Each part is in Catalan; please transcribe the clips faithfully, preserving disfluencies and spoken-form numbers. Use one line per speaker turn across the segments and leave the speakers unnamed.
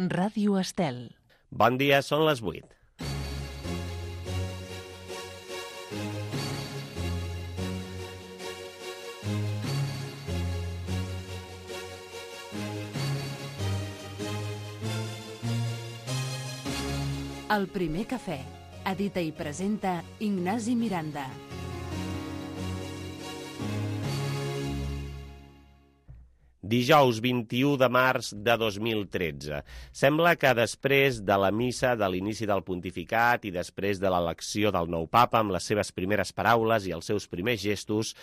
Ràdio Estel.
Bon dia, són les vuit.
El primer cafè. Edita i presenta Ignasi Miranda.
Dijous vint-i-u de març de dos mil tretze. Sembla que després de la missa de l'inici del pontificat i després de l'elecció del nou papa amb les seves primeres paraules i els seus primers gestos,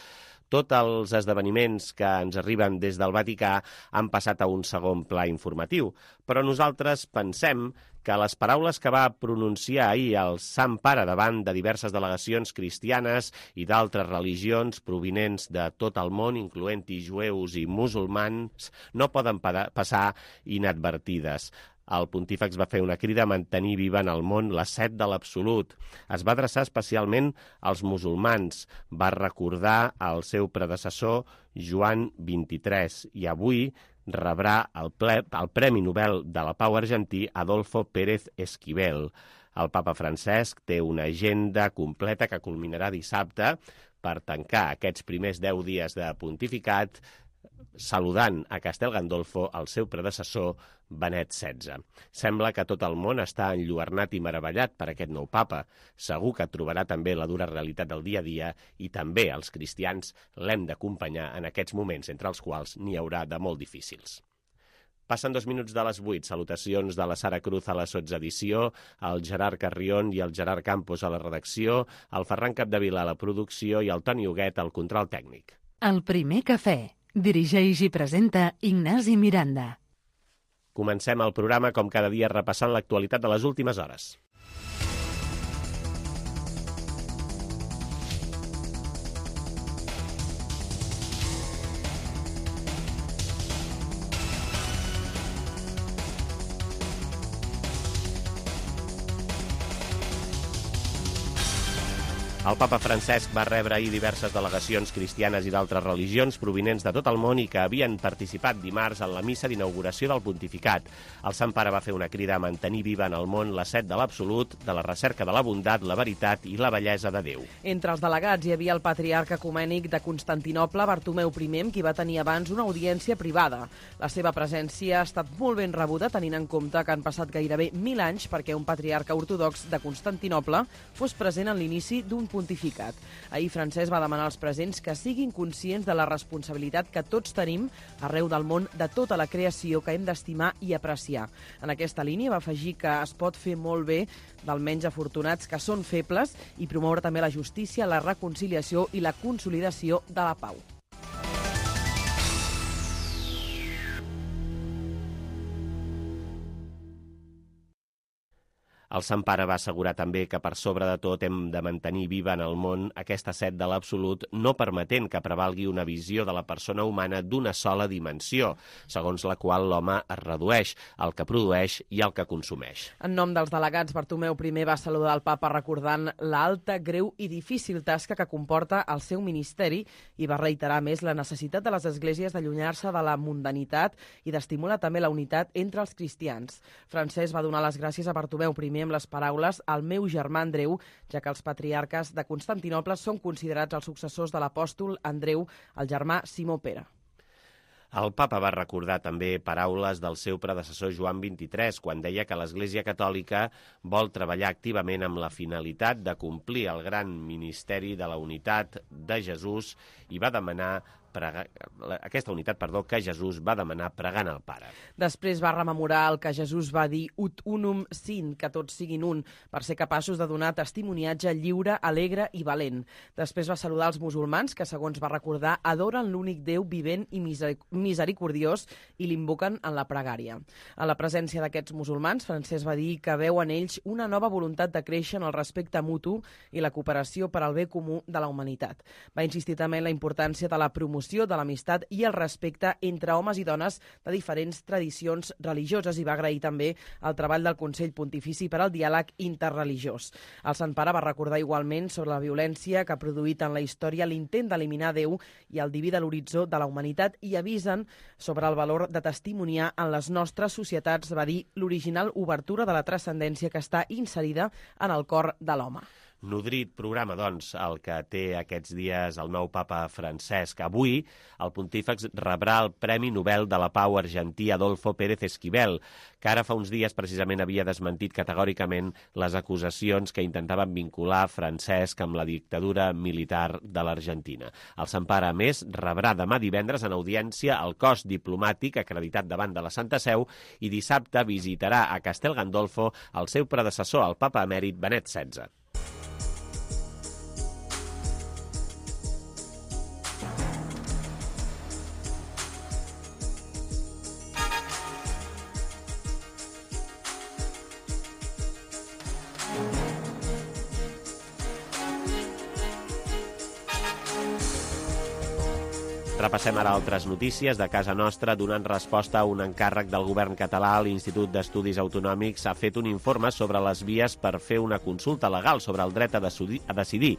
tots els esdeveniments que ens arriben des del Vaticà han passat a un segon pla informatiu. Però nosaltres pensem que les paraules que va pronunciar ahir el Sant Pare davant de diverses delegacions cristianes i d'altres religions provinents de tot el món, incloent-hi jueus i musulmans, no poden passar inadvertides. El pontífex va fer una crida a mantenir viva en el món la set de l'absolut. Es va adreçar especialment als musulmans. Va recordar el seu predecessor, Joan vint-i-tres, i avui rebrà el, ple, el Premi Nobel de la Pau argentí Adolfo Pérez Esquivel. El papa Francesc té una agenda completa que culminarà dissabte per tancar aquests primers deu dies de pontificat saludant a Castel Gandolfo el seu predecessor, Benet setze. Sembla que tot el món està enlluernat i meravellat per aquest nou papa. Segur que trobarà també la dura realitat del dia a dia i també els cristians l'hem d'acompanyar en aquests moments, entre els quals n'hi haurà de molt difícils. Passen dos minuts de les vuit. Salutacions de la Sara Cruz a la sotsedició, el Gerard Carrion i el Gerard Campos a la redacció, el Ferran Capdevila a la producció i el Toni Huguet al control tècnic.
El primer cafè. Dirigeix i presenta Ignasi Miranda.
Comencem el programa, com cada dia, repassant l'actualitat de les últimes hores. El papa Francesc va rebre ahir diverses delegacions cristianes i d'altres religions provinents de tot el món i que havien participat dimarts en la missa d'inauguració del pontificat. El Sant Pare va fer una crida a mantenir viva en el món la set de l'absolut, de la recerca de la bondat, la veritat i la bellesa de Déu.
Entre els delegats hi havia el patriarca ecumènic de Constantinoble, Bartomeu primer, amb qui va tenir abans una audiència privada. La seva presència ha estat molt ben rebuda, tenint en compte que han passat gairebé mil anys perquè un patriarca ortodox de Constantinople fos present en l'inici d'un pontificat. Ahir Francesc va demanar als presents que siguin conscients de la responsabilitat que tots tenim arreu del món de tota la creació que hem d'estimar i apreciar. En aquesta línia va afegir que es pot fer molt bé dels menys afortunats que són febles i promoure també la justícia, la reconciliació i la consolidació de la pau.
El Sant Pare va assegurar també que per sobre de tot hem de mantenir viva en el món aquesta set de l'absolut, no permetent que prevalgui una visió de la persona humana d'una sola dimensió, segons la qual l'home es redueix, el que produeix i el que consumeix.
En nom dels delegats, Bartomeu primer va saludar el papa recordant l'alta, greu i difícil tasca que comporta el seu ministeri i va reiterar més la necessitat de les esglésies d'allunyar-se de la mundanitat i d'estimular també la unitat entre els cristians. Francesc va donar les gràcies a Bartomeu primer amb les paraules «el meu germà Andreu», ja que els patriarques de Constantinoble són considerats els successors de l'apòstol Andreu, el germà Simó Pere.
El papa va recordar també paraules del seu predecessor Joan vint-i-tres, quan deia que l'Església Catòlica vol treballar activament amb la finalitat de complir el gran ministeri de la unitat de Jesús i va demanar Prega... aquesta unitat, perdó, que Jesús va demanar pregant al Pare.
Després va rememorar el que Jesús va dir ut unum sint, que tots siguin un, per ser capaços de donar testimoniatge lliure, alegre i valent. Després va saludar els musulmans, que, segons va recordar, adoren l'únic Déu vivent i misericordiós i l'invoquen en la pregària. En la presència d'aquests musulmans, Francesc va dir que veu en ells una nova voluntat de créixer en el respecte mutu i la cooperació per al bé comú de la humanitat. Va insistir també en la importància de la promoció promoció de l'amistat i el respecte entre homes i dones de diferents tradicions religioses i va agrair també el treball del Consell Pontifici per al Diàleg Interreligiós. El Sant Pare va recordar igualment sobre la violència que ha produït en la història l'intent d'eliminar Déu i el diví de l'horitzó de la humanitat i avisen sobre el valor de testimoniar en les nostres societats, va dir, l'original obertura de la transcendència que està inserida en el cor de l'home.
Nodrit programa, doncs, el que té aquests dies el nou papa Francesc. Avui, el pontífex rebrà el Premi Nobel de la Pau argentí Adolfo Pérez Esquivel, que ara fa uns dies precisament havia desmentit categòricament les acusacions que intentaven vincular Francesc amb la dictadura militar de l'Argentina. El Sant Pare, a més, rebrà demà divendres en audiència el cos diplomàtic acreditat davant de la Santa Seu i dissabte visitarà a Castel Gandolfo el seu predecessor, el papa emèrit Benet setze. Repassem ara altres notícies de casa nostra. Donant resposta a un encàrrec del govern català, l'Institut d'Estudis Autonòmics ha fet un informe sobre les vies per fer una consulta legal sobre el dret a decidir.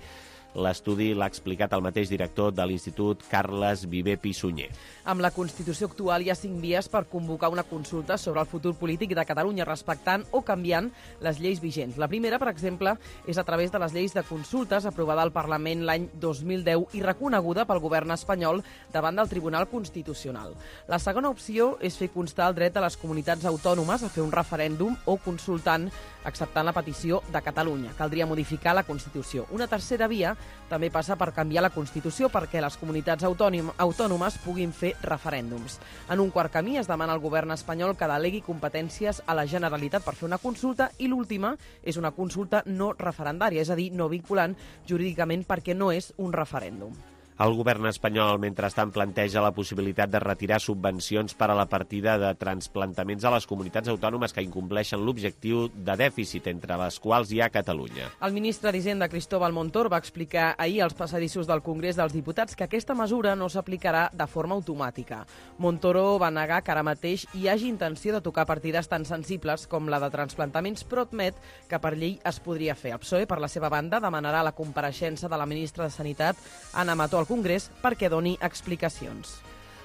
L'estudi l'ha explicat el mateix director de l'Institut, Carles Viver Pissunyer.
Amb la Constitució actual hi ha cinc vies per convocar una consulta sobre el futur polític de Catalunya, respectant o canviant les lleis vigents. La primera, per exemple, és a través de les lleis de consultes aprovada al Parlament l'any dos mil deu i reconeguda pel govern espanyol davant del Tribunal Constitucional. La segona opció és fer constar el dret a les comunitats autònomes a fer un referèndum o consultant acceptant la petició de Catalunya. Caldria modificar la Constitució. Una tercera via també passa per canviar la Constitució perquè les comunitats autònomes puguin fer referèndums. En un quart camí es demana al govern espanyol que delegui competències a la Generalitat per fer una consulta i l'última és una consulta no referendària, és a dir, no vinculant jurídicament perquè no és un referèndum.
El govern espanyol, mentrestant, planteja la possibilitat de retirar subvencions per a la partida de transplantaments a les comunitats autònomes que incompleixen l'objectiu de dèficit, entre les quals hi ha Catalunya.
El ministre d'Hisenda, Cristóbal Montoro, va explicar ahir als passadissos del Congrés dels Diputats que aquesta mesura no s'aplicarà de forma automàtica. Montoro va negar que ara mateix hi hagi intenció de tocar partides tan sensibles com la de transplantaments, però admet que per llei es podria fer. El P S O E, per la seva banda, demanarà la compareixença de la ministra de Sanitat, Ana Mató, al Congrés perquè doni explicacions.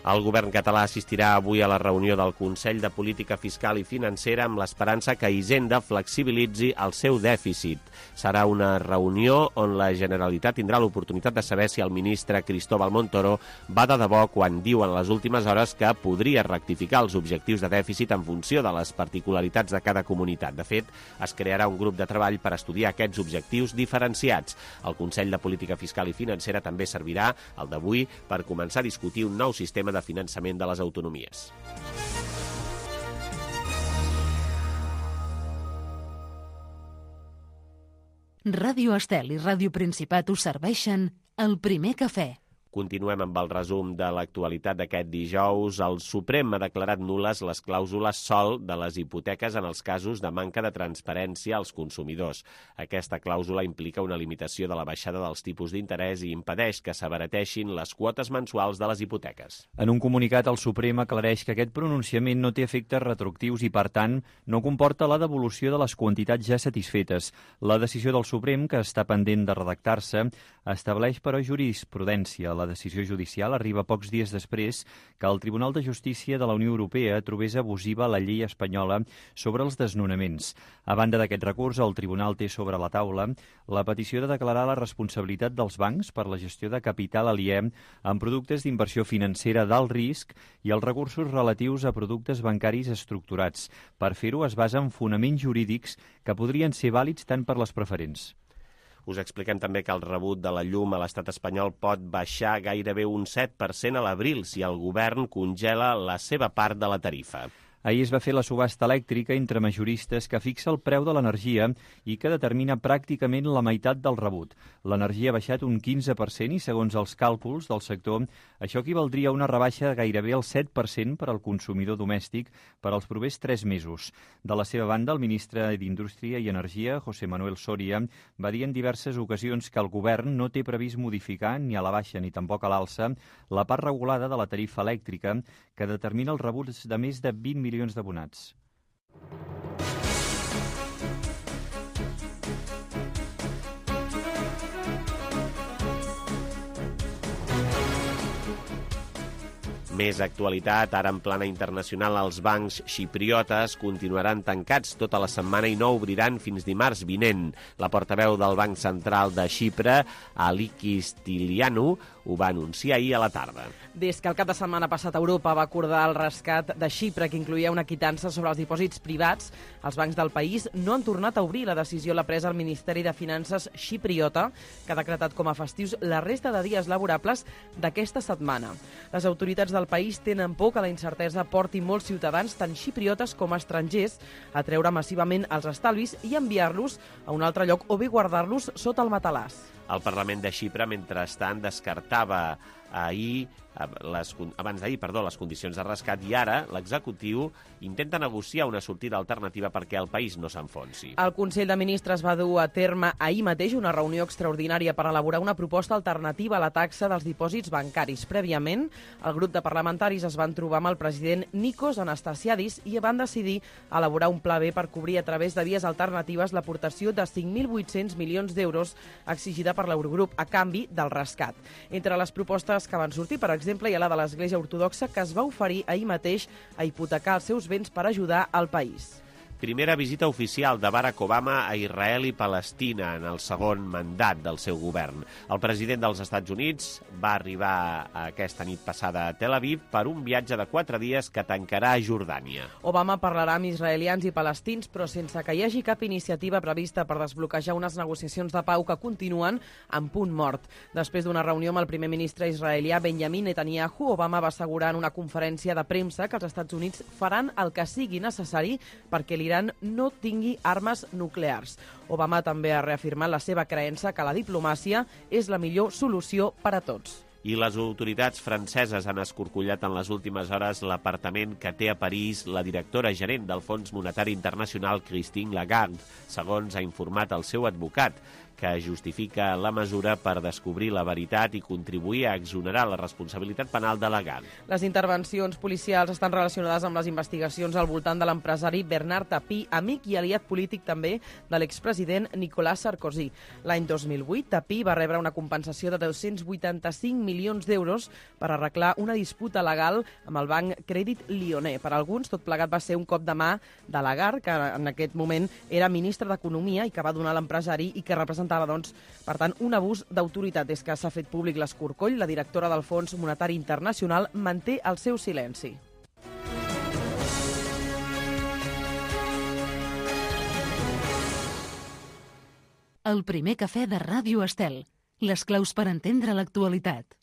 El govern català assistirà avui a la reunió del Consell de Política Fiscal i Financera amb l'esperança que Hisenda flexibilitzi el seu dèficit. Serà una reunió on la Generalitat tindrà l'oportunitat de saber si el ministre Cristóbal Montoro va de debò quan diu en les últimes hores que podria rectificar els objectius de dèficit en funció de les particularitats de cada comunitat. De fet, es crearà un grup de treball per estudiar aquests objectius diferenciats. El Consell de Política Fiscal i Financera també servirà, el d'avui, per començar a discutir un nou sistema de finançament de les autonomies.
Ràdio Estel i Ràdio Principat us serveixen el primer cafè.
Continuem amb el resum de l'actualitat d'aquest dijous. El Suprem ha declarat nul·les les clàusules sol de les hipoteques en els casos de manca de transparència als consumidors. Aquesta clàusula implica una limitació de la baixada dels tipus d'interès i impedeix que s'abarateixin les quotes mensuals de les hipoteques.
En un comunicat, el Suprem aclareix que aquest pronunciament no té efectes retroactius i, per tant, no comporta la devolució de les quantitats ja satisfetes. La decisió del Suprem, que està pendent de redactar-se, estableix, però, jurisprudència. La decisió judicial arriba pocs dies després que el Tribunal de Justícia de la Unió Europea trobés abusiva la llei espanyola sobre els desnonaments. A banda d'aquest recurs, el Tribunal té sobre la taula la petició de declarar la responsabilitat dels bancs per la gestió de capital aliè en productes d'inversió financera d'alt risc i els recursos relatius a productes bancaris estructurats. Per fer-ho es basa en fonaments jurídics que podrien ser vàlids tant per les preferents.
Us expliquem també que el rebut de la llum a l'estat espanyol pot baixar gairebé un set per cent a l'abril si el govern congela la seva part de la tarifa.
Ahir es va fer la subhasta elèctrica entre majoristes que fixa el preu de l'energia i que determina pràcticament la meitat del rebut. L'energia ha baixat un quinze per cent i, segons els càlculs del sector, això equivaldria a una rebaixa de gairebé el set per cent per al consumidor domèstic per als propers tres mesos. De la seva banda, el ministre d'Indústria i Energia, José Manuel Soria, va dir en diverses ocasions que el govern no té previst modificar ni a la baixa ni tampoc a l'alça la part regulada de la tarifa elèctrica que determina els rebuts de més de vint milions d'abonats.
Més actualitat, ara en plana internacional, els bancs xipriotes continuaran tancats tota la setmana i no obriran fins dimarts vinent. La portaveu del Banc Central de Xipre, Alikis Stilianou, ho va anunciar ahir a la tarda.
Des que el cap de setmana passat Europa va acordar el rescat de Xipre, que incluïa una quitança sobre els dipòsits privats, els bancs del país no han tornat a obrir. La decisió l'ha presa el Ministeri de Finances xipriota, que ha decretat com a festius la resta de dies laborables d'aquesta setmana. Les autoritats del país tenen por que la incertesa porti molts ciutadans, tant xipriotes com estrangers, a treure massivament els estalvis i enviar-los a un altre lloc o bé guardar-los sota el matalàs.
El Parlament de Xipre, mentrestant, descartava ahir, les, abans d'ahir, perdó, les condicions de rescat i ara l'executiu intenta negociar una sortida alternativa perquè el país no s'enfonsi.
El Consell de Ministres va dur a terme ahir mateix una reunió extraordinària per elaborar una proposta alternativa a la taxa dels dipòsits bancaris. Prèviament, el grup de parlamentaris es van trobar amb el president Nikos Anastasiadis i van decidir elaborar un pla B per cobrir a través de vies alternatives l'aportació de cinc mil vuit-cents milions d'euros exigida per l'Eurogrup a canvi del rescat. Entre les propostes que van sortir, per exemple, hi ha la de l'Església Ortodoxa, que es va oferir ahir mateix a hipotecar els seus béns per ajudar al país.
Primera visita oficial de Barack Obama a Israel i Palestina en el segon mandat del seu govern. El president dels Estats Units va arribar aquesta nit passada a Tel Aviv per un viatge de quatre dies que tancarà a Jordània.
Obama parlarà amb israelians i palestins, però sense que hi hagi cap iniciativa prevista per desbloquejar unes negociacions de pau que continuen en punt mort. Després d'una reunió amb el primer ministre israelià Benjamin Netanyahu, Obama va assegurar en una conferència de premsa que els Estats Units faran el que sigui necessari perquè l'Iran no tingui armes nuclears. Obama també ha reafirmat la seva creença que la diplomàcia és la millor solució per a tots.
I les autoritats franceses han escorcollat en les últimes hores l'apartament que té a París la directora gerent del Fons Monetari Internacional, Christine Lagarde, segons ha informat el seu advocat, que justifica la mesura per descobrir la veritat i contribuir a exonerar la responsabilitat penal de Lagarde.
Les intervencions policials estan relacionades amb les investigacions al voltant de l'empresari Bernard Tapie, amic i aliat polític també de l'expresident Nicolas Sarkozy. L'any dos mil vuit, Tapie va rebre una compensació de dos-cents vuitanta-cinc milions d'euros per arreglar una disputa legal amb el banc Crèdit Lyonnais. Per alguns, tot plegat va ser un cop de mà de Lagarde, que en aquest moment era ministre d'Economia i que va donar a l'empresari i que representava doncs, per tant, un abús d'autoritat. Des que s'ha fet públic l'escorcoll, la directora del Fons Monetari Internacional manté el seu silenci.
El primer cafè de Ràdio Estel. Les claus per entendre l'actualitat.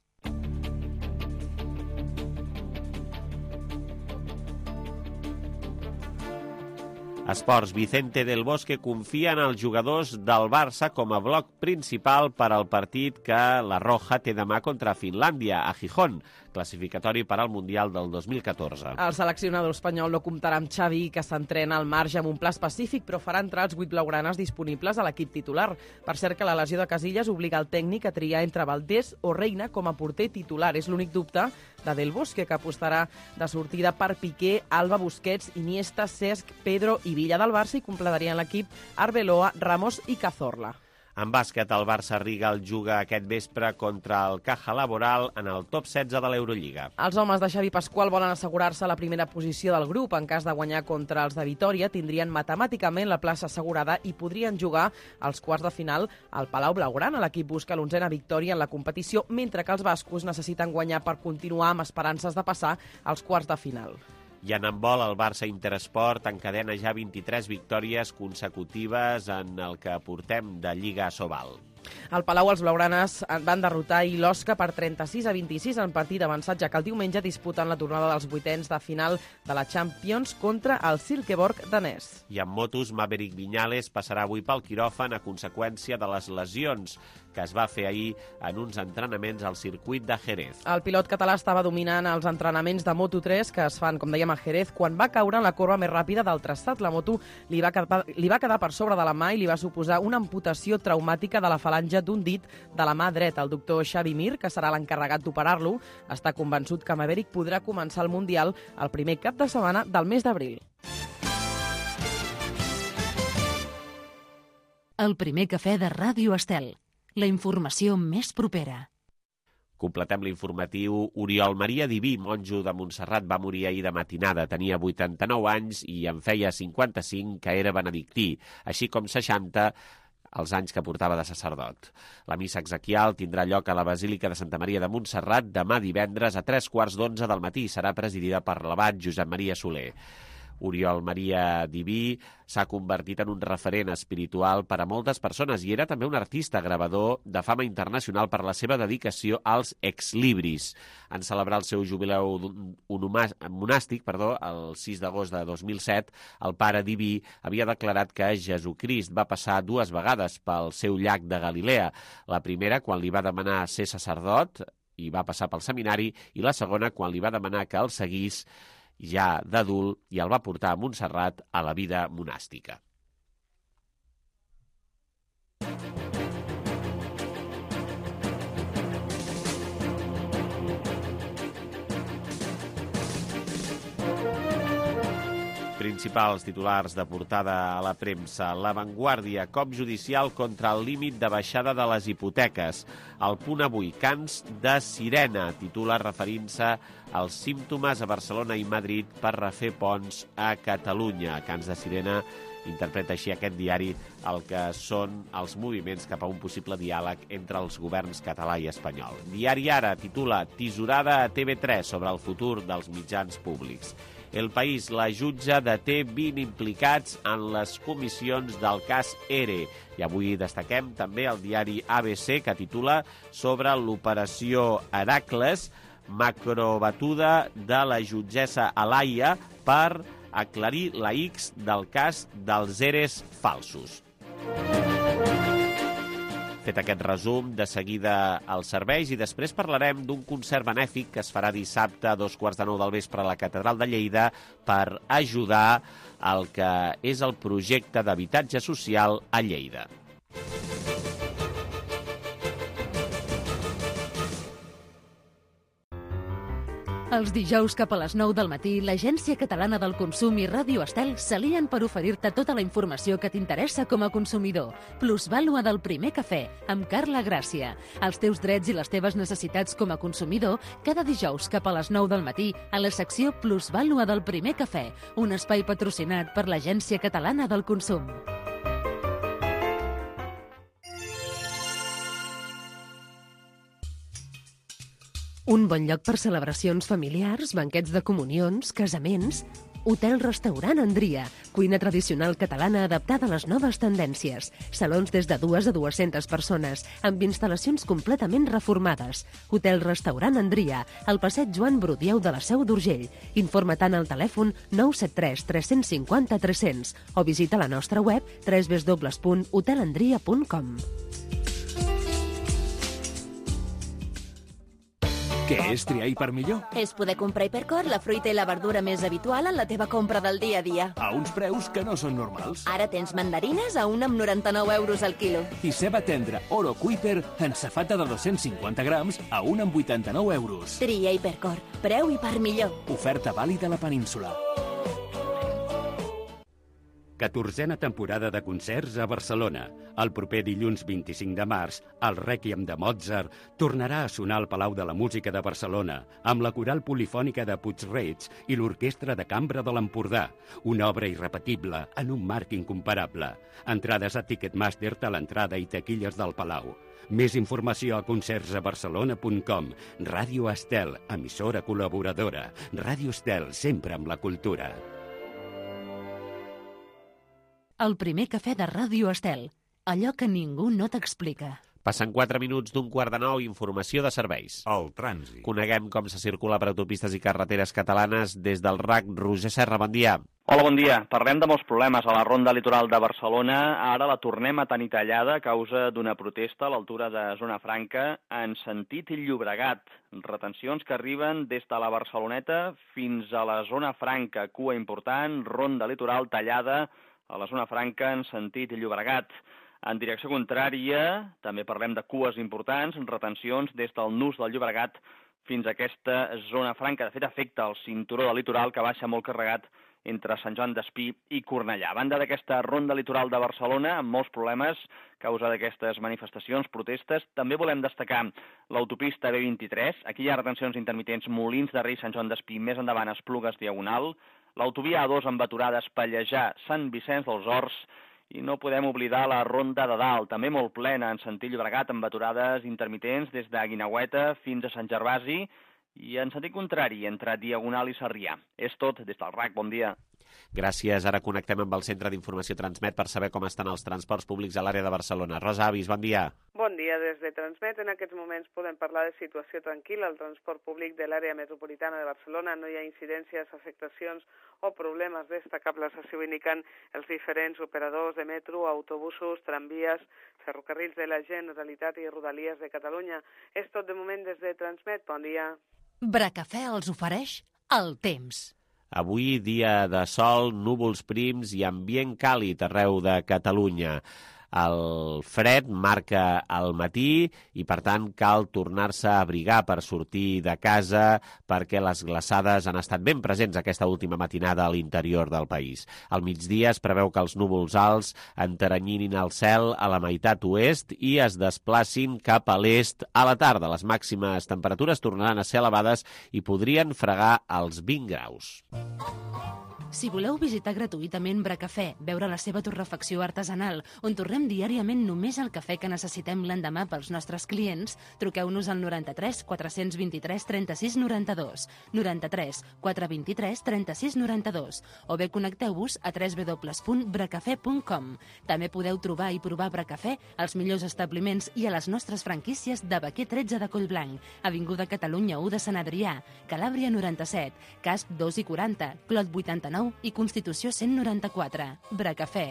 Esports. Vicente del Bosque confia en els jugadors del Barça com a bloc principal per al partit que la Roja té demà contra Finlàndia, a Gijón, classificatori per al Mundial del dos mil catorze.
El seleccionador espanyol no comptarà amb Xavi, que s'entrena al marge amb un pla específic, però farà entrar els vuit blaugranes disponibles a l'equip titular. Per cert que la lesió de Casillas obliga el tècnic a triar entre Valdés o Reina com a porter titular. És l'únic dubte de Del Bosque, que apostarà de sortida per Piqué, Alba, Busquets, Iniesta, Cesc, Pedro i Villa del Barça, i completarien l'equip Arbeloa, Ramos i Cazorla.
En bàsquet, el Barça Rigal juga aquest vespre contra el Caja Laboral en el top setze de l'Eurolliga.
Els homes de Xavi Pasqual volen assegurar-se la primera posició del grup. En cas de guanyar contra els de Vitòria, tindrien matemàticament la plaça assegurada i podrien jugar als quarts de final al Palau Blaugrana. L'equip busca l'onzena victòria en la competició, mentre que els bascos necessiten guanyar per continuar amb esperances de passar als quarts de final.
I en handbol, el Barça Interesport encadena ja vint-i-tres victòries consecutives en el que portem de Lliga Sobal.
Al Palau, els blaugranes van derrotar l'Osca per trenta-sis a vint-i-sis en partit avançat, ja que el diumenge disputen la tornada dels vuitens de final de la Champions contra el Silkeborg danès.
I en motos, Maverick Viñales passarà avui pel quiròfan a conseqüència de les lesions que es va fer ahir en uns entrenaments al circuit de Jerez.
El pilot català estava dominant els entrenaments de Moto tres que es fan, com dèiem, a Jerez, quan va caure en la corba més ràpida del traçat. La moto li va quedar, li va quedar per sobre de la mà i li va suposar una amputació traumàtica de la falange d'un dit de la mà dreta. El doctor Xavi Mir, que serà l'encarregat d'operar-lo, està convençut que Maverick podrà començar el Mundial el primer cap de setmana del mes d'abril.
El primer cafè de Ràdio Estel. La informació més propera.
Completem l'informatiu. Oriol Maria Diví, monjo de Montserrat, va morir ahir de matinada. Tenia vuitanta-nou anys i en feia cinquanta-cinc que era benedictí, així com seixanta els anys que portava de sacerdot. La missa exequial tindrà lloc a la Basílica de Santa Maria de Montserrat demà divendres a tres quarts d'onze del matí. Serà presidida per l'abat Josep Maria Soler. Oriol Maria Diví s'ha convertit en un referent espiritual per a moltes persones i era també un artista gravador de fama internacional per la seva dedicació als exlibris. En celebrar el seu jubileu monàstic, perdó, el sis d'agost de dos mil set, el pare Diví havia declarat que Jesucrist va passar dues vegades pel seu llac de Galilea. La primera, quan li va demanar ser sacerdot i va passar pel seminari, i la segona, quan li va demanar que el seguís ja d'adult i el va portar a Montserrat a la vida monàstica. Principals titulars de portada a la premsa. La Vanguardia, cop judicial contra el límit de baixada de les hipoteques. El Punt Avui, cants de sirena, titula referint-se als símptomes a Barcelona i Madrid per refer ponts a Catalunya. Cants de sirena interpreta així aquest diari el que són els moviments cap a un possible diàleg entre els governs català i espanyol. Diari Ara titula Tisorada a T V tres sobre el futur dels mitjans públics. El País, la jutge deté vint implicats en les comissions del cas E R E. I avui destaquem també el diari A B C, que titula sobre l'operació Heracles, macrobatuda de la jutgessa Alaia per aclarir la X del cas dels E R Es falsos. Fet aquest resum, de seguida als serveis i després parlarem d'un concert benèfic que es farà dissabte a dos quarts de nou del vespre a la Catedral de Lleida per ajudar al que és el projecte d'habitatge social a Lleida.
Els dijous cap a les nou del matí, l'Agència Catalana del Consum i Ràdio Estel s'alien per oferir-te tota la informació que t'interessa com a consumidor. Plusvàlua del primer cafè, amb Carla Gràcia. Els teus drets i les teves necessitats com a consumidor, cada dijous cap a les nou del matí, a la secció Plusvàlua del primer cafè, un espai patrocinat per l'Agència Catalana del Consum. Un bon lloc per celebracions familiars, banquets de comunions, casaments... Hotel-restaurant Andria, cuina tradicional catalana adaptada a les noves tendències. Salons des de dues a dues-centes persones, amb instal·lacions completament reformades. Hotel-restaurant Andria, al passeig Joan Brudieu de la Seu d'Urgell. Informa tant al telèfon nou set tres tres cinc zero tres zero zero o visita la nostra web w w w punt hotel andria punt com.
Què és triar Hiper millor?
És poder comprar Hipercor la fruita i la verdura més habitual en la teva compra del dia a dia.
A uns preus que no són normals.
Ara tens mandarines a un amb noranta-nou euros al quilo.
I ceba tendra Oro Kuiper en safata de dos-cents cinquanta grams a un amb vuitanta-nou euros.
Tria Hipercor. Preu Hiper millor.
Oferta vàlida a la península.
catorzena temporada de concerts a Barcelona. El proper dilluns vint-i-cinc de març, el Rèquiem de Mozart tornarà a sonar al Palau de la Música de Barcelona amb la coral polifònica de Puig-reig i l'Orquestra de Cambra de l'Empordà. Una obra irrepetible en un marc incomparable. Entrades a Ticketmaster, a l'entrada i taquilles del Palau. Més informació a concerts a barcelona punt com. Ràdio Estel, emissora col·laboradora. Ràdio Estel, sempre amb la cultura.
El primer cafè de Ràdio Estel. Allò que ningú no t'explica.
Passen quatre minuts d'un quart de nou, informació de serveis.
El trànsit.
Coneguem com se circula per autopistes i carreteres catalanes des del R A C. Roger Serra, bon dia.
Hola, bon dia. Parlem de molts problemes a la ronda litoral de Barcelona. Ara la tornem a tenir tallada a causa d'una protesta a l'altura de Zona Franca en sentit Llobregat. Retencions que arriben des de la Barceloneta fins a la Zona Franca. Cua important, ronda litoral tallada a la Zona Franca en sentit Llobregat. En direcció contrària, també parlem de cues importants, retencions des del nus del Llobregat fins a aquesta Zona Franca. De fet, afecta el cinturó del litoral que baixa molt carregat entre Sant Joan d'Espí i Cornellà. A banda d'aquesta ronda litoral de Barcelona, amb molts problemes a causa d'aquestes manifestacions, protestes, també volem destacar l'autopista B vint-i-tres. Aquí hi ha retencions intermitents Molins de Rei, Sant Joan d'Espí, més endavant Esplugues Diagonal. L'autovia A dos amb aturades Pallejà, Sant Vicenç dels Horts. I no podem oblidar la ronda de dalt, també molt plena en sentit Llobregat, amb aturades intermitents des de Guineueta fins a Sant Gervasi i en sentit contrari, entre Diagonal i Sarrià. És tot des del R A C. Bon dia.
Gràcies. Ara connectem amb el Centre d'Informació Transmet per saber com estan els transports públics a l'àrea de Barcelona. Rosa Avis, bon dia.
Bon dia. Des de Transmet, en aquests moments podem parlar de situació tranquil·la al transport públic de l'àrea metropolitana de Barcelona. No hi ha incidències, afectacions o problemes destacables, així ho indiquen els diferents operadors de metro, autobusos, tramvies, ferrocarrils de la Generalitat i Rodalies de Catalunya. És tot de moment des de Transmet. Bon dia.
Bracafè els ofereix el temps.
Avui, dia de sol, núvols prims i ambient càlid arreu de Catalunya. El fred marca el matí i, per tant, cal tornar-se a abrigar per sortir de casa perquè les glaçades han estat ben presents aquesta última matinada a l'interior del país. Al migdia es preveu que els núvols alts enteranyinin el cel a la meitat oest i es desplacin cap a l'est a la tarda. Les màximes temperatures tornaran a ser elevades i podrien fregar els vint graus.
Si voleu visitar gratuïtament Bracafè, veure la seva torrefacció artesanal, on tornem diàriament només el cafè que necessitem l'endemà pels nostres clients, truqueu-nos al noranta-tres quatre vint-i-tres trenta-sis noranta-dos, noranta-tres quatre vint-i-tres trenta-sis noranta-dos, o bé connecteu-vos a w w w punt bracafè punt com. També podeu trobar i provar Bracafè als millors establiments i a les nostres franquícies de Baquer tretze de Collblanc, Avinguda Catalunya u de Sant Adrià, Calàbria noranta-set, Casp dos i quaranta, Clot vuitanta-nou i Constitució cent noranta-quatre. Bracafè.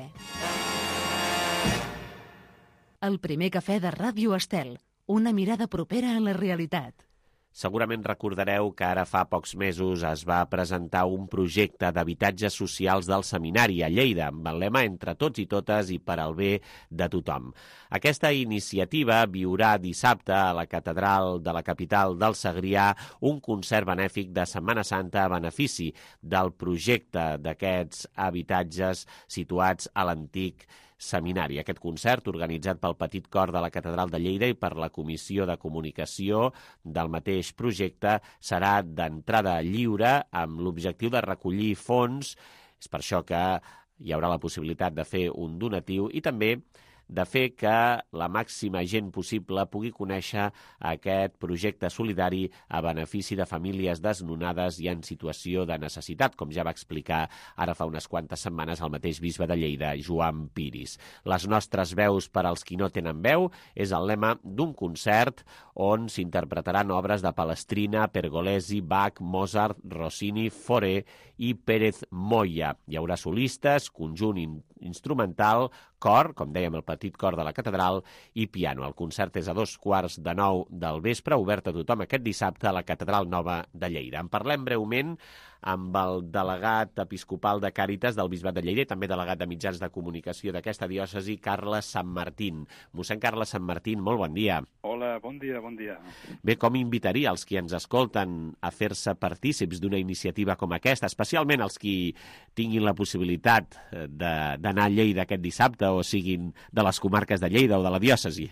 El primer cafè de Ràdio Estel. Una mirada propera a la realitat.
Segurament recordareu que ara fa pocs mesos es va presentar un projecte d'habitatges socials del seminari a Lleida, amb el lema entre tots i totes i per al bé de tothom. Aquesta iniciativa viurà dissabte a la catedral de la capital del Segrià un concert benèfic de Setmana Santa a benefici del projecte d'aquests habitatges situats a l'antic seminari. Aquest concert, organitzat pel Petit Cor de la Catedral de Lleida i per la Comissió de Comunicació del mateix projecte, serà d'entrada lliure amb l'objectiu de recollir fons. És per això que hi haurà la possibilitat de fer un donatiu i també de fer que la màxima gent possible pugui conèixer aquest projecte solidari a benefici de famílies desnonades i en situació de necessitat, com ja va explicar ara fa unes quantes setmanes el mateix bisbe de Lleida, Joan Piris. Les nostres veus per als qui no tenen veu és el lema d'un concert on s'interpretaran obres de Palestrina, Pergolesi, Bach, Mozart, Rossini, Fauré i Pérez Moya. Hi haurà solistes, conjunt instrumental, cor, com dèiem, el Petit Cor de la Catedral, i piano. El concert és a dos quarts de nou del vespre, obert a tothom aquest dissabte a la Catedral Nova de Lleida. En parlem breument amb el delegat episcopal de Càritas del Bisbat de Lleida i també delegat de mitjans de comunicació d'aquesta diòcesi, Carles Santmartín. Mossèn Carles Santmartín, molt bon dia.
Hola, bon dia, bon dia.
Bé, com invitaria els qui ens escolten a fer-se partícips d'una iniciativa com aquesta, especialment els qui tinguin la possibilitat d'anar a Lleida aquest dissabte o siguin de les comarques de Lleida o de la diòcesi?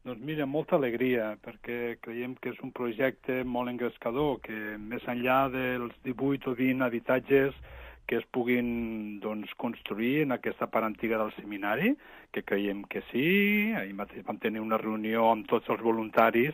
Doncs mira, molta alegria, perquè creiem que és un projecte molt engrescador, que més enllà dels divuit o vint habitatges que es puguin doncs, construir en aquesta part antiga del seminari, que creiem que sí. Ahir mateix vam tenir una reunió amb tots els voluntaris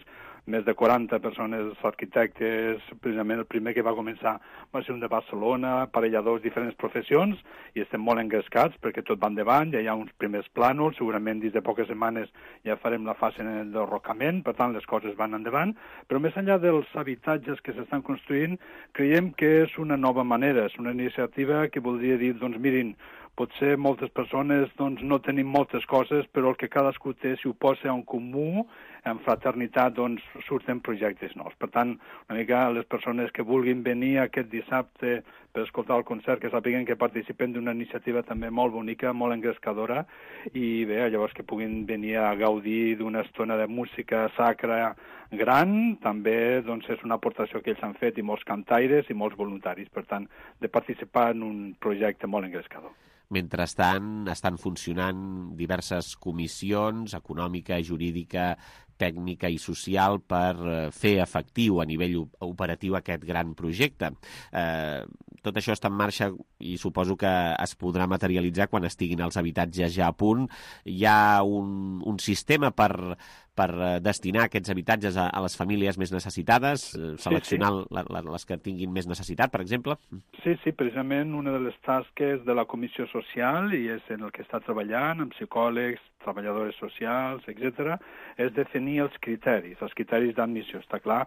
més de quaranta persones arquitectes. Precisament el primer que va començar va ser un de Barcelona, parelladors, diferents professions, i estem molt engrescats perquè tot va endavant, ja hi ha uns primers plànols, segurament dins de poques setmanes ja farem la fase d'enrocament, per tant les coses van endavant, però més enllà dels habitatges que s'estan construint, creiem que és una nova manera, és una iniciativa que voldria dir, doncs mirin, potser moltes persones doncs, no tenim moltes coses, però el que cadascú té, si ho posa en comú, en fraternitat, doncs surten projectes nous. Per tant, una mica les persones que vulguin venir aquest dissabte per escoltar el concert, que sàpiguen que participen d'una iniciativa també molt bonica, molt engrescadora, i bé, llavors que puguin venir a gaudir d'una estona de música sacra gran, també doncs, és una aportació que ells han fet, i molts cantaires i molts voluntaris, per tant, de participar en un projecte molt engrescador.
Mentrestant, estan funcionant diverses comissions, econòmica, jurídica, tècnica i social, per fer efectiu a nivell operatiu aquest gran projecte. Eh, tot això està en marxa i suposo que es podrà materialitzar quan estiguin els habitatges ja a punt. Hi ha un, un sistema per, per destinar aquests habitatges a, a les famílies més necessitades, seleccionar sí, sí. La, la, les que tinguin més necessitat, per exemple?
Sí, sí, precisament una de les tasques de la Comissió Social, i és en el que està treballant, amb psicòlegs, treballadores socials, etcètera, és definir els criteris, els criteris d'admissió. Està clar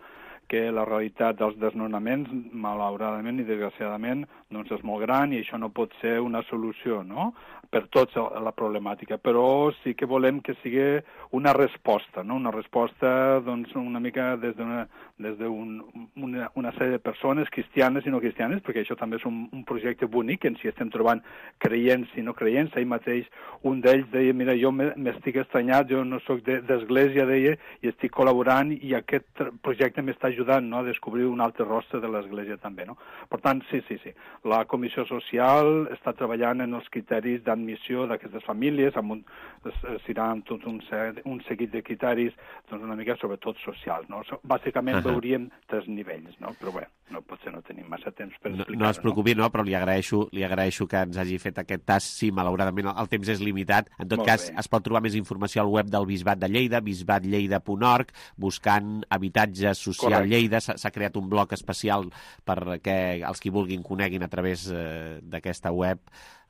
que la realitat dels desnonaments, malauradament i desgraciadament, doncs és molt gran i això no pot ser una solució, no?, per tota la problemàtica, però sí que volem que sigui una resposta, no?, una resposta doncs una mica des d'una des d'un, una, una sèrie de persones cristianes i no cristianes, perquè això també és un, un projecte bonic en si estem trobant creients i no creients. Ahir mateix un d'ells deia, mira, jo m'estic estranyat, jo no soc d'església, deia, i estic col·laborant i aquest projecte m'està ajudant, no?, a descobrir un altre rostre de l'església també, no? Per tant, sí, sí, sí. La Comissió Social està treballant en els criteris d'admissió d'aquestes famílies, amb un, seran tot un, un seguit de criteris, doncs una mica sobretot socials, no? Bàsicament uh -huh. veuríem tres nivells, no? Però bé, no, potser no tenim massa temps per explicar-ho.
No, no es preocupi, no, però li agraeixo, li agraeixo que ens hagi fet aquest tast. Sí, malauradament el temps és limitat. En tot Molt cas, bé. Es pot trobar més informació al web del Bisbat de Lleida, bisbat lleida punt org, buscant habitatge social Correcte. Lleida. S'ha creat un bloc especial perquè els qui vulguin coneguin a través eh, d'aquesta web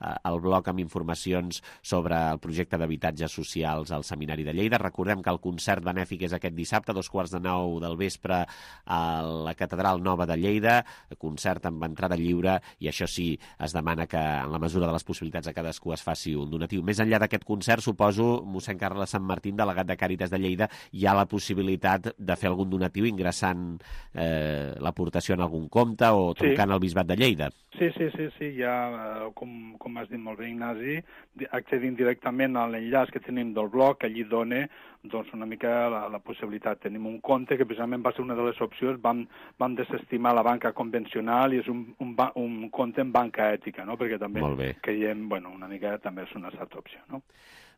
eh, el bloc amb informacions sobre el projecte d'habitatges socials al Seminari de Lleida. Recordem que el concert benèfic és aquest dissabte, a dos quarts de nou del vespre, a la Catedral Nova de Lleida, concert amb entrada lliure, i això sí, es demana que en la mesura de les possibilitats de cadascú es faci un donatiu. Més enllà d'aquest concert, suposo, mossèn Carles Sant Martín, delegat de Càritas de Lleida, hi ha la possibilitat de fer algun donatiu ingressant eh, l'aportació en algun compte o trucant sí. al Bisbat de Lleida.
Sí, sí, sí, sí, ja, com, com has dit molt bé, Ignasi, accedint directament a l'enllaç que tenim del blog, allí dona doncs, una mica la, la possibilitat. Tenim un compte que precisament va ser una de les opcions, vam, vam desestimar la banca convencional i és un, un, un compte en banca ètica, no?, perquè també creiem, bueno, una mica també és una certa opció, no?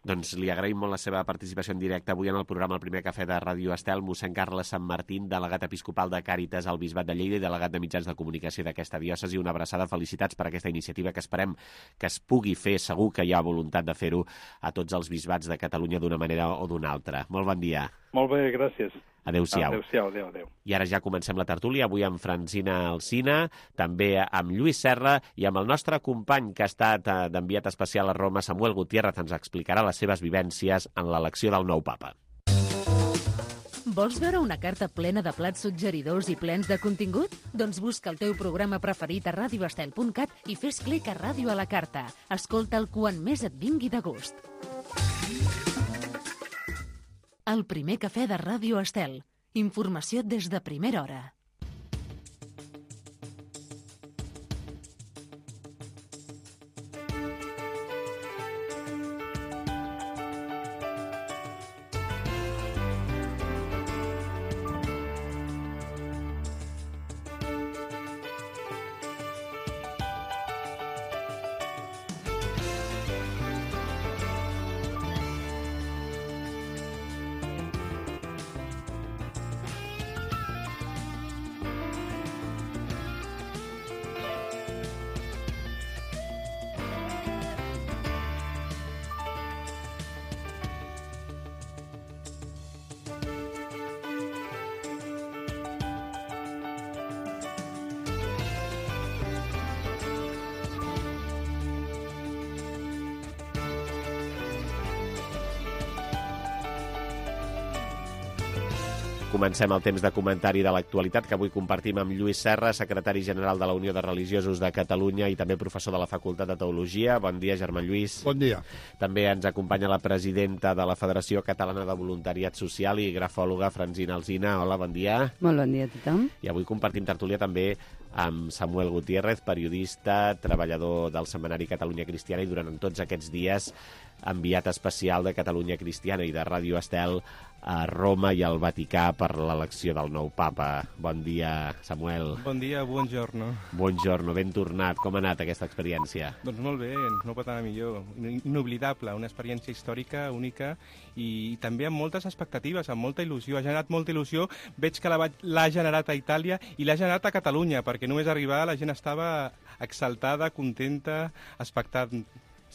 Doncs li agraïm molt la seva participació en directe avui en el programa El Primer Cafè de Ràdio Estel, mossèn Carles Sant Martín, delegat episcopal de Càritas al Bisbat de Lleida i delegat de mitjans de comunicació d'aquesta diòcesi. Una abraçada, felicitats per aquesta iniciativa que esperem que es pugui fer. Segur que hi ha voluntat de fer-ho a tots els bisbats de Catalunya d'una manera o d'una altra. Molt bon dia.
Molt bé, gràcies.
Adéu-siau.
Adéu-siau, adéu, adéu.
I ara ja comencem la tertúlia, avui amb Francina Alsina, també amb Lluís Serra i amb el nostre company que ha estat d'enviat especial a Roma, Samuel Gutiérrez, ens explicarà les seves vivències en l'elecció del nou papa.
Vols veure una carta plena de plats suggeridors i plens de contingut? Doncs busca el teu programa preferit a radio estel punt cat i fes clic a Ràdio a la Carta. Escolta'l quan més et vingui de gust. El primer cafè de Ràdio Estel. Informació des de primera hora.
Comencem el temps de comentari de l'actualitat que avui compartim amb Lluís Serra, secretari general de la Unió de Religiosos de Catalunya i també professor de la Facultat de Teologia. Bon dia, germà Lluís.
Bon dia.
També ens acompanya la presidenta de la Federació Catalana de Voluntariat Social i grafòloga Francina Alsina. Hola, bon dia.
Molt bon dia a tothom.
I avui compartim tertúlia també amb Samuel Gutiérrez, periodista, treballador del Setmanari Catalunya Cristiana i durant tots aquests dies enviat especial de Catalunya Cristiana i de Ràdio Estel a Roma i al Vaticà per l'elecció del nou papa. Bon dia, Samuel.
Bon dia, buongiorno.
Buongiorno, ben tornat. Com ha anat aquesta experiència?
Doncs molt bé, no pot anar millor. Inoblidable, una experiència històrica, única i, i també amb moltes expectatives, amb molta il·lusió. Ha generat molta il·lusió. Veig que l'ha generat a Itàlia i l'ha generat a Catalunya, perquè només arribar la gent estava exaltada, contenta, expectant.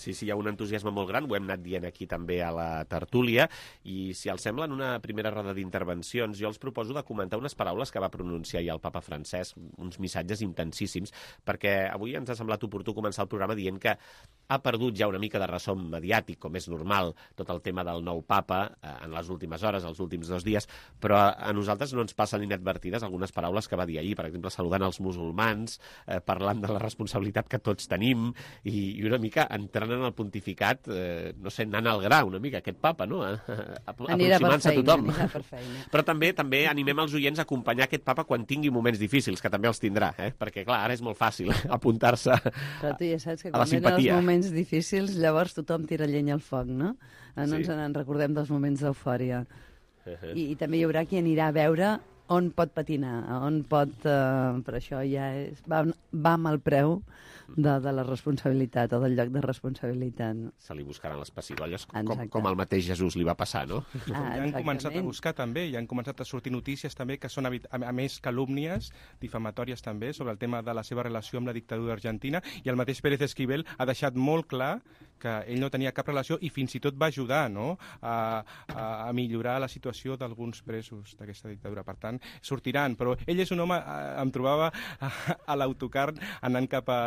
Sí, sí, hi ha un entusiasme molt gran, ho hem anat dient aquí també a la tertúlia, i si els sembla, en una primera roda d'intervencions, jo els proposo de comentar unes paraules que va pronunciar ahir el papa Francesc, uns missatges intensíssims, perquè avui ens ha semblat oportú començar el programa dient que ha perdut ja una mica de ressò mediàtic, com és normal, tot el tema del nou papa eh, en les últimes hores, els últims dos dies, però a, a nosaltres no ens passen inadvertides algunes paraules que va dir ahir, per exemple, saludant els musulmans, eh, parlant de la responsabilitat que tots tenim, i, i una mica entrant en el pontificat, eh, no sé, anant al gra una mica, aquest papa, no? Aproximant-se a tothom.
Per feina.
Però també també animem els oients a acompanyar aquest papa quan tingui moments difícils, que també els tindrà, eh? Perquè, clar, ara és molt fàcil apuntar-se
Però tu ja saps que
a la
quan venen
simpatia.
els moments difícils, llavors tothom tira llenya al foc, no? No
Sí.
ens en recordem dels moments d'eufòria.
Uh-huh.
I, I també hi haurà qui anirà a veure on pot patinar, on pot... Eh, per això ja és, va, va amb el preu de, de la responsabilitat o del lloc de responsabilitat. No?
Se li buscaran les pessigolles, com,
Exacte.
com al mateix Jesús li va passar, no?
Ah,
ja han començat a
exactament.
buscar també, ja han començat a sortir notícies també que són, a, a més, calúmnies difamatòries també sobre el tema de la seva relació amb la dictadura argentina, i el mateix Pérez Esquivel ha deixat molt clar que ell no tenia cap relació i fins i tot va ajudar, no?, a, a, a millorar la situació d'alguns presos d'aquesta dictadura. Per tant, sortiran, però ell és un home, em trobava a, a l'autocar anant cap a,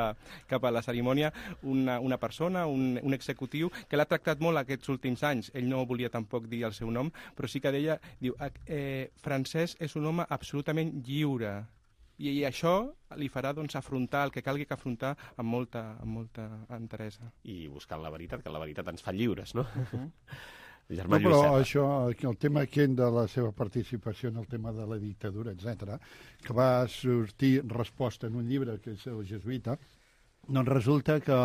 cap a la cerimònia, una, una persona, un, un executiu, que l'ha tractat molt aquests últims anys. Ell no volia tampoc dir el seu nom, però sí que deia, diu, eh, Francesc és un home absolutament lliure, i, i això li farà doncs, afrontar el que calgui que afrontar amb molta, amb molta enteresa.
I buscant la veritat, que la veritat ens fa lliures, no?
Uh-huh.
Germà
No,
Lluís
però
Serra.
això, el tema aquest de la seva participació en el tema de la dictadura, etcètera, que va sortir resposta en un llibre que és el jesuïta, doncs resulta que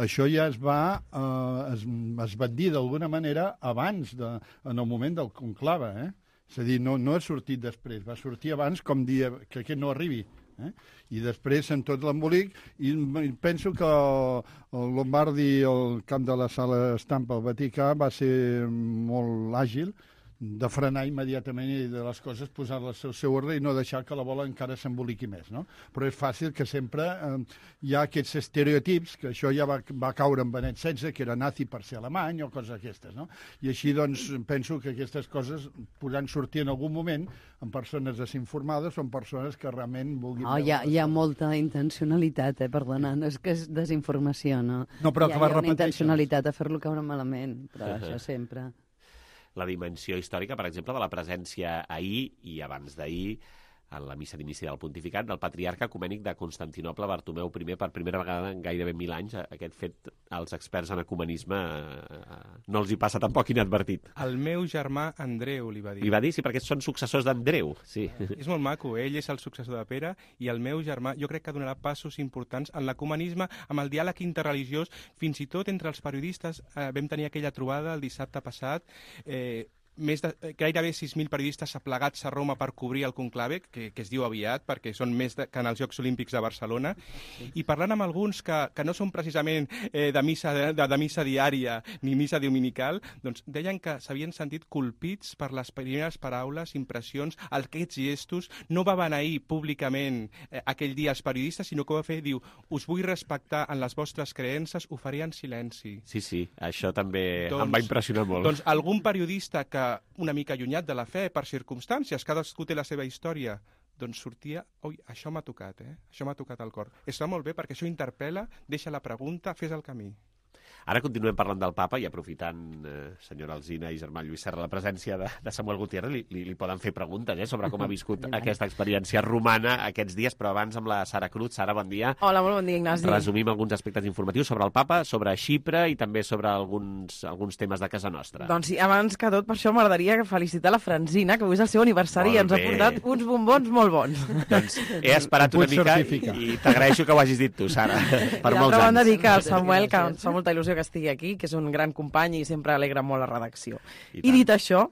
això ja es va, eh, es, es va dir d'alguna manera abans, de, en el moment del conclave, eh? És a dir, no, no ha sortit després, va sortir abans com dir que aquest no arribi. Eh? I després en tot l'embolic, i penso que el, el Lombardi, el camp de la sala estampa al Vaticà, va ser molt àgil de frenar immediatament i de les coses posar-les al seu ordre i no deixar que la bola encara s'emboliqui més, no? Però és fàcil que sempre eh, hi ha aquests estereotips, que això ja va, va caure en Benet setze, que era nazi per ser alemany o coses aquestes, no? I així, doncs, penso que aquestes coses podran sortir en algun moment en persones desinformades o en persones que realment vulguin...
No, hi ha, hi ha molta intencionalitat, eh? Perdona, no és que és desinformació, no?
No, però
hi ha,
que va
hi ha una
repeteixen.
intencionalitat a fer-lo caure malament, però
Uh-huh.
això sempre...
La dimensió històrica, per exemple, de la presència ahir i abans d'ahir en la missa d'inici del pontificat del patriarca ecumènic de Constantinoble, Bartomeu I, per primera vegada en gairebé mil anys. Aquest fet als experts en ecumenisme eh, no els hi passa tampoc inadvertit.
El meu germà Andreu li va dir.
Li va dir, sí, perquè són successors d'Andreu. Sí.
És molt maco, ell és el successor de Pere i el meu germà jo crec que donarà passos importants en l'ecumenisme, amb el diàleg interreligiós, fins i tot entre els periodistes. Eh, vam tenir aquella trobada el dissabte passat, eh, més de, gairebé sis mil periodistes aplegats a Roma per cobrir el conclave, que, que es diu aviat, perquè són més de, que en els Jocs Olímpics de Barcelona, i parlant amb alguns que, que no són precisament eh, de, missa, de, de missa diària ni missa dominical, doncs deien que s'havien sentit colpits per les primeres paraules, impressions, aquests gestos. No va beneir públicament eh, aquell dia als periodistes, sinó que ho va fer, diu, us vull respectar en les vostres creences, ho faré en silenci.
Sí, sí, això també
doncs,
em va impressionar molt.
Doncs algun periodista que una mica allunyat de la fe per circumstàncies, cadascú té la seva història, doncs sortia, oi, això m'ha tocat, eh? Això m'ha tocat al cor. Està molt bé perquè això interpel·la, deixa la pregunta, fes el camí.
Ara continuem parlant del papa i aprofitant, eh, senyora Alsina i germà Lluís Serra, la presència de, de Samuel Gutiérrez, li, li, li poden fer preguntes eh, sobre com ha viscut aquesta experiència romana aquests dies, però abans amb la Sara Cruz. Sara, bon dia.
Hola, molt bon dia, Ignasi.
Resumim alguns aspectes informatius sobre el papa, sobre Xipre i també sobre alguns, alguns temes de casa nostra.
Doncs sí, abans que tot, per això m'agradaria felicitar la Francina, que avui és el seu aniversari i ens ha portat uns bombons molt bons.
Doncs he esperat una mica i t'agraeixo que ho hagis dit tu, Sara, per molts anys.
D'altra dir que el Samuel, que ens fa molta il·lusió que estigui aquí, que és un gran company i sempre alegra molt la redacció. I, I dit això,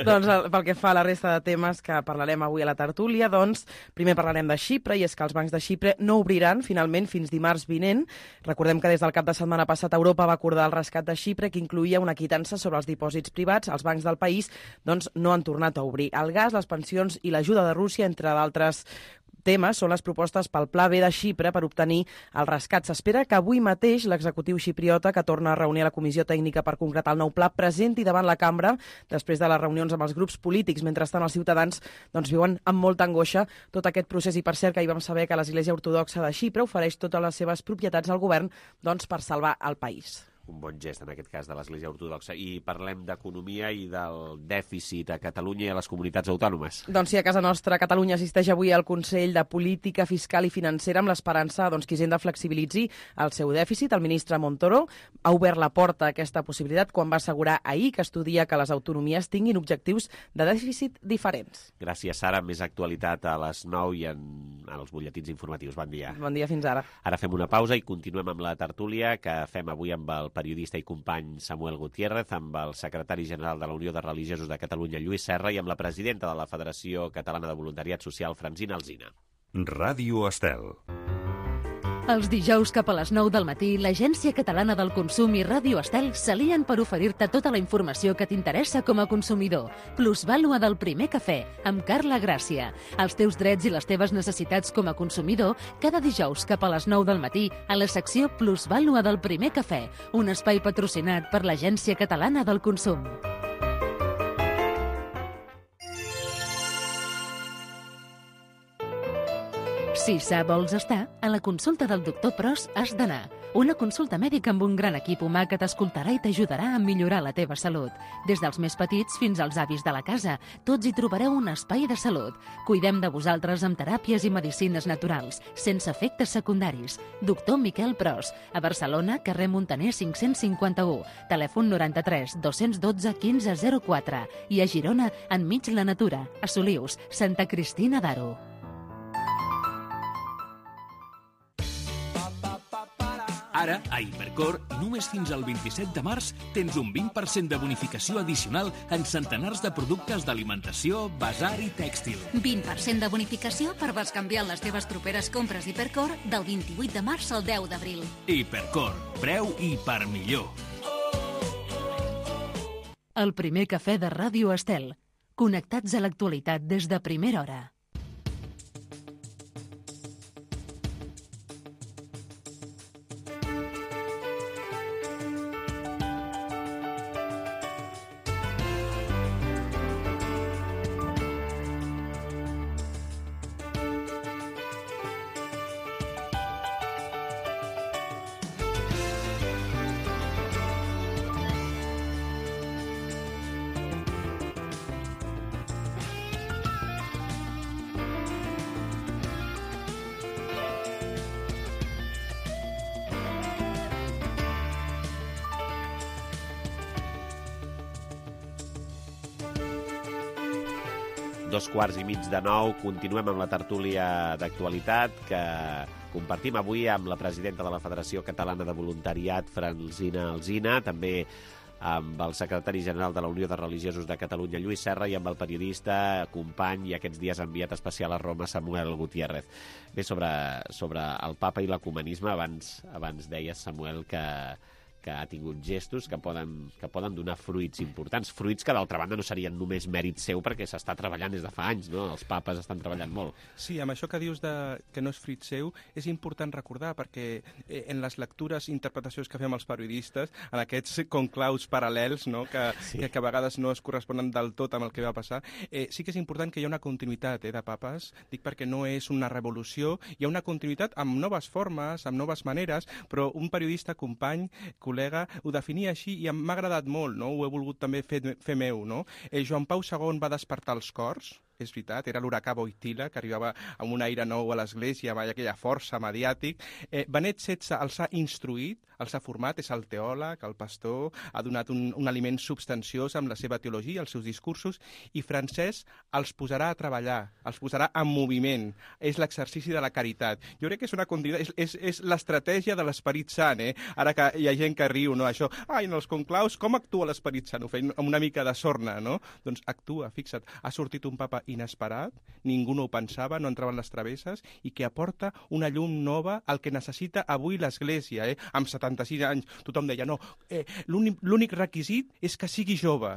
doncs pel que fa a la resta de temes que parlarem avui a la tertúlia, doncs primer parlarem de Xipre, i és que els bancs de Xipre no obriran finalment fins dimarts vinent. Recordem que des del cap de setmana passat Europa va acordar el rescat de Xipre, que incluïa una quitança sobre els dipòsits privats. Els bancs del país doncs, no han tornat a obrir. El gas, les pensions i l'ajuda de Rússia, entre d'altres temes, són les propostes pel Pla B de Xipre per obtenir el rescat. S'espera que avui mateix l'executiu xipriota, que torna a reunir la comissió tècnica per concretar el nou pla, presenti davant la cambra després de les reunions amb els grups polítics. Mentrestant, els ciutadans doncs, viuen amb molta angoixa tot aquest procés, i per cert que ahir vam saber que l'Església Ortodoxa de Xipre ofereix totes les seves propietats al govern doncs, per salvar el país.
Un bon gest, en aquest cas, de l'Església Ortodoxa. I parlem d'economia i del dèficit a Catalunya i a les comunitats autònomes.
Doncs sí, a casa nostra, Catalunya assisteix avui al Consell de Política Fiscal i Financera amb l'esperança doncs, que Hisenda flexibilitzi el seu dèficit. El ministre Montoro ha obert la porta a aquesta possibilitat quan va assegurar ahir que estudia que les autonomies tinguin objectius de dèficit diferents.
Gràcies, Sara. Més actualitat a les nou i en, en els butlletins informatius. Bon dia.
Bon dia, fins ara.
Ara fem una pausa i continuem amb la tertúlia que fem avui amb el periodista i company Samuel Gutiérrez, amb el secretari general de la Unió de Religiosos de Catalunya, Lluís Serra, i amb la presidenta de la Federació Catalana de Voluntariat Social, Francina Alsina.
Ràdio Estel.
Els dijous cap a les nou del matí, l'Agència Catalana del Consum i Ràdio Estel s'alien per oferir-te tota la informació que t'interessa com a consumidor. Plusvàlua del primer cafè, amb Carla Gràcia. Els teus drets i les teves necessitats com a consumidor, cada dijous cap a les nou del matí, a la secció Plusvàlua del primer cafè, un espai patrocinat per l'Agència Catalana del Consum. Si sa vols estar, a la consulta del doctor Pros has d'anar. Una consulta mèdica amb un gran equip humà que t'escoltarà i t'ajudarà a millorar la teva salut. Des dels més petits fins als avis de la casa, tots hi trobareu un espai de salut. Cuidem de vosaltres amb teràpies i medicines naturals, sense efectes secundaris. Doctor Miquel Pros, a Barcelona, carrer Montaner cinc-cents cinquanta-u, telèfon noranta-tres dos-cents dotze quinze zero quatre, i a Girona, enmig la natura, a Solius, Santa Cristina d'Aro.
Ara, a Hipercor, només fins al vint-i-set de març, tens un vint per cent de bonificació addicional en centenars de productes d'alimentació, basar i tèxtil.
vint per cent de bonificació per bescanviar les teves properes compres Hipercor del vint-i-vuit de març al deu d'abril.
Hipercor, preu i per millor.
El primer cafè de Ràdio Estel. Connectats a l'actualitat des de primera hora.
Dos quarts i mig de nou, continuem amb la tertúlia d'actualitat que compartim avui amb la presidenta de la Federació Catalana de Voluntariat, Francina Alsina, també amb el secretari general de la Unió de Religiosos de Catalunya, Lluís Serra, i amb el periodista, company i aquests dies enviat especial a Roma, Samuel Gutiérrez. Bé, sobre, sobre el papa i l'ecumenisme, abans, abans deies, Samuel, que, que ha tingut gestos que poden, que poden donar fruits importants, fruits que d'altra banda no serien només mèrit seu perquè s'està treballant des de fa anys, no? Els papes estan treballant molt.
Sí, amb això que dius de, que no és fruit seu, és important recordar perquè eh, en les lectures i interpretacions que fem els periodistes, en aquests conclaus paral·lels, no? que, sí. que, que a vegades no es corresponen del tot amb el que va passar, eh, sí que és important que hi ha una continuïtat eh, de papes, dic perquè no és una revolució, hi ha una continuïtat amb noves formes, amb noves maneres, però un periodista, company, col·lega, ho definia així i m'ha agradat molt, no? Ho he volgut també fer, fer meu, no? Eh, Joan Pau segon va despertar els cors, és veritat, era l'huracà Boitila, que arribava amb un aire nou a l'església, amb aquella força mediàtic. Eh, Benet setze els ha instruït, els ha format, és el teòleg, el pastor, ha donat un, un aliment substanciós amb la seva teologia, els seus discursos, i Francesc els posarà a treballar, els posarà en moviment. És l'exercici de la caritat. Jo crec que és una continuïtat, és, és, és l'estratègia de l'Esperit Sant, eh? Ara que hi ha gent que riu, no? Això, ai, en els conclaus, com actua l'Esperit Sant? Ho feien amb una mica de sorna, no? Doncs actua, fixa't, ha sortit un papa inesperat, ningú no ho pensava, no entraven les travesses, i que aporta una llum nova al que necessita avui l'Església, eh? Amb setanta-sis anys, tothom deia, no, eh, l'únic requisit és que sigui jove.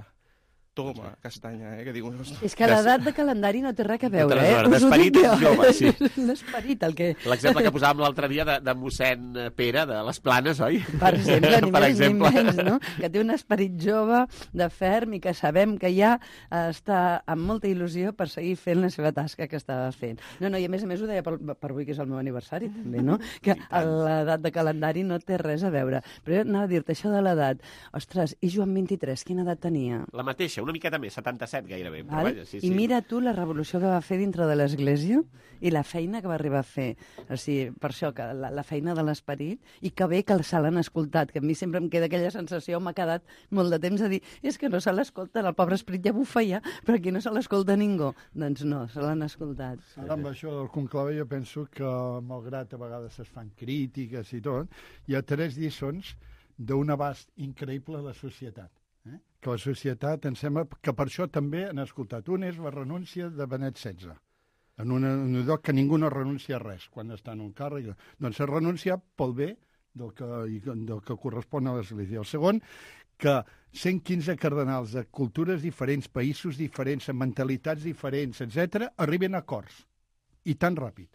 Toma, castanya, eh, que diu...
És que l'edat de calendari no té res a veure, eh?
L'esperit és jove, sí.
L'esperit, el que...
L'exemple que posàvem l'altre dia de, de mossèn Pere, de les Planes, oi?
Per exemple, ni
per
més
exemple.
ni menys, no? Que té un esperit jove, de ferm, i que sabem que ja està amb molta il·lusió per seguir fent la seva tasca que estava fent. No, no, i a més a més ho deia per, per avui, que és el meu aniversari, també, no? Que l'edat de calendari no té res a veure. Però jo anava a dir-te això de l'edat. Ostres, i Joan vint-i-tres, quina edat tenia?
La mateixa, una miqueta més, setanta-set gairebé. Però
Val?
vaja, sí, sí.
I mira tu la revolució que va fer dintre de l'Església i la feina que va arribar a fer. O sigui, per això, que la, la feina de l'esperit, i que bé que se l'han escoltat, que a mi sempre em queda aquella sensació, m'ha quedat molt de temps a dir, és que no se l'escolten, el pobre esperit ja bufa ja, però aquí no se l'escolta ningú. Doncs no, se l'han escoltat.
Ara, amb això del conclave, jo penso que, malgrat a vegades es fan crítiques i tot, hi ha tres lliçons d'un abast increïble a la societat. Eh? Que la societat, em sembla que per això també han escoltat. Un és la renúncia de Benet setze, en un, un lloc que ningú no renuncia a res quan està en un càrrec. Doncs s'ha renunciat pel bé del que, del que correspon a l'Església. El segon, que cent quinze cardenals de cultures diferents, països diferents, amb mentalitats diferents, etcètera, arriben a acords. I tan ràpid.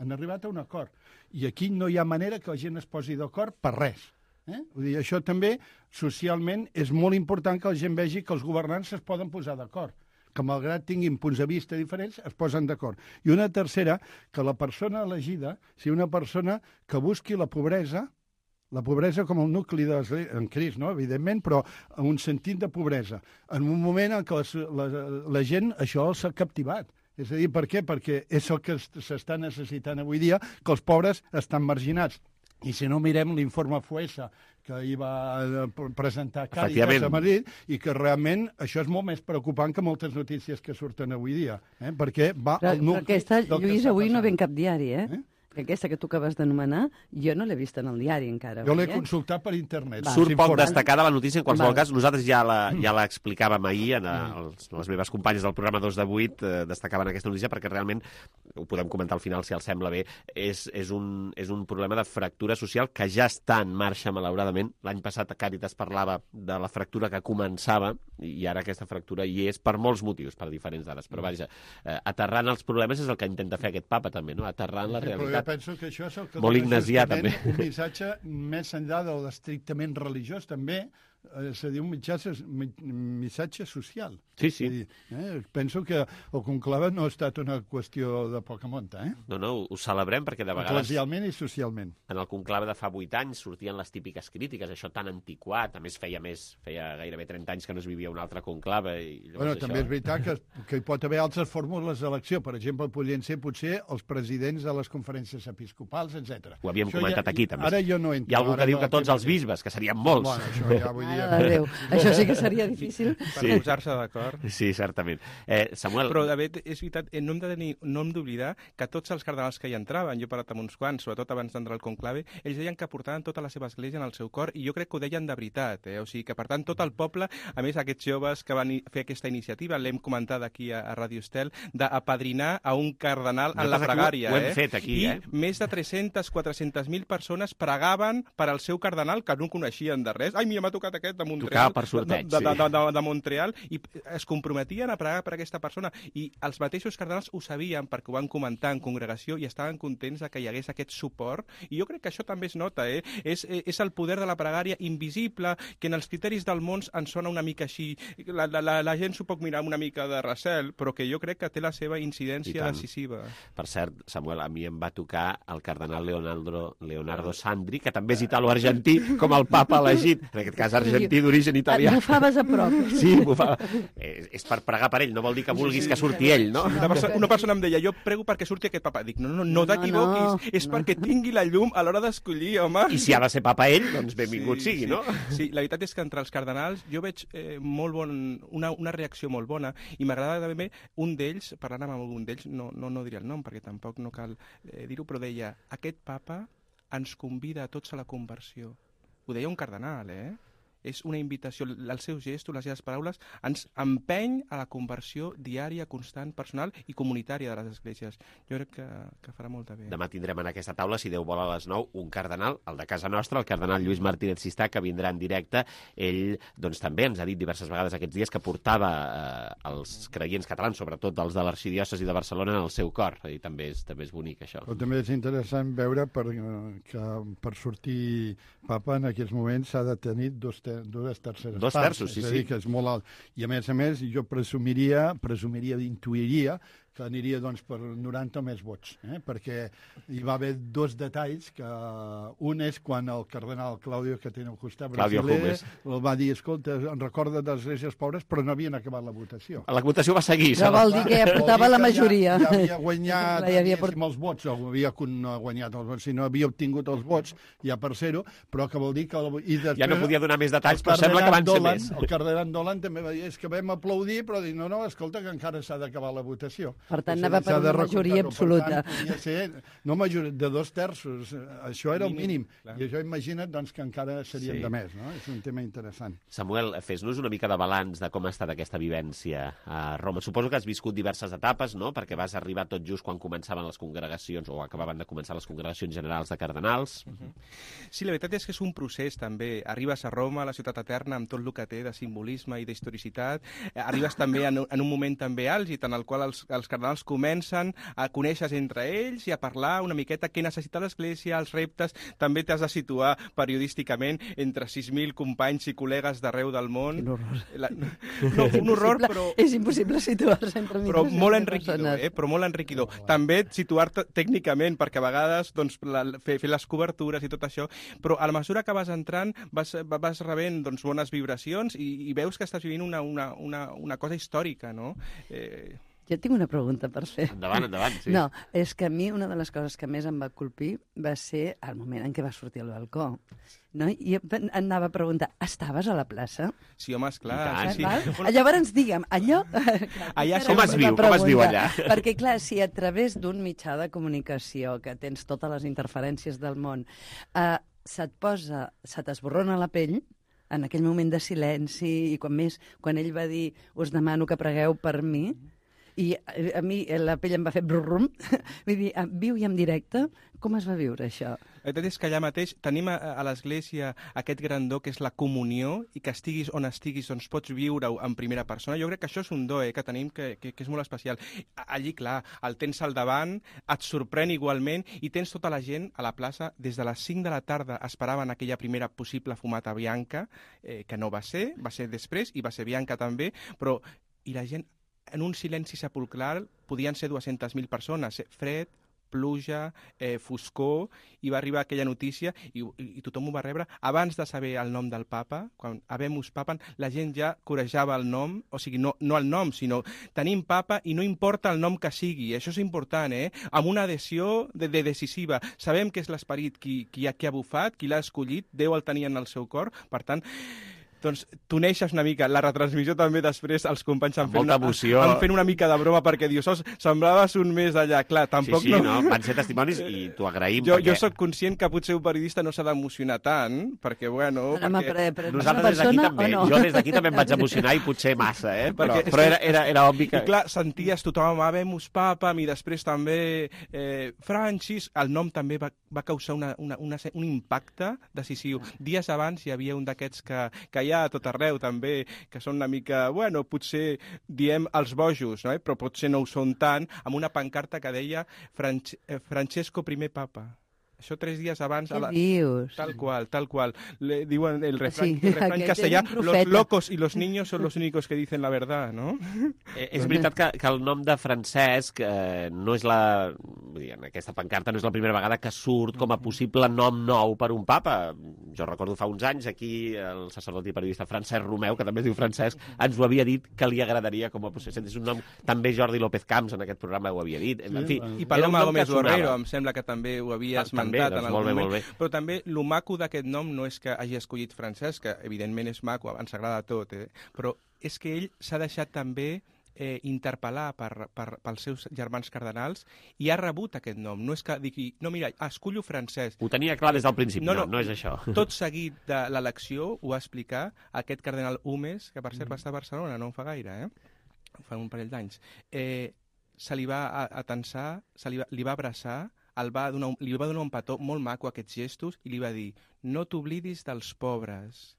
Han arribat a un acord. I aquí no hi ha manera que la gent es posi d'acord per res. Eh? Vull dir, això també, socialment, és molt important que la gent vegi que els governants es poden posar d'acord, que malgrat tinguin punts de vista diferents, es posen d'acord. I una tercera, que la persona elegida sigui una persona que busqui la pobresa, la pobresa com el nucli de en Crist, no? Evidentment, però en un sentit de pobresa, en un moment en què la, la, la gent això s'ha captivat. És a dir, per què? Perquè és el que s'està necessitant avui dia, que els pobres estan marginats. I si no mirem l'informe Fuesa, que ahir va presentar Càritas a Madrid, i que realment això és molt més preocupant que moltes notícies que surten avui dia, eh? Perquè va
però,
al nucli...
Però aquesta, Lluís, avui
passant.
no ve en cap diari, eh? eh? Aquesta que tu acabes d'anomenar, jo no l'he vista en el diari encara.
Jo l'he
eh?
consultat per internet.
Va. Surt poc destacada la notícia, en qualsevol
Val.
cas. Nosaltres ja la, ja l'explicàvem ahir, en els, les meves companyes del programa dos de vuit eh, destacaven aquesta notícia perquè realment, ho podem comentar al final si els sembla bé, és, és, un, és un problema de fractura social que ja està en marxa, malauradament. L'any passat Càritas parlava de la fractura que començava i ara aquesta fractura hi és per molts motius, per diferents dades. Però vaja, eh, aterrant els problemes és el que intenta fer aquest papa també, no? Aterrant la realitat.
Però jo penso que això és el que
molt ignasià, també.
Un missatge més enllà de l'estrictament religiós, també, és a dir, un missatge, missatge social.
Sí, sí.
Dir, eh? Penso que el conclave no ha estat una qüestió de poca monta, eh?
No, no, ho celebrem perquè de vegades...
Eclesialment i socialment.
En el conclave de fa vuit anys sortien les típiques crítiques, això tan antiquat, a més feia més, feia gairebé trenta anys que no es vivia un altre conclave. I
bueno,
això...
també és veritat que, que hi pot haver altres fórmules d'elecció. Per exemple, podrien ser potser els presidents de les conferències episcopals, etcètera.
Ho havíem
això
comentat
ja,
aquí, també.
Ara jo no entro.
Hi ha algú que diu
no
que tots els bisbes, que serien molts.
Bueno, això ja vull diríem.
Mare de Déu, això sí que seria difícil.
Per sí. posar-se d'acord.
Sí, certament. Eh, Samuel...
Però, de fet, és veritat, no hem de tenir, no hem d'oblidar que tots els cardenals que hi entraven, jo he parlat amb uns quants, sobretot abans d'entrar al conclave, ells deien que portaven tota la seva església en el seu cor, i jo crec que ho deien de veritat, eh? O sigui que, per tant, tot el poble, a més, aquests joves que van fer aquesta iniciativa, l'hem comentat aquí a, a Radio Estel, d'apadrinar a un cardenal en la pregària.
Ho hem
eh?
fet aquí,
I
eh?
més de tres-centes a quatre-centes mil persones pregaven per al seu cardenal, que no coneixien de res. Ai, mira, m'ha tocat aquest de Montreal.
Tocava per sorteig,
de, de,
sí.
de, de, de Montreal, i es comprometien a pregar per aquesta persona. I els mateixos cardenals ho sabien perquè ho van comentar en congregació i estaven contents de que hi hagués aquest suport. I jo crec que això també es nota, eh? És, és el poder de la pregària invisible, que en els criteris del món ens sona una mica així. La, la, la, la gent s'ho pot mirar amb una mica de recel, però que jo crec que té la seva incidència decisiva.
Per cert, Samuel, a mi em va tocar el cardenal Leonardo, Leonardo Sandri, que també és italo-argentí, com el papa elegit, en aquest cas argentí d'origen italià.
Et bufaves a prop.
Sí, bufava. És, és per pregar per ell, no vol dir que vulguis que surti ell, no?
Una persona, una persona em deia, jo prego perquè surti aquest papa. Dic, no, no, no t'equivoquis, no, no, és no. perquè tingui la llum a l'hora d'escollir, home.
I si ha de ser papa ell, doncs benvingut
sí,
sigui,
sí.
no?
Sí, la veritat és que entre els cardenals jo veig eh, molt bon, una, una reacció molt bona, i m'agrada també un d'ells, parlant amb algun d'ells, no, no, no diré el nom perquè tampoc no cal eh, dir-ho, però deia, aquest papa ens convida a tots a la conversió. Ho deia un cardenal, eh? És una invitació, els seus gestos, les seves paraules, ens empeny a la conversió diària, constant, personal i comunitària de les esglésies. Jo crec que, que farà molta bé.
Demà tindrem en aquesta taula, si Déu vol, a les nou, un cardenal, el de casa nostra, el cardenal Lluís Martínez Sistà, que vindrà en directe. Ell, doncs, també ens ha dit diverses vegades aquests dies que portava eh, els creients catalans, sobretot els de l'arxidiòcesi de Barcelona, en el seu cor. I també és, també és bonic, això.
Però també és interessant veure per, que per sortir papa en aquests moments s'ha de tenir dos dues terceres
dos
parts,
terços, sí,
és a dir,
sí.
que és molt alt. I a més a més, jo presumiria, presumiria d'intuiria que aniria doncs, per noranta més vots, eh? perquè hi va haver dos detalls, que un és quan el cardenal Claudio, que té al costat brasiler, el va dir, escolta, en recorda de les esglésies pobres, però no havien acabat la votació.
La votació va seguir.
Però vol dir que ja portava la majoria.
Ja, ja havia guanyat
ja havia port...
els vots, o havia guanyat els vots, si no havia obtingut els vots, ja per ser-ho, però que vol dir que... El... I després,
ja no podia donar més detalls, però sembla que van ser
Dolan,
més.
El cardenal Dolan també va dir, és que vam aplaudir, però dir, no, no, escolta, que encara s'ha d'acabar la votació.
Per tant, anava per una majoria absoluta.
Per tant, ser, no majoria, de dos terços, això era el mínim.
Clar.
I això imagina't doncs, que encara serien
Sí.
de més, no? És un tema interessant.
Samuel, fes-nos una mica de balanç de com ha estat aquesta vivència a Roma. Suposo que has viscut diverses etapes, no?, perquè vas arribar tot just quan començaven les congregacions, o acabaven de començar les congregacions generals de cardenals.
Uh-huh. Sí, la veritat és que és un procés, també. Arribes a Roma, a la ciutat eterna, amb tot el que té de simbolisme i d'historicitat. Arribes també en, en un moment també àlgid, en el qual els, els cardenals comencen a conèixer entre ells i a parlar una miqueta què necessita l'Església, els reptes. També t'has de situar periodísticament entre sis mil companys i col·legues d'arreu del món.
Quin horror.
La, no, un horror, però...
És impossible situar-se entre
però molt enriquidor, eh? Però molt enriquidor. Oh, també situar-te tècnicament, perquè a vegades doncs, la, fer, fer les cobertures i tot això, però a la mesura que vas entrant vas, vas rebent doncs, bones vibracions i, i veus que estàs vivint una, una, una, una cosa històrica, no? Eh...
Jo tinc una pregunta per fer.
Endavant, endavant, sí.
No, és que a mi una de les coses que més em va colpir va ser el moment en què va sortir al balcó. No? I anava a preguntar, estaves a la plaça?
Sí, home, esclar.
Tant,
sí.
Bueno, llavors, digue'm, allò...
allà
com es viu, com es viu allà?
Perquè, clar, si a través d'un mitjà de comunicació que tens totes les interferències del món, eh, se't posa, se t'esborrona la pell, en aquell moment de silenci, i quan més, quan ell va dir, us demano que pregueu per mi, i a mi la pell em va fer brum-rum. Vull dir, viu i en directe, com es va viure això?
La veritat és que allà mateix tenim a, a l'Església aquest grandó que és la comunió i que estiguis on estiguis doncs pots viure-ho en primera persona. Jo crec que això és un do eh, que tenim que, que, que és molt especial. Allí, clar, el tens al davant, et sorprèn igualment i tens tota la gent a la plaça des de les cinc de la tarda esperaven aquella primera possible fumata bianca, eh, que no va ser, va ser després i va ser bianca també, però i la gent en un silenci sepulcral podien ser dues-centes mil persones, fred, pluja, eh, foscor, i va arribar aquella notícia i, i, i tothom ho va rebre. Abans de saber el nom del papa, quan habemus papan, la gent ja corejava el nom, o sigui, no, no el nom, sinó tenim papa i no importa el nom que sigui, això és important, eh? Amb una adhesió de, de decisiva. Sabem que és l'esperit qui, qui, ha, qui ha bufat, qui l'ha escollit, Déu el tenia en el seu cor, per tant, doncs t'uneixes una mica. La retransmissió també després els companys han fet,
molta
una,
emoció.
han fet una mica de broma perquè dius, oh, sembraves un mes allà. Clar, tampoc
sí, sí,
no...
no, van ser testimonis i t'ho agraïm.
Jo,
perquè...
jo sóc conscient que potser un periodista no s'ha d'emocionar tant, perquè, bueno...
Home,
perquè...
però, però
Nosaltres des d'aquí també. No? Jo des d'aquí també em vaig emocionar i potser massa, eh? Però,
perquè,
però era, era, era obvi que...
I clar, senties tothom, habemus papam, i després també eh, Francis, el nom també va, va causar una, una, una, un impacte decisiu. Dies abans hi havia un d'aquests que, que hi ha a tot arreu també, que són una mica, bueno, potser diem els bojos, no? Però potser no ho són tant, amb una pancarta que deia Franch eh, Francesco primer papa. Això tres dies abans...
Què la... dius?
Tal qual, tal qual. Le diuen el refrán,
sí,
el refrán castellà, los locos y los niños son los únicos que dicen la verdad, no?
Eh, és veritat que, que el nom de Francesc eh, no és la... Vull dir, en aquesta pancarta no és la primera vegada que surt com a possible nom nou per un papa. Jo recordo fa uns anys aquí el sacerdot i periodista Francesc Romeu, que també es diu Francesc, ens ho havia dit que li agradaria com a possible. És un nom... També Jordi López Camps en aquest programa ho havia dit. En fi,
I Paloma Gómez Borrero, em sembla que també ho havia esmentat.
També, doncs, molt bé, molt bé.
Però també el maco d'aquest nom no és que hagi escollit Francesc, que evidentment és maco, ens agrada tot, eh? Però és que ell s'ha deixat també eh, interpel·lar per, per, pels seus germans cardenals i ha rebut aquest nom. No és que digui, no, mira, escollo Francesc.
Ho tenia clar des del principi, no, no, no, no és això.
Tot seguit de l'elecció ho va explicar aquest cardenal Humes, que per cert va estar a Barcelona, no fa gaire, eh? Fa un parell d'anys. Eh, se li va atensar, se li va, li va abraçar, el va donar un, li va donar un petó molt maco a aquests gestos i li va dir, no t'oblidis dels pobres.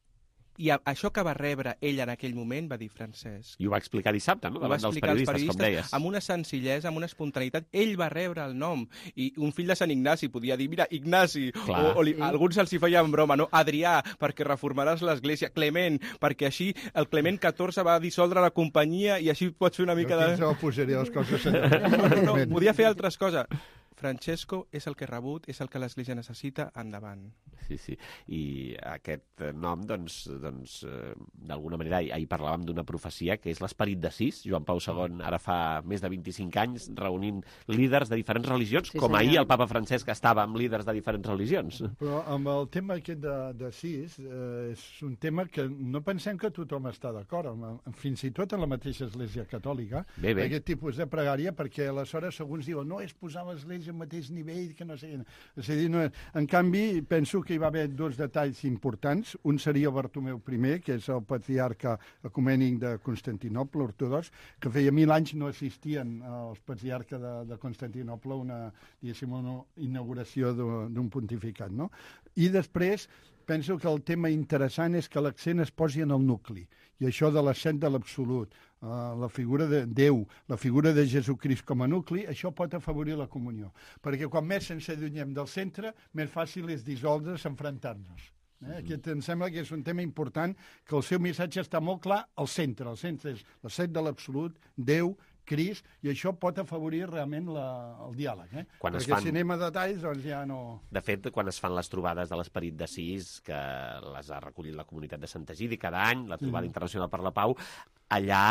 I a, això que va rebre ell en aquell moment va dir Francesc.
I ho va explicar dissabte, no? Davant dels periodistes, periodistes, com deies.
Amb una senzillesa, amb una espontaneïtat. Ell va rebre el nom. I un fill de Sant Ignasi podia dir, mira, Ignasi, Clar. o, o li, alguns els hi feien broma, no? Adrià, perquè reformaràs l'església. Clement, perquè així el Clement catorze va dissoldre la companyia i així pots fer una mica de...
Jo posaria les coses...
no, no, podia fer altres coses. Francesco és el que ha rebut, és el que l'Església necessita, endavant.
Sí, sí. I aquest nom, doncs, doncs eh, d'alguna manera, ahir parlàvem d'una profecia que és l'esperit d'Assís. Joan Pau segon, ara fa més de vint-i-cinc anys, reunint líders de diferents religions, sí, com ahir el papa Francesc estava amb líders de diferents religions.
Però amb el tema aquest d'Assís, eh, és un tema que no pensem que tothom està d'acord, fins i tot en la mateixa Església Catòlica,
bé, bé.
aquest tipus de pregària, perquè aleshores alguns diuen, no, és posar l'Església al mateix nivell, que no sé... És a dir, no... En canvi, penso que hi va haver dos detalls importants. Un seria Bartomeu primer, que és el patriarca ecumènic de Constantinoble, ortodox, que feia mil anys no assistien als patriarca de, de Constantinople a una, diguéssim, una inauguració d'un pontificat, no? I després, penso que el tema interessant és que l'accent es posi en el nucli, i això de l'ascent de l'absolut, uh, la figura de Déu, la figura de Jesucrist com a nucli, això pot afavorir la comunió. Perquè quan més ens allunyem del centre, més fàcil és dissoldre's, enfrontar-nos. Eh? Aquest em sembla que és un tema important, que el seu missatge està molt clar al centre. El centre és l'ascent de l'absolut, Déu, Crist, i això pot afavorir realment la, el diàleg. Eh?
Quan
Perquè
fan...
si anem a detalls, doncs ja no...
De fet, quan es fan les trobades de l'Esperit d'Assís, que les ha recollit la comunitat de Sant Egidi cada any, la trobada mm. internacional per la pau, allà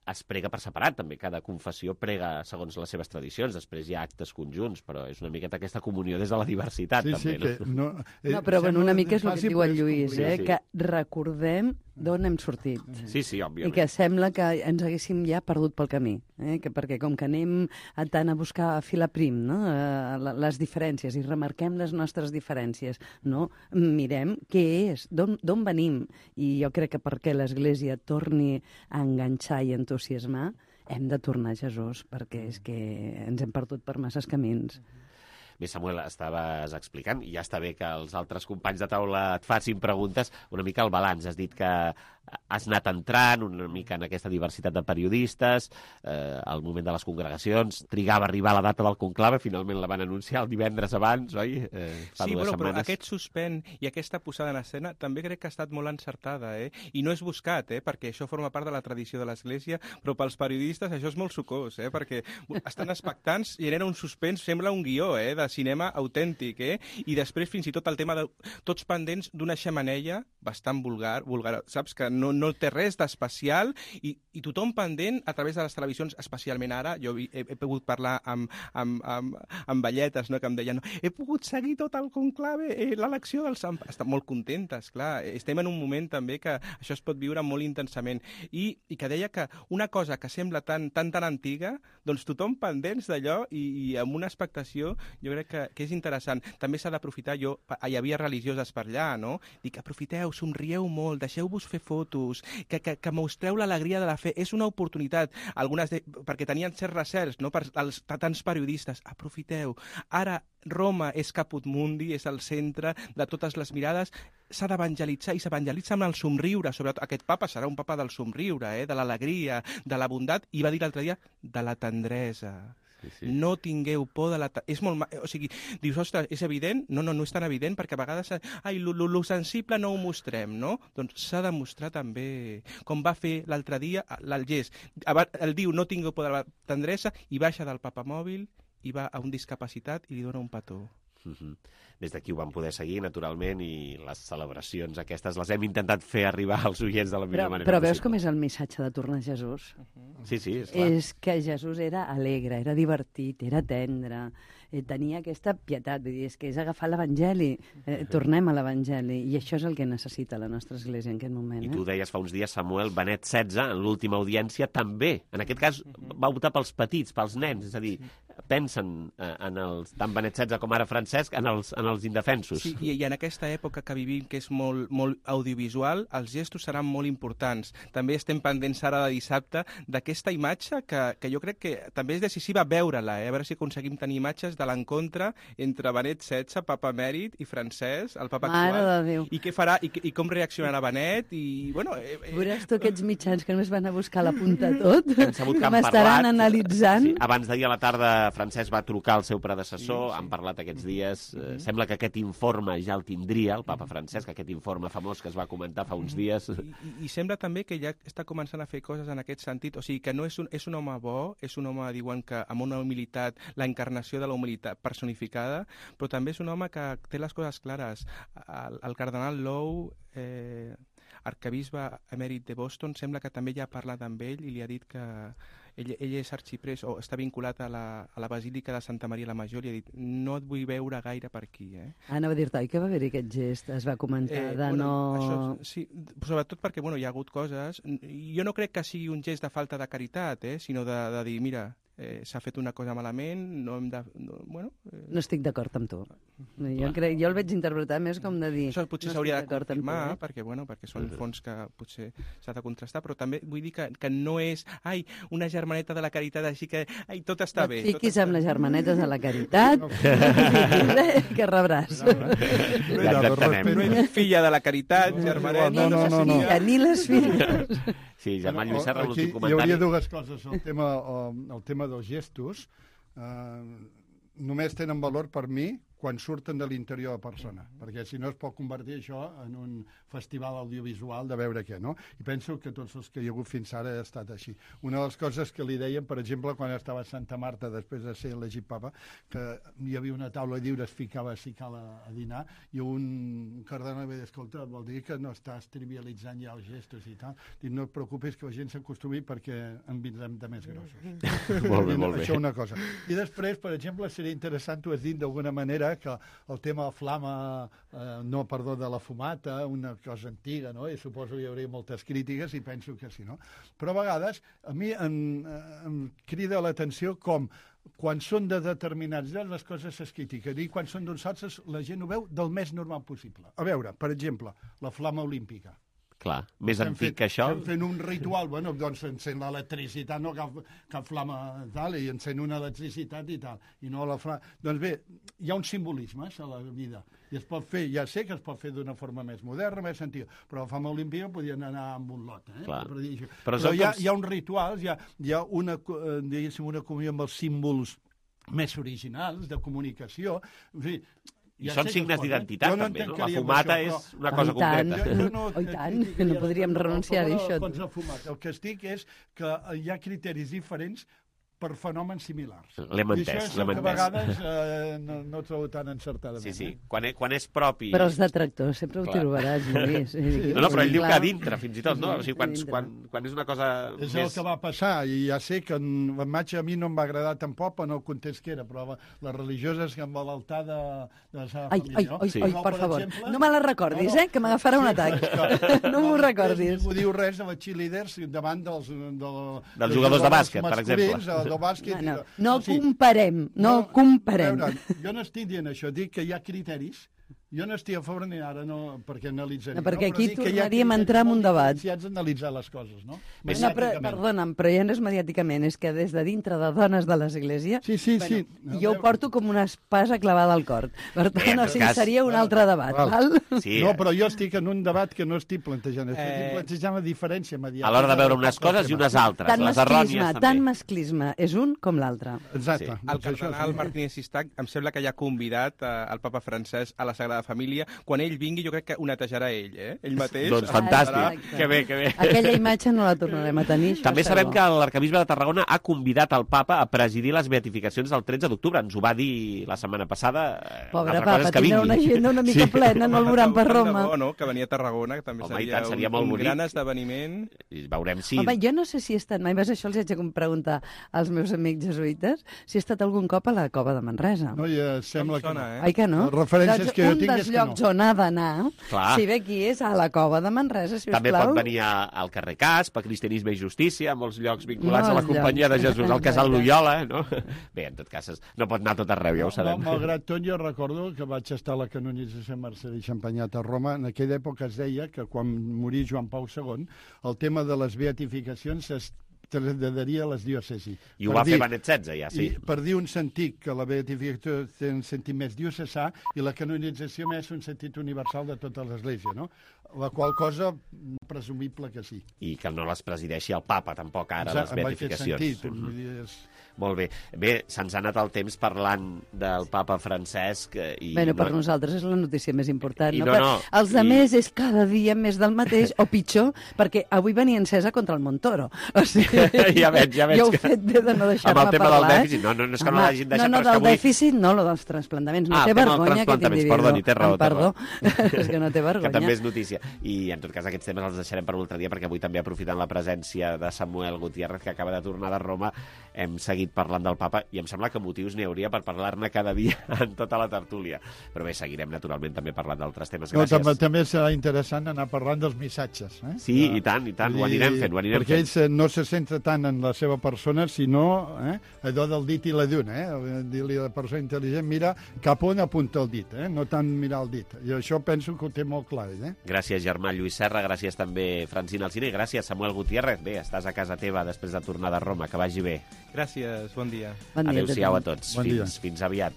es prega per separat, també. Cada confessió prega segons les seves tradicions. Després hi ha actes conjunts, però és una miqueta aquesta comunió des de la diversitat,
sí,
també.
Sí, que no,
eh, no, però bueno, una mica és el que diu el Lluís,
sí,
eh,
sí.
que recordem d'on hem sortit.
Sí, sí, òbviament.
I que sembla que ens haguéssim ja perdut pel camí, eh? que perquè com que anem a tant a buscar a fil a prim, no? eh, les diferències, i remarquem les nostres diferències, no? Mirem què és, d'on venim, i jo crec que perquè l'Església torni a enganxar i entusiasmar, hem de tornar a Jesús, perquè és que ens hem perdut per masses camins.
Bé, Samuel, estaves explicant, i ja està bé que els altres companys de taula et facin preguntes, una mica el balanç. Has dit que has anat entrant una mica en aquesta diversitat de periodistes, eh, al moment de les congregacions, trigava a arribar a la data del conclave, finalment la van anunciar el divendres abans, oi? Eh, fa
sí,
dues
però,
setmanes.
però aquest suspèn i aquesta posada en escena també crec que ha estat molt encertada, eh? I no és buscat, eh? Perquè això forma part de la tradició de l'Església, però pels periodistes això és molt sucós, eh? Perquè estan expectants i era un suspens, sembla un guió, eh? De cinema autèntic, eh? I després fins i tot el tema de tots pendents d'una xemeneia bastant vulgar, vulgar, saps? Que no, no té res d'especial i, i tothom pendent a través de les televisions, especialment ara, jo he, he pogut parlar amb, amb, amb, amb velletes, no?, que em deien, he pogut seguir tot el conclave, eh, l'elecció del Sant... Estan molt contentes, clar. Estem en un moment també que això es pot viure molt intensament. I, i que deia que una cosa que sembla tan tan, tan antiga, doncs tothom pendents d'allò i, i amb una expectació, jo crec que, que és interessant. També s'ha d'aprofitar, jo, hi havia religioses per allà, no? Dic, aprofiteu, somrieu molt, deixeu-vos fer fotos, que, que, que mostreu l'alegria de la fe. És una oportunitat, algunes de, perquè tenien certs recerts, no?, per als tants periodistes. Aprofiteu. Ara Roma és Caput Mundi, és el centre de totes les mirades, s'ha d'evangelitzar i s'evangelitza amb el somriure. Sobretot aquest papa serà un papa del somriure, eh? De l'alegria, de la bondat, i va dir l'altre dia, de la tendresa. Sí, sí. No tingueu por de la... És molt... Ma... O sigui, dius, ostres, és evident? No, no, no és tan evident, perquè a vegades, ai, lo, lo, lo sensible no ho mostrem, no? Doncs s'ha de mostrar també, com va fer l'altre dia el gest. El diu, no tingueu por de la tendresa, i baixa del papamòbil i va a un discapacitat i li dona un petó.
Uh-huh. Des d'aquí ho vam poder seguir, naturalment, i les celebracions aquestes les hem intentat fer arribar als oients de la millor
però,
manera
però
possible.
veus com és el missatge de tornar a Jesús?
Uh-huh. Sí, sí, és clar.
És que Jesús era alegre, era divertit, era tendre, eh, tenia aquesta pietat, vull dir, és que és agafar l'Evangeli, eh, tornem a l'Evangeli, i això és el que necessita la nostra Església en aquest moment.
I
eh?
tu deies fa uns dies, Samuel, Benet setze, en l'última audiència, també. En aquest cas, va optar pels petits, pels nens, és a dir, pensen en els, tant Benet setze com ara Francesc, en els, en els indefensos.
Sí, i, i en aquesta època que vivim, que és molt, molt audiovisual, els gestos seran molt importants. També estem pendents ara de dissabte d'aquesta imatge que, que jo crec que també és decisiva veure-la, eh? A veure si aconseguim tenir imatges de l'encontre entre Benet setze, Papa Emèrit, i Francesc, el Papa
Mare
actual.
de Déu.
I què farà, i, i com reaccionarà Benet, i, bueno... Eh, eh,
Veuràs tu aquests mitjans que només van a buscar la punta tot,
Hem sabut que
com
han
estaran
parlat.
analitzant.
Sí, abans d'ahir a la tarda, Francesc va trucar al seu predecessor, sí, sí. Han parlat aquests dies. Eh, mm-hmm. Sembla que aquest informe ja el tindria, el Papa Francesc, aquest informe famós que es va comentar fa uns dies.
I, i, i sembla també que ja està començant a fer coses en aquest sentit. O sigui, que no és un, és un home bo, és un home, diuen que amb una humilitat, la encarnació de la humilitat personificada, però també és un home que té les coses clares. El, el cardenal Lowe, eh, arcabisbe emèrit de Boston, sembla que també ja ha parlat amb ell i li ha dit que ell, ell és arxiprés o està vinculat a la, a la Basílica de Santa Maria la Major i ha dit, no et vull veure gaire per aquí. Eh?
Ah, anava a dir-te, oi que va haver-hi aquest gest? Es va comentar eh, de
bueno,
no...
Això, sí, sobretot perquè bueno, hi ha hagut coses. Jo no crec que sigui un gest de falta de caritat, eh, sinó de, de dir, mira, eh, s'ha fet una cosa malament, no hem de... No, bueno, eh...
no estic d'acord amb tu. Jo, crec, jo el veig interpretar més com de dir...
Això potser
no
s'hauria de confirmar,
tu, eh?
perquè, bueno, perquè són fons que potser s'ha de contrastar, però també vull dir que, que no és, ai, una germaneta de la caritat, així que, ai, tot està
no
bé.
No et fiquis
està...
amb les germanetes de la caritat, que rebràs.
No, no. No, ja no ets filla de la caritat, germaneta.
No, no, no, no.
Ni, ni les filles.
Sí, Germán Lluís Serra, l'últim comentari.
Hi hauria dues coses. El tema, el tema dels gestos eh, només tenen valor per mi quan surten de l'interior de persona, perquè si no es pot convertir això en un festival audiovisual de veure què, no? I penso que tots els que hi ha hagut fins ara ha estat així. Una de les coses que li deien, per exemple, quan estava a Santa Marta, després de ser elegit papa, que hi havia una taula de lliure, es ficava a Sical a, a dinar, i un cardenal va dir, escolta, vol dir que no estàs trivialitzant ja els gestos i tal. Dic, no et preocupis que la gent s'acostumi perquè en vindrem de més grossos.
Molt bé, molt bé.
Això una cosa. I després, per exemple, seria interessant, tu has dit d'alguna manera, que el tema de flama, eh, no, perdó, de la fumata, una cosa antiga, no? I suposo que hi hauria moltes crítiques i penso que sí, no? Però a vegades a mi em, em crida l'atenció com quan són de determinats llocs les coses es critiquen i quan són d'uns altres la gent ho veu del més normal possible. A veure, per exemple, la flama olímpica.
Clar, més
estem
antic
fet,
que això...
Estem fent un ritual, bueno, doncs encén l'electricitat, no cap, cap flama tal, i encén una electricitat i tal, i no la flama... Doncs bé, hi ha un simbolisme a la vida, i es pot fer, ja sé que es pot fer d'una forma més moderna, més antiga, però la flama olímpica podien anar amb un lot, eh?
Clar.
Per dir això.
Però,
però hi ha,
com...
hi ha uns rituals, hi ha, hi ha una, diguéssim, una comunió amb els símbols més originals de comunicació, en fi...
I ja són signes d'identitat, no també, no? La fumata això, és una cosa
tant,
concreta.
Jo, jo no, oh, tant, que no podríem renunciar a això.
El que estic és que hi ha criteris diferents per fenòmens similars.
L'hem entès,
I això és
l'hem
el que a
entès.
vegades eh, no, no trobo tan encertadament.
Sí, sí.
Eh?
Quan, és, quan és propi...
Però els detractors sempre ho
Clar.
trobaràs, Lluís.
Sí.
No, no, però ell diu
Clar.
que a dintre, fins i tot, no? O sigui, quan,
Dintre.
quan, quan és una cosa
És
més...
el que va passar, i ja sé que en la imatge a mi no em va agradar tampoc en el context que era, però les religioses que amb l'altar de, de la seva
Ai,
família,
ai,
no?
ai,
Sí.
ai, per favor. No me la recordis, eh, que m'agafarà un atac. No m'ho recordis.
Ningú diu res de les cheerleaders davant dels... De,
Dels jugadors de bàsquet, per exemple.
masculins, del bàsquet.
No, no,
i de-
no
o sigui,
comparem, no comparem.
A veure, jo no estic dient això, dic que hi ha criteris. Jo no estic a favor ni ara, no, perquè analitzaré.
No, perquè
però
aquí
dic que hi ha
tornaríem a entrar en un debat.
Si has d'analitzar les coses, no?
No, però,
Mediàticament.
perdona'm, però ja no és mediàticament, és que des de dintre de dones de l'Església...
Sí, sí,
bueno,
sí. No,
jo ho porto com una espasa clavada al cor. Per tant,
Bé, en
o
tot
sigui,
cas-
seria un altre debat, val?
Val.
Sí,
no,
eh.
però jo estic en un debat que no estic plantejant. Estic
Eh,
plantejant la diferència mediàtica.
A l'hora de veure unes coses i unes altres,
Tant
les
masclisme,
errònies
tant
també.
masclisme és un com l'altre.
Exacte.
Sí.
El
Doncs això,
cardenal
sí.
Martínez Sistac em sembla que ja ha convidat eh, el papa francès a la Sagrada Família. Quan ell vingui jo crec que ho netejarà ell, eh? Ell mateix.
Doncs
farà-
fantàstic.
Exacte.
Que bé, que bé.
Aquella imatge no la tornarem a tenir. això
També
segur.
sabem que l'arcabisbe de Tarragona ha convidat el papa a presidir les beatificacions del tretze d'octubre. Ens ho va dir la setmana passada. Eh,
Pobre
una altra cosa
papa,
és que
tindrà
vingui.
una agenda una mica
Sí.
plena, no el veuran per
Tant de
Roma.
bo, no? Que venia a Tarragona, que també
Home, i
seria,
tant, seria
un,
molt
un
bonic.
gran esdeveniment.
I veurem si...
Home, jo no sé si he estat mai, vas, això els haig de preguntar als meus amics jesuïtes, si he estat algun cop a la cova de Manresa.
No, ja sembla que...
sona, eh?
Ai que no?
Les referències
doncs
que jo
un
tinc
dels
és que
llocs
no.
on ha d'anar,
Clar.
si ve aquí és a la cova de Manresa, si us
També
plau.
pot venir a, al carrer Casp, a Cristianisme i Justícia, a molts llocs vinculats
Molts
a la Companyia
llocs.
de Jesús, al Casal
Exacte.
Loyola, no? Bé, en tot cas, es- no pot anar a tot arreu, ja ho sabem.
No, malgrat tot, jo recordo que vaig estar a la canonització de Marcel·lí Champagnat a Roma. En aquella època es deia que quan morí Joan Pau segon, el tema de les beatificacions es traslladaria a les diòcesis.
I ho
Per
va
dir-
fer Benet setze, ja, sí.
I per dir un sentit, que la beatificació té un sentit més diocesà i la canonització més un sentit universal de tota l'Església, no? La qual cosa, presumible que sí.
I que no les presideixi el papa, tampoc, ara, les
Exacte, en aquest
beatificacions.
sentit, vull dir, és...
Molt bé. Bé, se'ns ha anat el temps parlant del papa Francesc eh, i...
Bueno, per
no-
nosaltres és la notícia més important.
I
no?
no,
Per
no,
els
i-
altres és cada dia més del mateix, o pitjor, perquè avui venia encesa contra el Montoro. O sigui,
Ja veig, ja veig
jo ho
que-
he fet bé de no deixar-me
Amb el tema del
parlar.
dèficit, no, no, no és que no
Home,
l'hagin deixat,
no, no,
però és que
del
avui-
dèficit, no, lo dels trasplantaments. No
Ah,
té
el tema dels
vergonya aquest
trasplantaments,
individu.
perdoni, té raó,
Em
té
perdó,
raó.
és que no té vergonya.
Que també és notícia. I, en tot cas, aquests temes els deixarem per un altre dia, perquè avui també, aprofitant la presència de Samuel Gutiérrez, que acaba de tornar de Roma, hem seguit parlant del papa, i em sembla que motius n'hi hauria per parlar-ne cada dia en tota la tertúlia. Però bé, seguirem naturalment també parlant d'altres temes.
No,
Gràcies.
també, també serà interessant anar parlant dels missatges. Eh?
Sí, i tant, i tant, ho anirem fent, ho anirem
perquè
fent.
ells eh, no se centra tant en la seva persona, sinó eh, allò del dit i la lluna. Eh? Dir-li a la persona intel·ligent, mira cap on apunta el dit, eh? no tant mirar el dit. I això penso que ho té molt clar. Eh?
Gràcies, germà Lluís Serra, gràcies també Francina Alsina, i gràcies Samuel Gutiérrez. Bé, estàs a casa teva després de tornar de Roma, que vagi bé.
Gràcies, bon dia.
Bon dia,
Adéu-siau a
tothom.
tots,
Bon dia.
fins, fins aviat.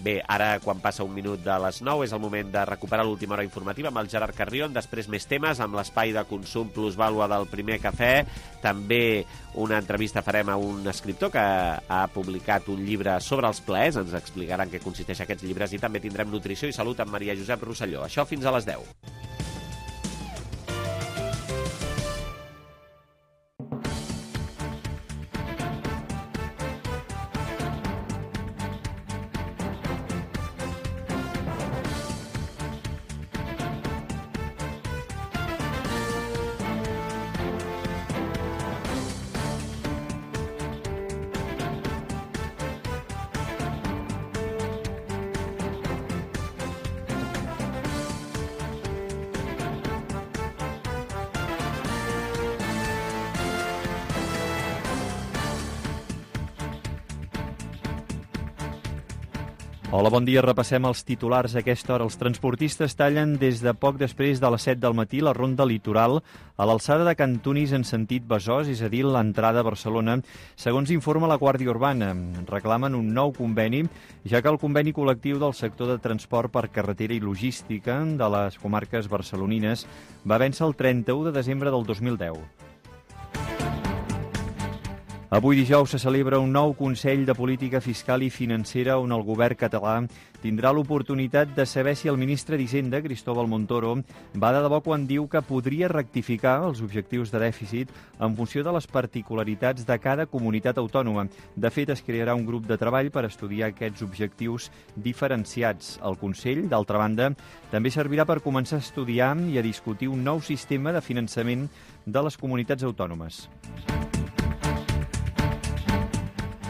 Bé, ara, quan passa un minut de les nou, és el moment de recuperar l'última hora informativa amb el Gerard Carrion, després més temes, amb l'espai de consum plusvàlua del Primer Cafè, també una entrevista farem a un escriptor que ha publicat un llibre sobre els plaers, ens explicaran què consisteix aquests llibres, i també tindrem nutrició i salut amb Maria Josep Rosselló. Això fins a les deu.
Hola, bon dia. Repassem els titulars a aquesta hora. Els transportistes tallen des de poc després de les set del matí la ronda litoral a l'alçada de Cantunis en sentit Besòs, és a dir, l'entrada a Barcelona. Segons informa la Guàrdia Urbana, reclamen un nou conveni, ja que el conveni col·lectiu del sector de transport per carretera i logística de les comarques barcelonines va vèncer el trenta-u de desembre del dos mil deu. Avui dijous se celebra un nou Consell de Política Fiscal i Financera on el govern català tindrà l'oportunitat de saber si el ministre d'Hisenda, Cristóbal Montoro, va de debò quan diu que podria rectificar els objectius de dèficit en funció de les particularitats de cada comunitat autònoma. De fet, es crearà un grup de treball per estudiar aquests objectius diferenciats. El Consell, d'altra banda, també servirà per començar a estudiar i a discutir un nou sistema de finançament de les comunitats autònomes.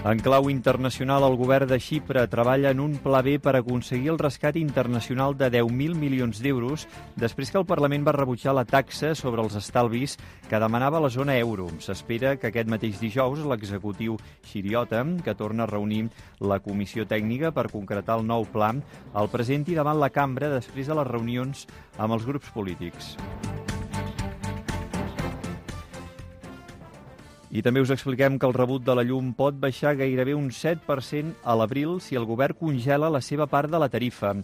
En clau internacional, el govern de Xipre treballa en un pla B per aconseguir el rescat internacional de deu mil milions d'euros després que el Parlament va rebutjar la taxa sobre els estalvis que demanava la zona euro. S'espera que aquest mateix dijous l'executiu xipriota, que torna a reunir la comissió tècnica per concretar el nou pla, el presenti davant la cambra després de les reunions amb els grups polítics. I també us expliquem que el rebut de la llum pot baixar gairebé un set per cent a l'abril si el govern congela la seva part de la tarifa.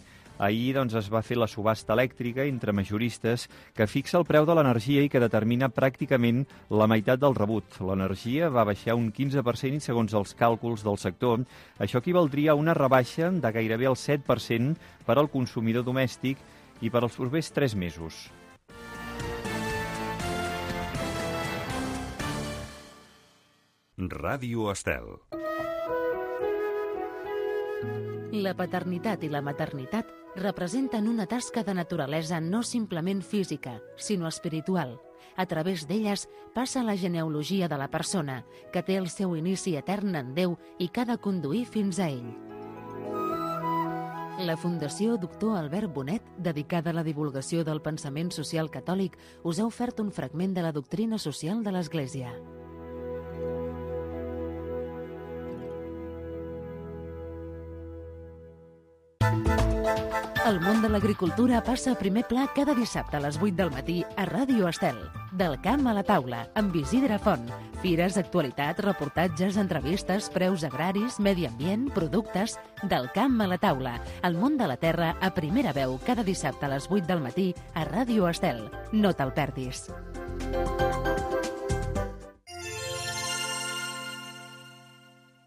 Ahir doncs, es va fer la subhasta elèctrica entre majoristes que fixa el preu de l'energia i que determina pràcticament la meitat del rebut. L'energia va baixar un quinze per cent i segons els càlculs del sector, això equivaldria a una rebaixa de gairebé el set per cent per al consumidor domèstic i per als propers tres mesos.
Ràdio Estel.
La paternitat i la maternitat representen una tasca de naturalesa no simplement física, sinó espiritual. A través d'elles passa la genealogia de la persona, que té el seu inici etern en Déu i que ha de conduir fins a ell. La Fundació Doctor Albert Bonet, dedicada a la divulgació del pensament social catòlic, us ha ofert un fragment de la doctrina social de l'Església. El món de l'agricultura passa a primer pla cada dissabte a les vuit del matí a Ràdio Estel. Del camp a la taula, amb Isidre Font. Fires, actualitat, reportatges, entrevistes, preus agraris, medi ambient, productes... Del camp a la taula. El món de la terra a primera veu cada dissabte a les vuit del matí a Ràdio Estel. No te'l perdis.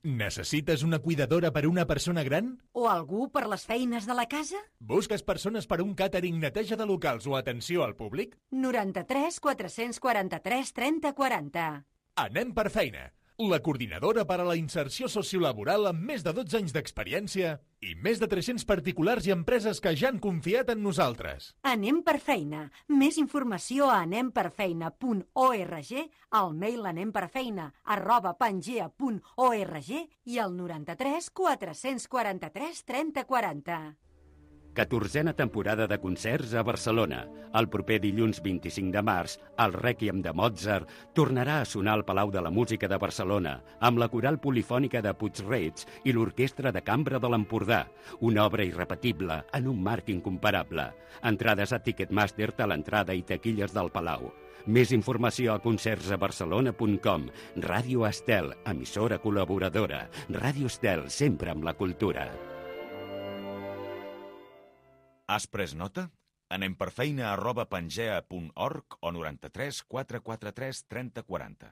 Necessites una cuidadora per a una persona gran?
O algú per les feines de la casa?
Busques persones per a un càtering, neteja de locals o atenció al públic?
noranta-tres quatre-cents quaranta-tres trenta quaranta.
Anem per feina. La coordinadora per a la inserció sociolaboral amb més de dotze anys d'experiència i més de tres-cents particulars i empreses que ja han confiat en nosaltres.
Anem per feina. Més informació a anem per feina punt org, al mail anemperfeina arroba pangea punt org i al noranta-tres quatre-cents quaranta-tres trenta quaranta.
catorzena temporada de concerts a Barcelona. El proper dilluns vint-i-cinc de març, el Rèquiem de Mozart tornarà a sonar al Palau de la Música de Barcelona amb la coral polifònica de Puig-reig i l'Orquestra de Cambra de l'Empordà. Una obra irrepetible en un marc incomparable. Entrades a Ticketmaster a l'entrada i taquilles del Palau. Més informació a concerts a barcelona punt com. Ràdio Estel, emissora col·laboradora. Ràdio Estel, sempre amb la cultura.
Has pres nota? Anem per feina arroba pangea punt org o noranta-tres quatre quaranta-tres trenta quaranta.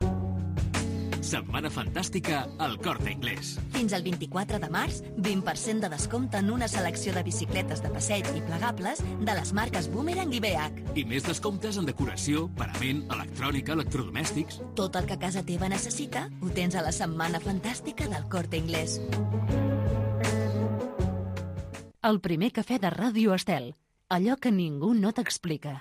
Setmana fantàstica al Corte Inglés.
Fins al vint-i-quatre de març, vint per cent de descompte en una selecció de bicicletes de passeig i plegables de les marques Boomerang i B H.
I més descomptes en decoració, parament, electrònica, electrodomèstics.
Tot el que casa teva necessita ho tens a la Setmana fantàstica del Corte Inglés.
El primer cafè de Ràdio Estel. Allò que ningú no t'explica.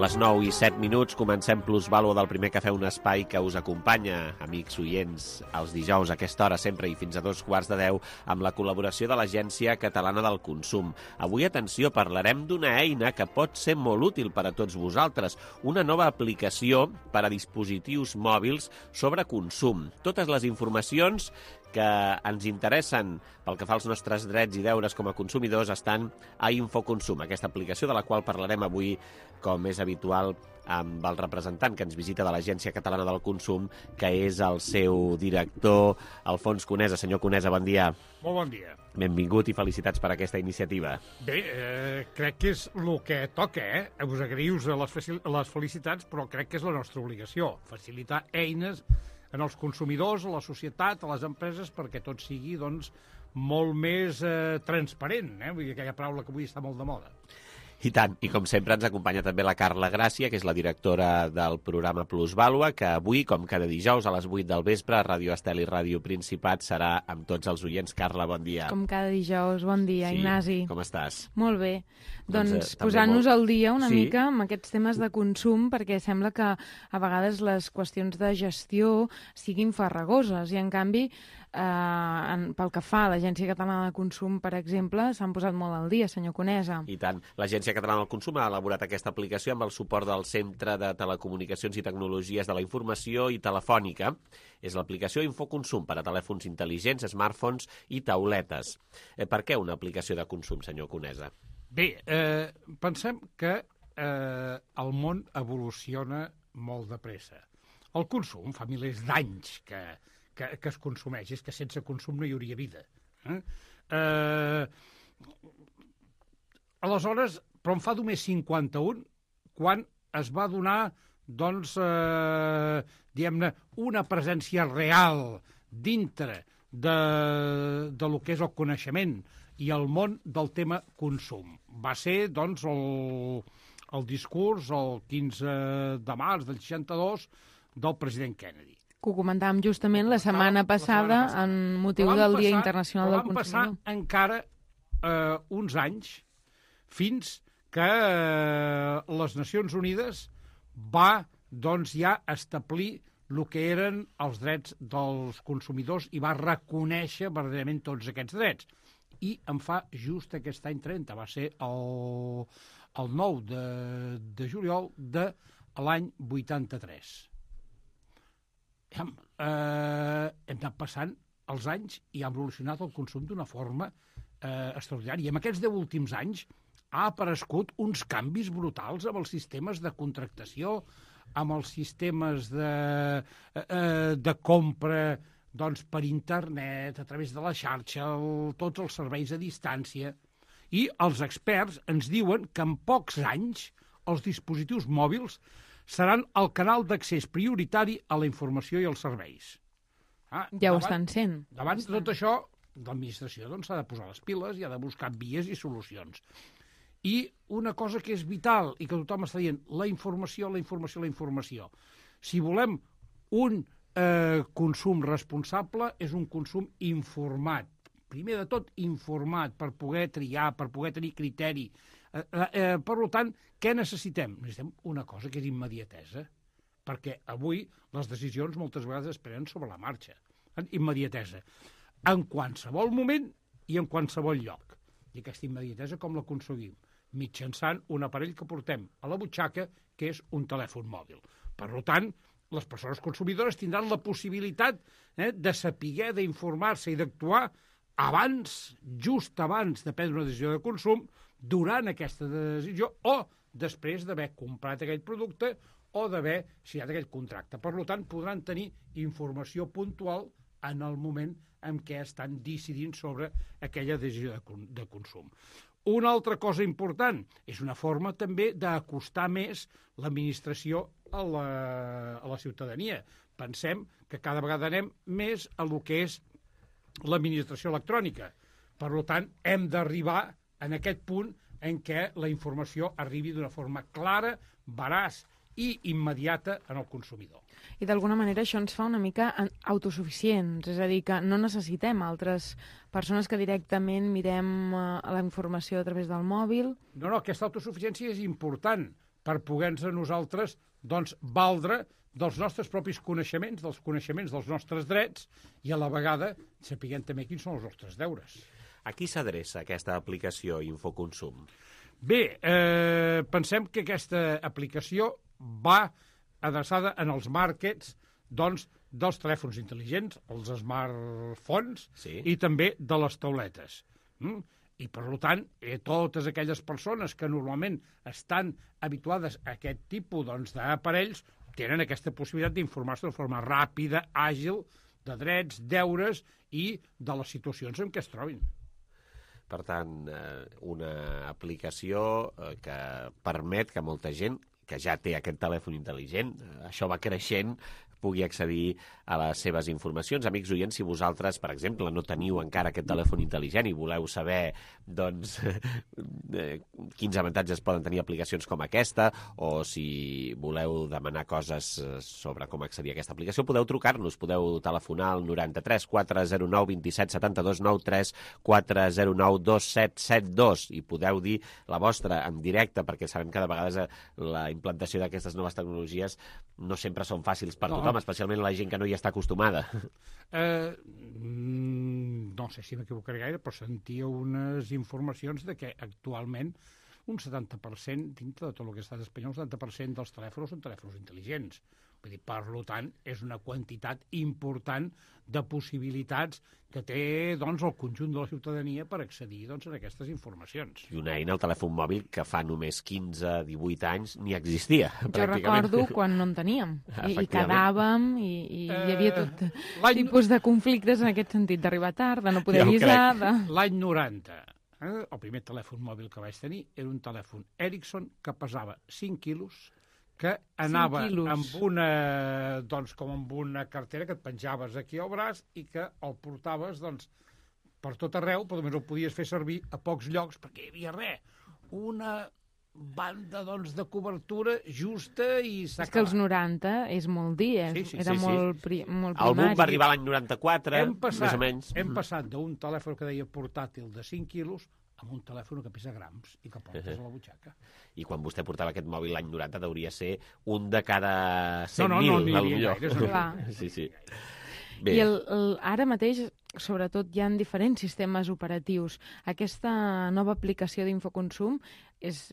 Les nou i set minuts, comencem Plusvàlua del Primer Cafè, un espai que us acompanya, amics oients, els dijous a aquesta hora sempre i fins a dos quarts de deu, amb la col·laboració de l'Agència Catalana del Consum. Avui, atenció, parlarem d'una eina que pot ser molt útil per a tots vosaltres, una nova aplicació per a dispositius mòbils sobre consum. Totes les informacions que ens interessen pel que fa als nostres drets i deures com a consumidors estan a Infoconsum, aquesta aplicació de la qual parlarem avui, com és habitual, amb el representant que ens visita de l'Agència Catalana del Consum, que és el seu director, Alfons Conesa. Senyor Conesa, bon dia.
Molt bon dia.
Benvingut i felicitats per aquesta iniciativa.
Bé, eh, crec que és el que toca, eh? Us agraïu les, les felicitats, però crec que és la nostra obligació, facilitar eines en els consumidors, a la societat, a les empreses, perquè tot sigui, doncs, molt més eh, transparent, eh? Vull dir, aquella paraula que avui està molt de moda.
I tant, i com sempre ens acompanya també la Carla Gràcia, que és la directora del programa Plusvàlua, que avui, com cada dijous a les vuit del vespre, a Ràdio Estel i Ràdio Principat, serà amb tots els oients. Carla, bon dia.
Com cada dijous, bon dia,
sí.
Ignasi.
Com estàs?
Molt bé. Doncs, doncs
eh,
posant-nos
molt...
al dia una
sí.
mica amb aquests temes de consum, perquè sembla que a vegades les qüestions de gestió siguin farragoses, i en canvi, eh, en, pel que fa a l'Agència Catalana de Consum, per exemple, s'han posat molt al dia, senyor Conesa.
I tant. L'Agència Catalana del Consum ha elaborat aquesta aplicació amb el suport del Centre de Telecomunicacions i Tecnologies de la Informació i Telefònica. És l'aplicació Infoconsum per a telèfons intel·ligents, smartphones i tauletes. Eh, per què una aplicació de consum, senyor Conesa?
Bé, eh, pensem que eh, el món evoluciona molt de pressa. El consum fa milers d'anys que, que, que es consumeix, és que sense consum no hi hauria vida. Eh? Eh, aleshores, però en fa només cinquanta-un, quan es va donar, doncs, eh, diguem-ne, una presència real dintre de, de lo que és el coneixement i el món del tema consum. Va ser, doncs, el, el discurs el quinze de març del seixanta-dos del president Kennedy.
Que ho comentàvem justament la setmana passada en motiu del Dia Internacional del Consumidor.
Van passar encara eh, uns anys fins que eh, les Nacions Unides va, doncs, ja establir el que eren els drets dels consumidors i va reconèixer verdaderament tots aquests drets. I en fa just aquest any trenta, va ser el, el nou de, de juliol de l'any vuitanta-tres. Hem, eh, hem anat passant els anys i ha evolucionat el consum d'una forma eh, extraordinària. I en aquests deu últims anys ha aparegut uns canvis brutals amb els sistemes de contractació, amb els sistemes de, eh, de compra, doncs, per internet, a través de la xarxa, el, tots els serveis a distància. I els experts ens diuen que en pocs anys els dispositius mòbils seran el canal d'accés prioritari a la informació i als serveis.
Ah, ja davant, ho estan sent.
Davant de tot això, l'administració doncs, s'ha de posar les piles i ha de buscar vies i solucions. I una cosa que és vital i que tothom està dient, la informació, la informació, la informació. Si volem un eh, consum responsable, és un consum informat. Primer de tot, informat, per poder triar, per poder tenir criteri. Eh, eh, per tant, què necessitem? Necessitem una cosa que és immediatesa, perquè avui les decisions moltes vegades es prenen sobre la marxa. Immediatesa. En qualsevol moment i en qualsevol lloc. I aquesta immediatesa com la aconseguim? Mitjançant un aparell que portem a la butxaca, que és un telèfon mòbil. Per tant, les persones consumidores tindran la possibilitat eh, de saber, d'informar-se i d'actuar abans, just abans de prendre una decisió de consum, durant aquesta decisió o després d'haver comprat aquell producte o d'haver signat aquell contracte. Per tant, podran tenir informació puntual en el moment en què estan decidint sobre aquella decisió de, de consum. Una altra cosa important, és una forma també d'acostar més l'administració a la, a la ciutadania. Pensem que cada vegada anem més a lo que és l'administració electrònica. Per tant, hem d'arribar en aquest punt en què la informació arribi d'una forma clara, veraç i immediata en el consumidor.
I d'alguna manera això ens fa una mica autosuficients, és a dir, que no necessitem altres persones que directament mirem uh, la informació a través del mòbil.
No, no, aquesta autosuficiència és important, per poder-nos nosaltres doncs, valdre dels nostres propis coneixements, dels coneixements dels nostres drets i a la vegada sapiguem també quins són els nostres deures.
A qui s'adreça aquesta aplicació Infoconsum?
Bé, eh, pensem que aquesta aplicació va adreçada en els markets doncs, dels telèfons intel·ligents, els smartphones, sí. I també de les tauletes. Mm? I, per tant, eh, totes aquelles persones que normalment estan habituades a aquest tipus doncs, d'aparells tenen aquesta possibilitat d'informar-se de forma ràpida, àgil, de drets, deures i de les situacions en què es trobin.
Per tant, una aplicació que permet que molta gent que ja té aquest telèfon intel·ligent, això va creixent, pugui accedir a les seves informacions. Amics oients, si vosaltres, per exemple, no teniu encara aquest telèfon intel·ligent i voleu saber doncs, quins avantatges poden tenir aplicacions com aquesta, o si voleu demanar coses sobre com accedir a aquesta aplicació, podeu trucar-nos, podeu telefonar al noranta-tres quatre zero nou vint set setanta-dos nou tres quatre zero nou dos set set dos i podeu dir la vostra en directe, perquè sabem que de vegades la implantació d'aquestes noves tecnologies no sempre són fàcils per tothom, especialment la gent que no hi està acostumada.
Eh, no sé si m'equivocaré gaire, però sentia unes informacions de que actualment un setanta per cent, dintre de tot el que està espanyol, un setanta per cent dels telèfons són telèfons intel·ligents. Vull dir, per tant, és una quantitat important de possibilitats que té doncs, el conjunt de la ciutadania per accedir doncs, a aquestes informacions.
I una eina, el telèfon mòbil, que fa només quinze a divuit anys ni existia.
Jo recordo quan no en teníem. I, i quedàvem, i, i eh, hi havia tot tipus de conflictes en aquest sentit, d'arribar tard, de no poder avisar... De...
L'any noranta, eh, el primer telèfon mòbil que vaig tenir era un telèfon Ericsson que pesava cinc quilos, que anava amb una, doncs, com amb una cartera que et penjaves aquí al braç i que el portaves doncs, per tot arreu, però només el podies fer servir a pocs llocs perquè hi havia res. Una banda doncs, de cobertura justa i s'ha
acabat. És que els noranta és molt dir, eh?
sí, sí,
era
sí,
molt,
sí.
pri molt primari.
El boom va arribar l'any noranta-quatre,
passat,
més o menys.
Hem passat d'un telèfon que deia portàtil de cinc quilos amb un telèfon que pesa grams i que portes uh -huh. a la butxaca.
I quan vostè portava aquest mòbil l'any noranta deuria ser un de cada cent mil.
No, no, no, no n'hi havia gaire.
No.
Sí, sí.
Bé. I el, el, ara mateix, sobretot, hi ha diferents sistemes operatius. Aquesta nova aplicació d'Infoconsum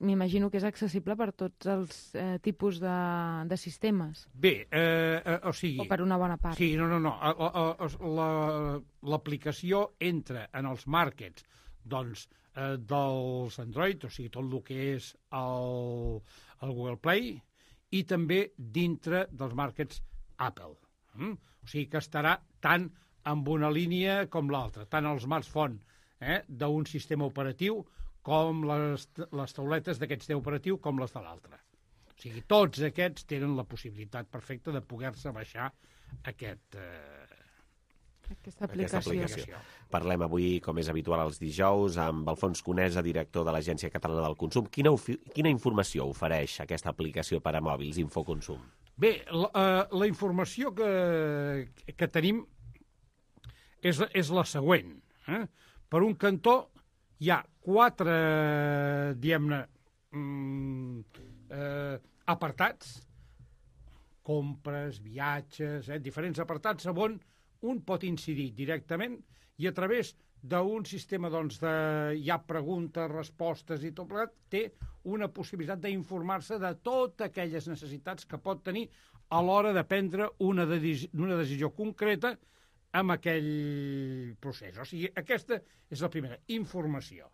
m'imagino que és accessible per tots els eh, tipus de, de sistemes.
Bé, eh, eh, o sigui...
O per una bona part.
Sí, no, no, no. L'aplicació entra en els markets doncs, eh, dels Android, o sigui, tot el que és el, el Google Play, i també dintre dels markets Apple. Mm? O sigui que estarà tant amb una línia com l'altra, tant el smartphone eh, d'un sistema operatiu com les, les tauletes d'aquest sistema operatiu com les de l'altre. O sigui, tots aquests tenen la possibilitat perfecta de poder-se baixar aquest... Eh,
Aquesta aplicació.
Aquesta aplicació. Parlem avui, com és habitual els dijous, amb Alfons Conesa, director de l'Agència Catalana del Consum. Quina, quina informació ofereix aquesta aplicació per a mòbils, Infoconsum?
Bé, la, uh, la informació que, que tenim és, és la següent. Eh? Per un cantó hi ha quatre, diguem-ne, mm, eh, apartats, compres, viatges, eh, diferents apartats on un pot incidir directament i a través d'un sistema doncs, de hi ha preguntes, respostes i tot plegat, té una possibilitat d'informar-se de totes aquelles necessitats que pot tenir a l'hora de prendre una, de una decisió concreta amb aquell procés. O sigui, aquesta és la primera, informació.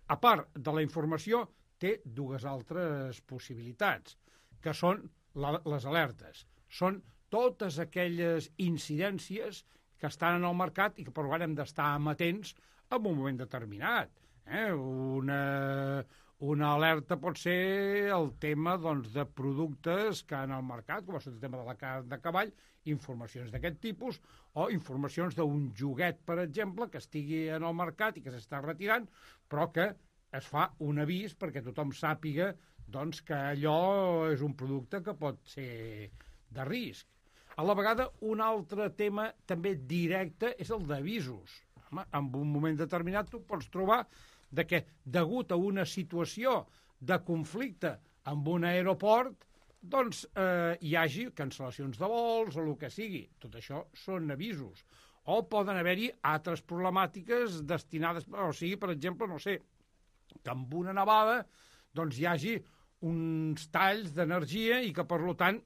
A part de la informació, té dues altres possibilitats, que són la, les alertes. Són totes aquelles incidències que estan en el mercat i que per tant hem d'estar amatents en un moment determinat. Eh? Una, una alerta pot ser el tema doncs, de productes que en el mercat, com és el tema de la carn de cavall, informacions d'aquest tipus, o informacions d'un joguet, per exemple, que estigui en el mercat i que s'està retirant, però que es fa un avís perquè tothom sàpiga doncs, que allò és un producte que pot ser de risc. A la vegada, un altre tema també directe és el d'avisos. En un moment determinat tu pots trobar de que, degut a una situació de conflicte en un aeroport doncs eh, hi hagi cancel·lacions de vols o el que sigui. Tot això són avisos. O poden haver-hi altres problemàtiques destinades, o sigui, per exemple, no sé, que amb una nevada doncs hi hagi uns talls d'energia i que, per tant,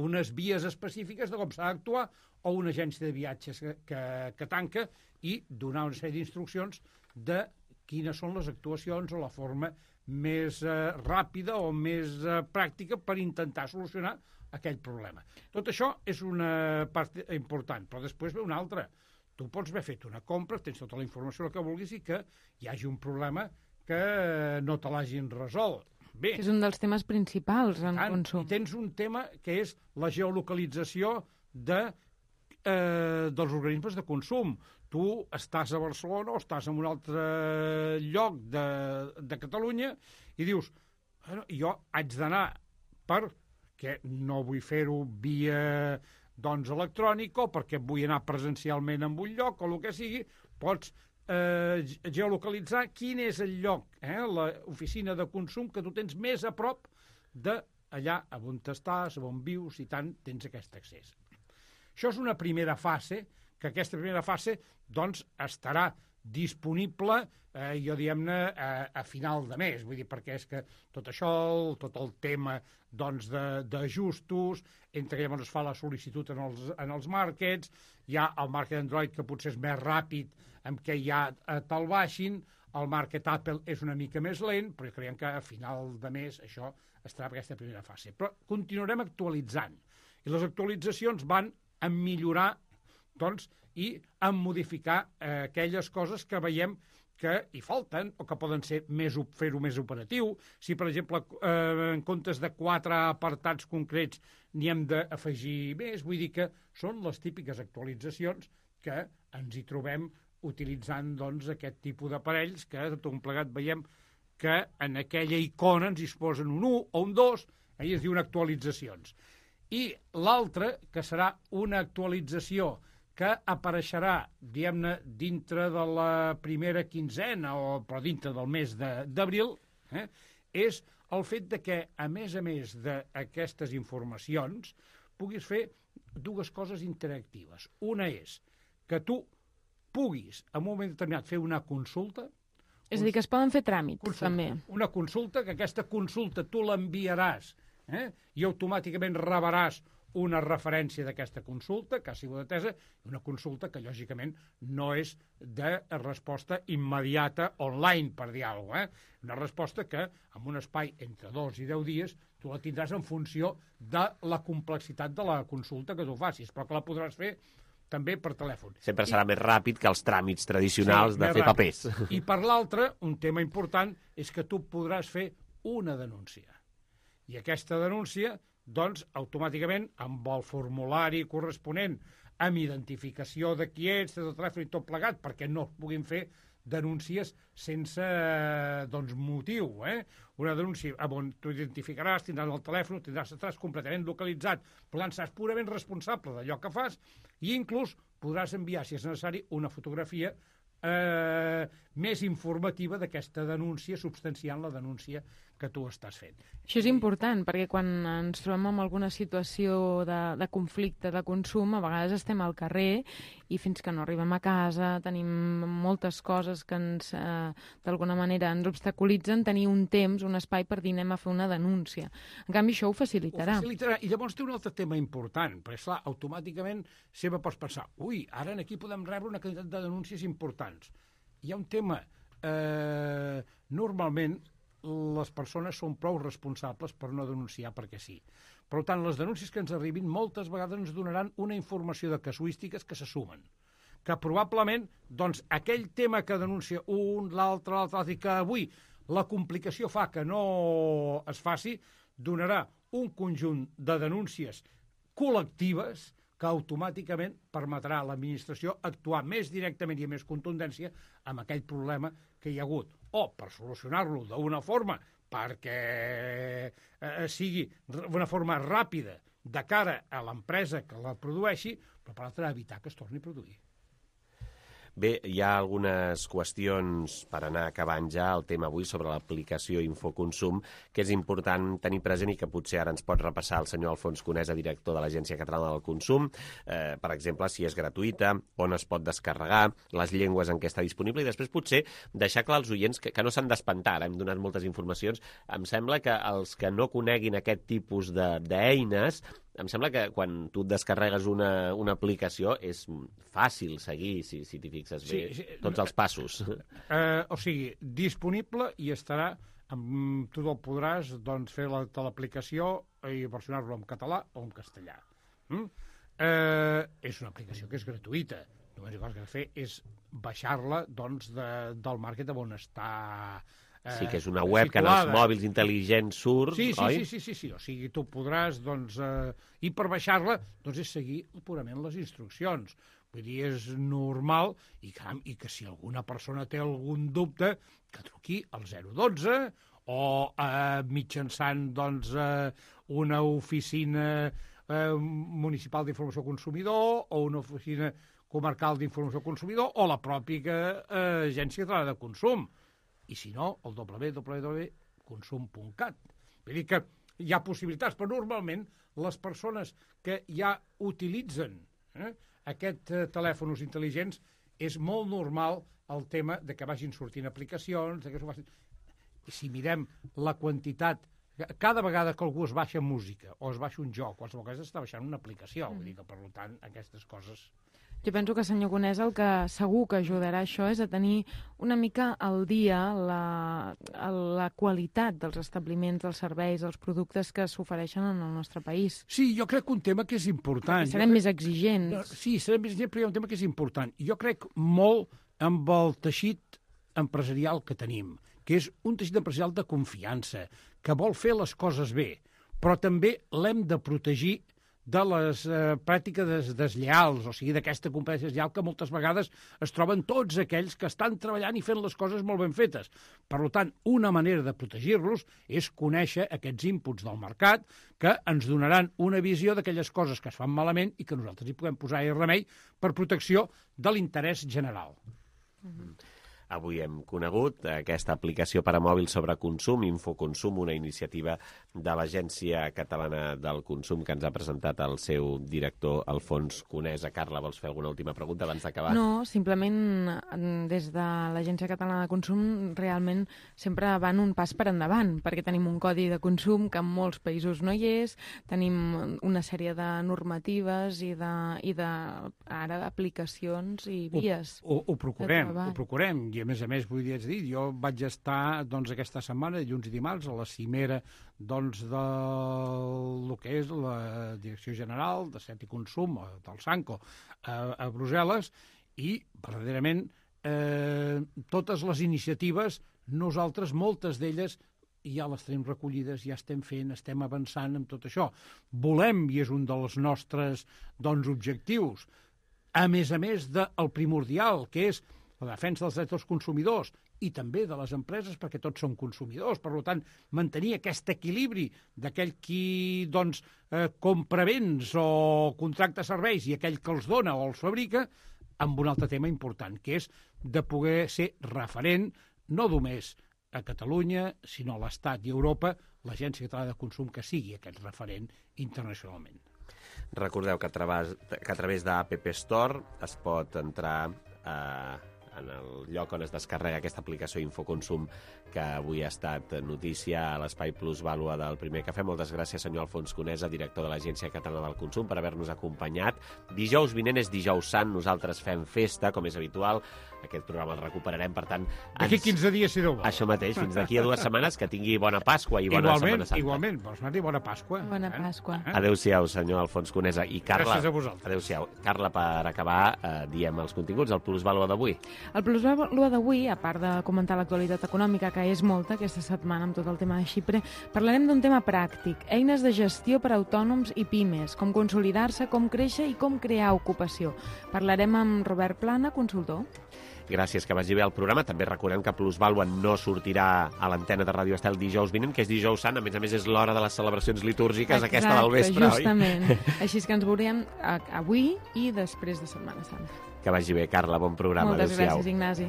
unes vies específiques de com s'ha d'actuar o una agència de viatges que, que, que tanca i donar una sèrie d'instruccions de quines són les actuacions o la forma més eh, ràpida o més eh, pràctica per intentar solucionar aquell problema. Tot això és una part important, però després ve una altra. Tu pots haver fet una compra, tens tota la informació que vulguis i que hi hagi un problema que eh, no te l'hagin resolt. Bé,
és un dels temes principals en
tant,
consum.
I tens un tema que és la geolocalització de, eh, dels organismes de consum. Tu estàs a Barcelona o estàs en un altre lloc de, de Catalunya i dius, bueno, jo haig d'anar perquè no vull fer-ho via doncs, electrònic o perquè vull anar presencialment en un lloc o el que sigui, pots eh, geolocalitzar quin és el lloc, eh, l'oficina de consum que tu tens més a prop d'allà on estàs, on vius i tant tens aquest accés. Això és una primera fase, que aquesta primera fase doncs, estarà disponible, eh, jo diguem-ne, a, a final de mes. Vull dir, perquè és que tot això, el, tot el tema doncs, d'ajustos, entre que llavors es fa la sol·licitud en els, en els markets, hi ha el market Android que potser és més ràpid, amb què ja te'l baixin, el market Apple és una mica més lent, però creiem que a final de mes això estarà per aquesta primera fase. Però continuarem actualitzant. I les actualitzacions van a millorar doncs, i a modificar eh, aquelles coses que veiem que hi falten o que poden ser més fer-ho més operatiu. Si, per exemple, eh, en comptes de quatre apartats concrets n'hi hem d'afegir més, vull dir que són les típiques actualitzacions que ens hi trobem utilitzant doncs, aquest tipus d'aparells que tot un plegat veiem que en aquella icona ens hi posen un u o un dos, ahir es diuen actualitzacions. I l'altra, que serà una actualització que apareixerà, diguem-ne, dintre de la primera quinzena, o, però dintre del mes d'abril, eh, és el fet de que, a més a més d'aquestes informacions, puguis fer dues coses interactives. Una és que tu puguis, en un moment determinat, fer una consulta.
És a dir, que es poden fer tràmits,
consulta, també. Una consulta, que aquesta consulta tu l'enviaràs eh, i automàticament rebràs una referència d'aquesta consulta que ha sigut atesa, una consulta que, lògicament, no és de resposta immediata online, per dir alguna cosa. Eh? Una resposta que, en un espai entre dos i deu dies, tu la tindràs en funció de la complexitat de la consulta que tu facis, però que la podràs fer també per telèfon.
Sempre serà I... més ràpid que els tràmits tradicionals sí, de fer ràpid. Papers.
I per l'altre, un tema important és que tu podràs fer una denúncia. I aquesta denúncia doncs, automàticament, amb el formulari corresponent, amb identificació de qui ets, de telèfon i tot plegat, perquè no es puguin fer denúncies sense doncs, motiu. Eh? Una denúncia on tu identificaràs, tindràs el telèfon, tindràs, estaràs completament localitzat, per tant, seràs purament responsable d'allò que fas i inclús podràs enviar, si és necessari, una fotografia eh, més informativa d'aquesta denúncia, substanciant la denúncia que tu estàs fent.
Això és important, perquè quan ens trobem en alguna situació de, de conflicte, de consum, a vegades estem al carrer i fins que no arribem a casa tenim moltes coses que ens, eh, d'alguna manera ens obstaculitzen tenir un temps, un espai per dir anem a fer una denúncia. En canvi, això ho facilitarà.
Ho facilitarà. I llavors té un altre tema important, perquè, esclar, automàticament sempre pots pensar, ui, ara aquí podem rebre una quantitat de denúncies importants. Hi ha un tema, eh, normalment, les persones són prou responsables per no denunciar perquè sí. Per tant, les denúncies que ens arribin moltes vegades ens donaran una informació de casuístiques que se sumen. Que probablement, doncs, aquell tema que denuncia un, l'altre, l'altre, l'altre, i que avui la complicació fa que no es faci, donarà un conjunt de denúncies col·lectives que automàticament permetrà a l'administració actuar més directament i amb més contundència amb aquell problema que hi ha hagut. O per solucionar-lo d'una forma perquè eh, sigui d'una forma ràpida de cara a l'empresa que la produeixi, però per l'altra evitar que es torni a produir.
Bé, hi ha algunes qüestions per anar acabant ja el tema avui sobre l'aplicació Infoconsum, que és important tenir present i que potser ara ens pot repassar el senyor Alfons Conesa, director de l'Agència Catalana del Consum. Eh, per exemple, si és gratuïta, on es pot descarregar, les llengües en què està disponible, i després potser deixar clar als oients que, que no s'han d'espantar. Hem donat moltes informacions. Em sembla que els que no coneguin aquest tipus d'eines, em sembla que quan tu et descarregues una, una aplicació és fàcil seguir, si, si t'hi fixes bé, sí, sí, tots els passos.
Eh, o sigui, disponible i estarà, amb, tu el podràs doncs, fer la, l'aplicació i versionar-lo en català o en castellà. Mm? Eh, és una aplicació que és gratuïta. Només el que has de fer és baixar-la doncs, de, del market on està...
Sí, que és una web que en els mòbils intel·ligents surt,
sí, sí,
oi?
Sí, sí, sí, sí, o sigui, tu podràs, doncs, eh, i per baixar-la, doncs és seguir purament les instruccions. Vull dir, és normal, i, caram, i que si alguna persona té algun dubte, que truqui al zero dotze o eh, mitjançant, doncs, eh, una oficina eh, municipal d'informació consumidor o una oficina comarcal d'informació consumidor o la pròpia eh, Agència Catalana de Consum. I si no, el w w w punt consum punt cat. Vull dir que hi ha possibilitats, però normalment les persones que ja utilitzen eh, aquests eh, telèfons intel·ligents és molt normal el tema de que vagin sortint aplicacions, de que s'ho facin... I si mirem la quantitat, cada vegada que algú es baixa música o es baixa un joc, qualsevol cosa està baixant una aplicació, mm. vull dir que, per tant, aquestes coses...
Jo penso que, senyor Conesa, el que segur que ajudarà això és a tenir una mica al dia la, la qualitat dels establiments, dels serveis, dels productes que s'ofereixen en el nostre país.
Sí, jo crec que un tema que és important...
Serem
crec...
més exigents.
No, sí, serem més exigents, però hi ha un tema que és important. Jo crec molt amb el teixit empresarial que tenim, que és un teixit empresarial de confiança, que vol fer les coses bé, però també l'hem de protegir de les eh, pràctiques des, deslleals, o sigui, d'aquesta competència deslleal que moltes vegades es troben tots aquells que estan treballant i fent les coses molt ben fetes. Per tant, una manera de protegir-los és conèixer aquests inputs del mercat que ens donaran una visió d'aquelles coses que es fan malament i que nosaltres hi puguem posar remei per protecció de l'interès general.
Mm-hmm. Avui hem conegut aquesta aplicació per a mòbil sobre consum, Infoconsum, una iniciativa de l'Agència Catalana del Consum que ens ha presentat el seu director Alfons Conesa. Carla, vols fer alguna última pregunta abans d'acabar?
No, simplement des de l'Agència Catalana de Consum realment sempre van un pas per endavant, perquè tenim un codi de consum que en molts països no hi és, tenim una sèrie de normatives i de, i de ara aplicacions i vies.
Ho, ho, ho procurem, ho procurem. I a més a més, vull dir, dir, jo vaig estar doncs, aquesta setmana, dilluns i dimarts, a la cimera doncs, del que és la Direcció General de Set i Consum, del Sanco, a, a Brussel·les, i verdaderament eh, totes les iniciatives, nosaltres, moltes d'elles, ja les tenim recollides, ja estem fent, estem avançant amb tot això. Volem, i és un dels nostres doncs, objectius, a més a més del primordial, que és la defensa dels drets dels consumidors i també de les empreses, perquè tots som consumidors. Per tant, mantenir aquest equilibri d'aquell qui doncs, eh, compra béns o contracta serveis i aquell que els dona o els fabrica, amb un altre tema important, que és de poder ser referent, no només a Catalunya, sinó a l'Estat i a Europa, l'Agència Catalana de Consum que sigui aquest referent internacionalment.
Recordeu que a través, que a través d'App Store es pot entrar a... Eh... en el lloc on es descarrega aquesta aplicació Infoconsum que avui ha estat notícia a l'Espai Plus Vàlua del Primer Cafè. Moltes gràcies, senyor Alfons Conesa, director de l'Agència Catalana del Consum, per haver-nos acompanyat. Dijous vinent és dijous sant, nosaltres fem festa, com és habitual. Aquest programa el recuperarem, per tant...
D'aquí ens... quinze dies, si no vol.
Això mateix, fins d'aquí a dues setmanes, que tingui bona Pasqua i bona
igualment,
Setmana Santa.
Igualment, igualment, bona Pasqua.
Bona Pasqua.
Eh? Adéu-siau, senyor Alfons Conesa. I Carla,
gràcies a vosaltres.
Adéu-siau. Carla, per acabar, eh, diem els continguts, el Plus Vàlua d'avui.
El Plus Vàlua d'avui, a part de comentar l'actualitat econòmica, que és molta aquesta setmana amb tot el tema de Xipre, parlarem d'un tema pràctic, eines de gestió per a autònoms i pimes, com consolidar-se, com créixer i com crear ocupació. Parlarem amb Robert Plana, consultor.
Gràcies, que vagi bé el programa. També recordem que Plus Vàlua no sortirà a l'antena de Ràdio Estel dijous vinent, que és dijous sant. A més a més, és l'hora de les celebracions litúrgiques, exacte, aquesta del vespre,
justament. Oi? Justament. Així que ens veurem avui i després de Setmana Santa.
Que vagi bé, Carla, bon programa.
Moltes
Adéu-siau.
gràcies, Ignasi.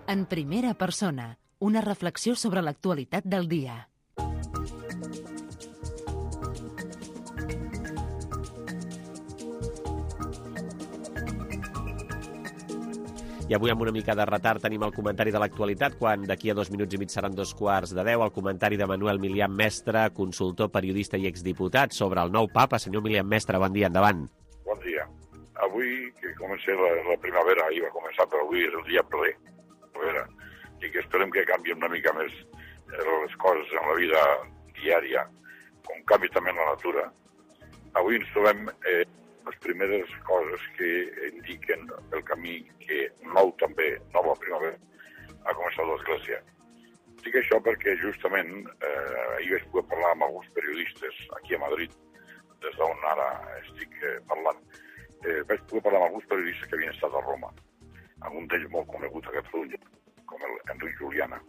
En primera persona, una reflexió sobre l'actualitat del dia.
I avui amb una mica de retard tenim el comentari de l'actualitat, quan d'aquí a dos minuts i mig seran dos quarts de deu, el comentari de Manuel Milian Mestre, consultor, periodista i exdiputat, sobre el nou papa. Senyor Milian Mestre, bon dia, endavant.
Bon dia. Avui, que comença la, la primavera, ahir va començar, però avui és el dia ple, primavera, i que esperem que canvien una mica més les coses en la vida diària, com canvi també en la natura. Avui ens trobem eh, les primeres coses que indiquen el camí que nou també, nova primavera, ha començat l'Església. Dic això perquè justament eh, ahir vaig poder parlar amb alguns periodistes aquí a Madrid, des d'on ara estic eh, parlant. Eh, vaig poder parlar amb alguns periodistes que havien estat a Roma, amb un d'ells molt conegut a Catalunya, com el Enric Juliana,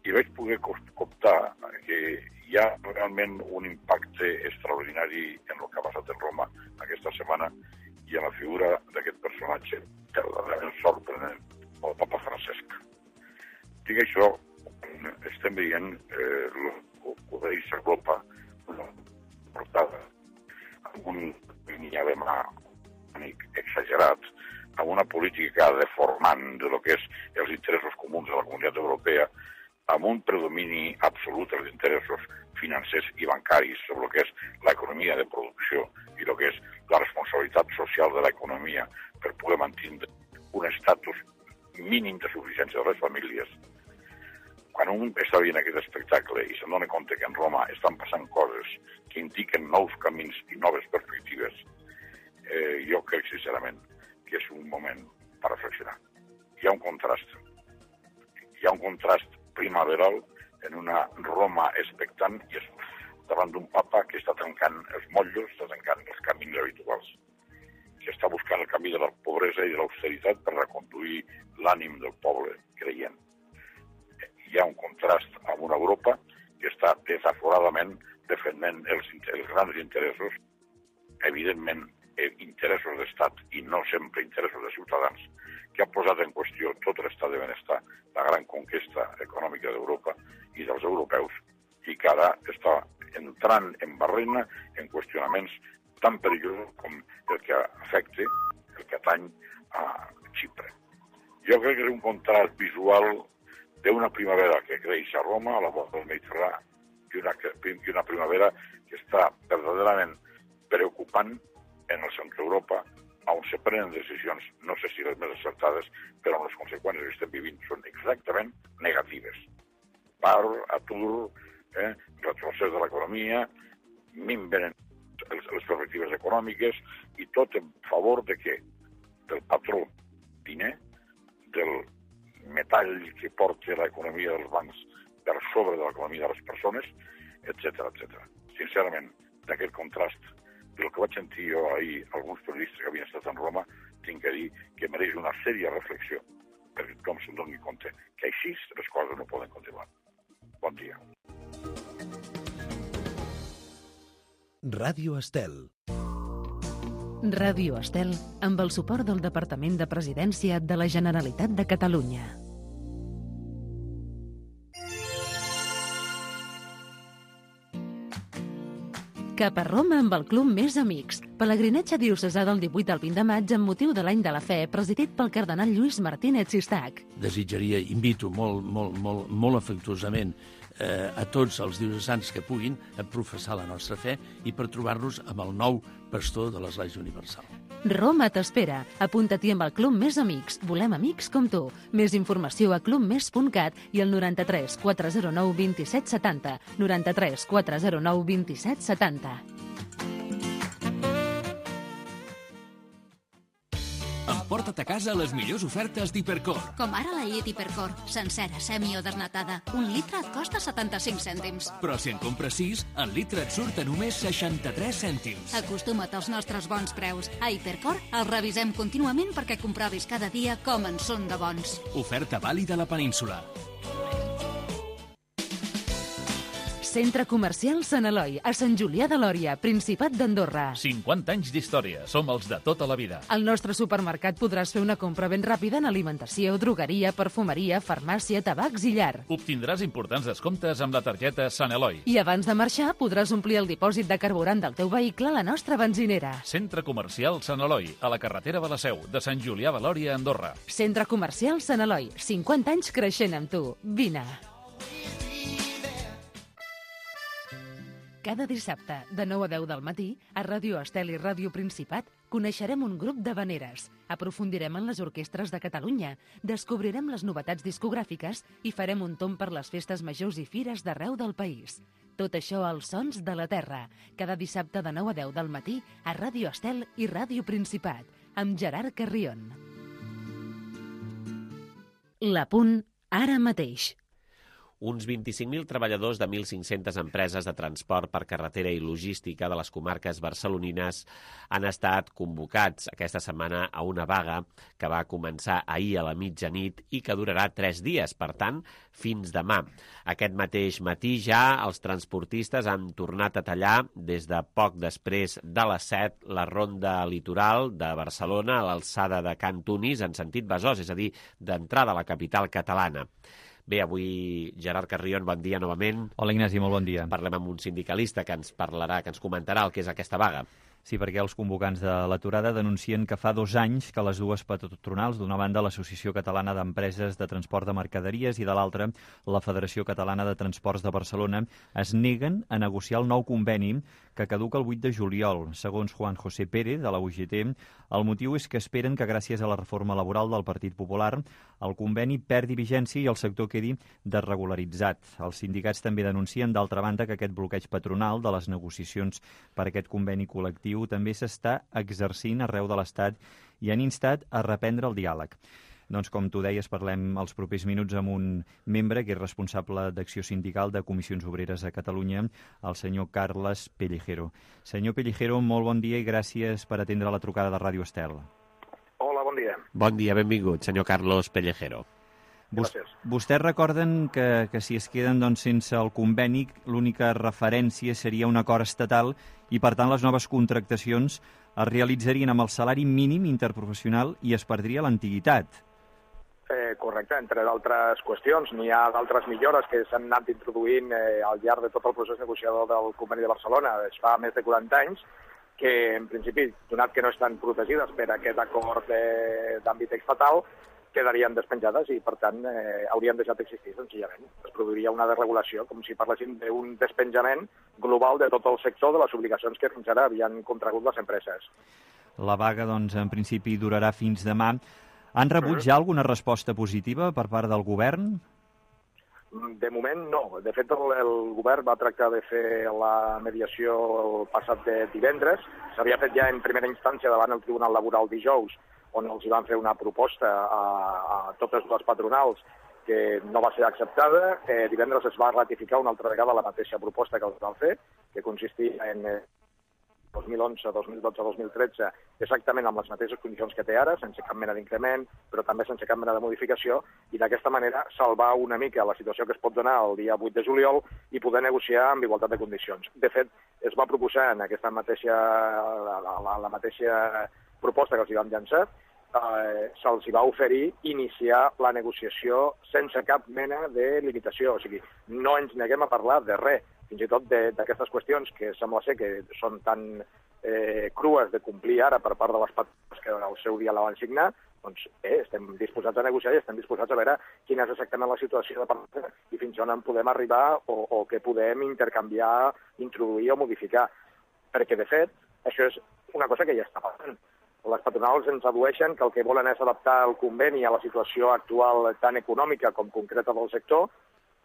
i vaig poder comptar que hi ha realment un impacte extraordinari en el que ha passat en Roma aquesta setmana i en la figura d'aquest personatge verdaderament sorprenent, el papa Francesc. Dic això, estem veient eh, el que s'aglopa una portada amb un línia de mà exagerat, amb una política deformant de lo que és els interessos comuns de la Comunitat Europea, amb un predomini absolut dels interessos financers i bancaris sobre el que és l'economia de producció i el que és la responsabilitat social de l'economia per poder mantenir un estatus mínim de suficiència de les famílies. Quan un està veient aquest espectacle i se'n dona compte que en Roma estan passant coses que indiquen nous camins i noves perspectives, eh, jo crec sincerament que és un moment per reflexionar. Hi ha un contrast. Hi ha un contrast primaveral en una Roma expectant i davant d'un papa que està tancant els motllos, està tancant els camins habituals, que està buscant el camí de la pobresa i de l'austeritat per reconduir l'ànim del poble creient. Hi ha un contrast amb una Europa que està desaforadament defendent els, els grans interessos, evidentment interessos d'estat i no sempre interessos de ciutadans, que ha posat en qüestió tot l'estat de benestar, la gran conquesta econòmica d'Europa i dels europeus, i que ara està entrant en barrena en qüestionaments tan perillosos com el que afecta el que atany a Xipre. Jo crec que és un contrast visual d'una primavera que creix a Roma, a la vora del Mediterrani, i una, i una primavera que està verdaderament preocupant en el centre d'Europa, on se prenen decisions, no sé si les més acertades, però les conseqüències que estem vivint són exactament negatives. Paro, atur, eh, retrocés de l'economia, minven les, les perspectives econòmiques i tot en favor de què? Del patró diner, del metall que porta l'economia dels bancs per sobre de l'economia de les persones, etcètera, etcètera. Sincerament, d'aquest contrast, del que vaig sentir jo ahir alguns periodistes que havien estat en Roma, tinc que dir que mereix una sèria reflexió perquè tothom se'n doni compte que així les coses no poden continuar. Bon dia.
Ràdio Estel.
Ràdio Estel, amb el suport del Departament de Presidència de la Generalitat de Catalunya. Cap a Roma amb el Club Més Amics. Pelegrinatge diocesà del divuit al vint de maig amb motiu de l'Any de la Fe, presidit pel cardenal Lluís Martínez Sistac.
Desitjaria, invito molt, molt, molt, molt afectuosament eh, a tots els diocesans que puguin a professar la nostra fe i per trobar-nos amb el nou pastor de l'Església Universal.
Roma t'espera. Apunta-t'hi amb el Club Més Amics. Volem amics com tu. Més informació a clubmes punt cat i al noranta-tres quatre zero nou vint set setanta. noranta-tres quatre zero nou vint set setanta.
Emporta't a casa les millors ofertes d'Hipercor.
Com ara la llet Hipercor, sencera, semi o desnatada. Un litre et costa setanta-cinc cèntims.
Però si en compres sis, el litre et surt a només seixanta-tres cèntims.
Acostuma't als nostres bons preus. A Hipercor els revisem contínuament perquè comprovis cada dia com en són de bons.
Oferta vàlida a la península.
Centre Comercial Sant Eloi, a Sant Julià de Lòria, Principat d'Andorra.
cinquanta anys d'història. Som els de tota la vida.
Al nostre supermercat podràs fer una compra ben ràpida en alimentació, drogueria, perfumeria, farmàcia, tabacs i llar.
Obtindràs importants descomptes amb la targeta Sant Eloi.
I abans de marxar podràs omplir el dipòsit de carburant del teu vehicle a la nostra benzinera.
Centre Comercial Sant Eloi, a la carretera de la Seu, de Sant Julià de Lòria, Andorra.
Centre Comercial Sant Eloi, cinquanta anys creixent amb tu. Vine. Cada dissabte, de nou a deu del matí, a Ràdio Estel i Ràdio Principat, coneixerem un grup d'havaneres, aprofundirem en les orquestres de Catalunya, descobrirem les novetats discogràfiques i farem un tomb per les festes majors i fires d'arreu del país. Tot això als Sons de la Terra, cada dissabte de nou a deu del matí a Ràdio Estel i Ràdio Principat, amb Gerard Carrion. L'Apunt, ara mateix.
Uns vint-i-cinc mil treballadors de mil cinc-centes empreses de transport per carretera i logística de les comarques barcelonines han estat convocats aquesta setmana a una vaga que va començar ahir a la mitjanit i que durarà tres dies, per tant, fins demà. Aquest mateix matí ja els transportistes han tornat a tallar des de poc després de les set la ronda litoral de Barcelona a l'alçada de Can Tunis en sentit Besòs, és a dir, d'entrada a la capital catalana. Bé, avui Gerard Carrion, bon dia novament.
Hola Ignasi, molt bon dia.
Parlem amb un sindicalista que ens parlarà, que ens comentarà el que és aquesta vaga.
Sí, perquè els convocants de l'aturada denuncien que fa dos anys que les dues patronals, d'una banda l'Associació Catalana d'Empreses de Transport de Mercaderies i de l'altra la Federació Catalana de Transports de Barcelona, es neguen a negociar el nou conveni que caduca el vuit de juliol. Segons Juan José Pérez, de la U G T, el motiu és que esperen que gràcies a la reforma laboral del Partit Popular el conveni perdi vigència i el sector quedi desregularitzat. Els sindicats també denuncien, d'altra banda, que aquest bloqueig patronal de les negociacions per aquest conveni col·lectiu també s'està exercint arreu de l'Estat i han instat a reprendre el diàleg. Doncs, com tu deies, parlem els propers minuts amb un membre que és responsable d'Acció Sindical de Comissions Obreres a Catalunya, el senyor Carles Pellejero. Senyor Pellejero, molt bon dia i gràcies per atendre la trucada de Ràdio Estel.
Hola, bon dia.
Bon dia, benvingut, senyor Carlos Pellejero.
Gràcies.
Vostès recorden que, que si es queden doncs, sense el conveni, l'única referència seria un acord estatal i, per tant, les noves contractacions es realitzarien amb el salari mínim interprofessional i es perdria l'antiguitat.
Eh, correcte, entre d'altres qüestions. N'hi ha d'altres millores que s'han anat introduint eh, al llarg de tot el procés negociador del Conveni de Barcelona. Es fa més de quaranta anys que, en principi, donat que no estan protegides per aquest acord d'àmbit estatal, quedarien despenjades i, per tant, eh, haurien deixat d'existir, senzillament. Es produiria una desregulació, com si parléssim d'un despenjament global de tot el sector de les obligacions que fins ara havien contragut les empreses.
La vaga, doncs, en principi durarà fins demà. Han rebut ja alguna resposta positiva per part del govern?
De moment, no. De fet, el, el govern va tractar de fer la mediació el passat de divendres. S'havia fet ja en primera instància davant el Tribunal Laboral dijous, on els van fer una proposta a, a totes les patronals que no va ser acceptada. Eh, divendres es va ratificar una altra vegada la mateixa proposta que els van fer, que consistia en eh, dos mil onze, dos mil dotze, dos mil tretze, exactament amb les mateixes condicions que té ara, sense cap mena d'increment, però també sense cap mena de modificació, i d'aquesta manera salvar una mica la situació que es pot donar el dia vuit de juliol i poder negociar amb igualtat de condicions. De fet, es va proposar en aquesta mateixa, la, la, la mateixa proposta que els hi vam llançar, eh, se'ls va oferir iniciar la negociació sense cap mena de limitació. O sigui, no ens neguem a parlar de res, fins i tot d'aquestes qüestions que sembla ser que són tan eh, crues de complir ara per part de les patronals que al seu dia la van signar, doncs eh, estem disposats a negociar i estem disposats a veure quina és exactament la situació de part i fins on en podem arribar o, o què podem intercanviar, introduir o modificar. Perquè, de fet, això és una cosa que ja està passant. Les patronals ens adueixen que el que volen és adaptar el conveni a la situació actual tan econòmica com concreta del sector,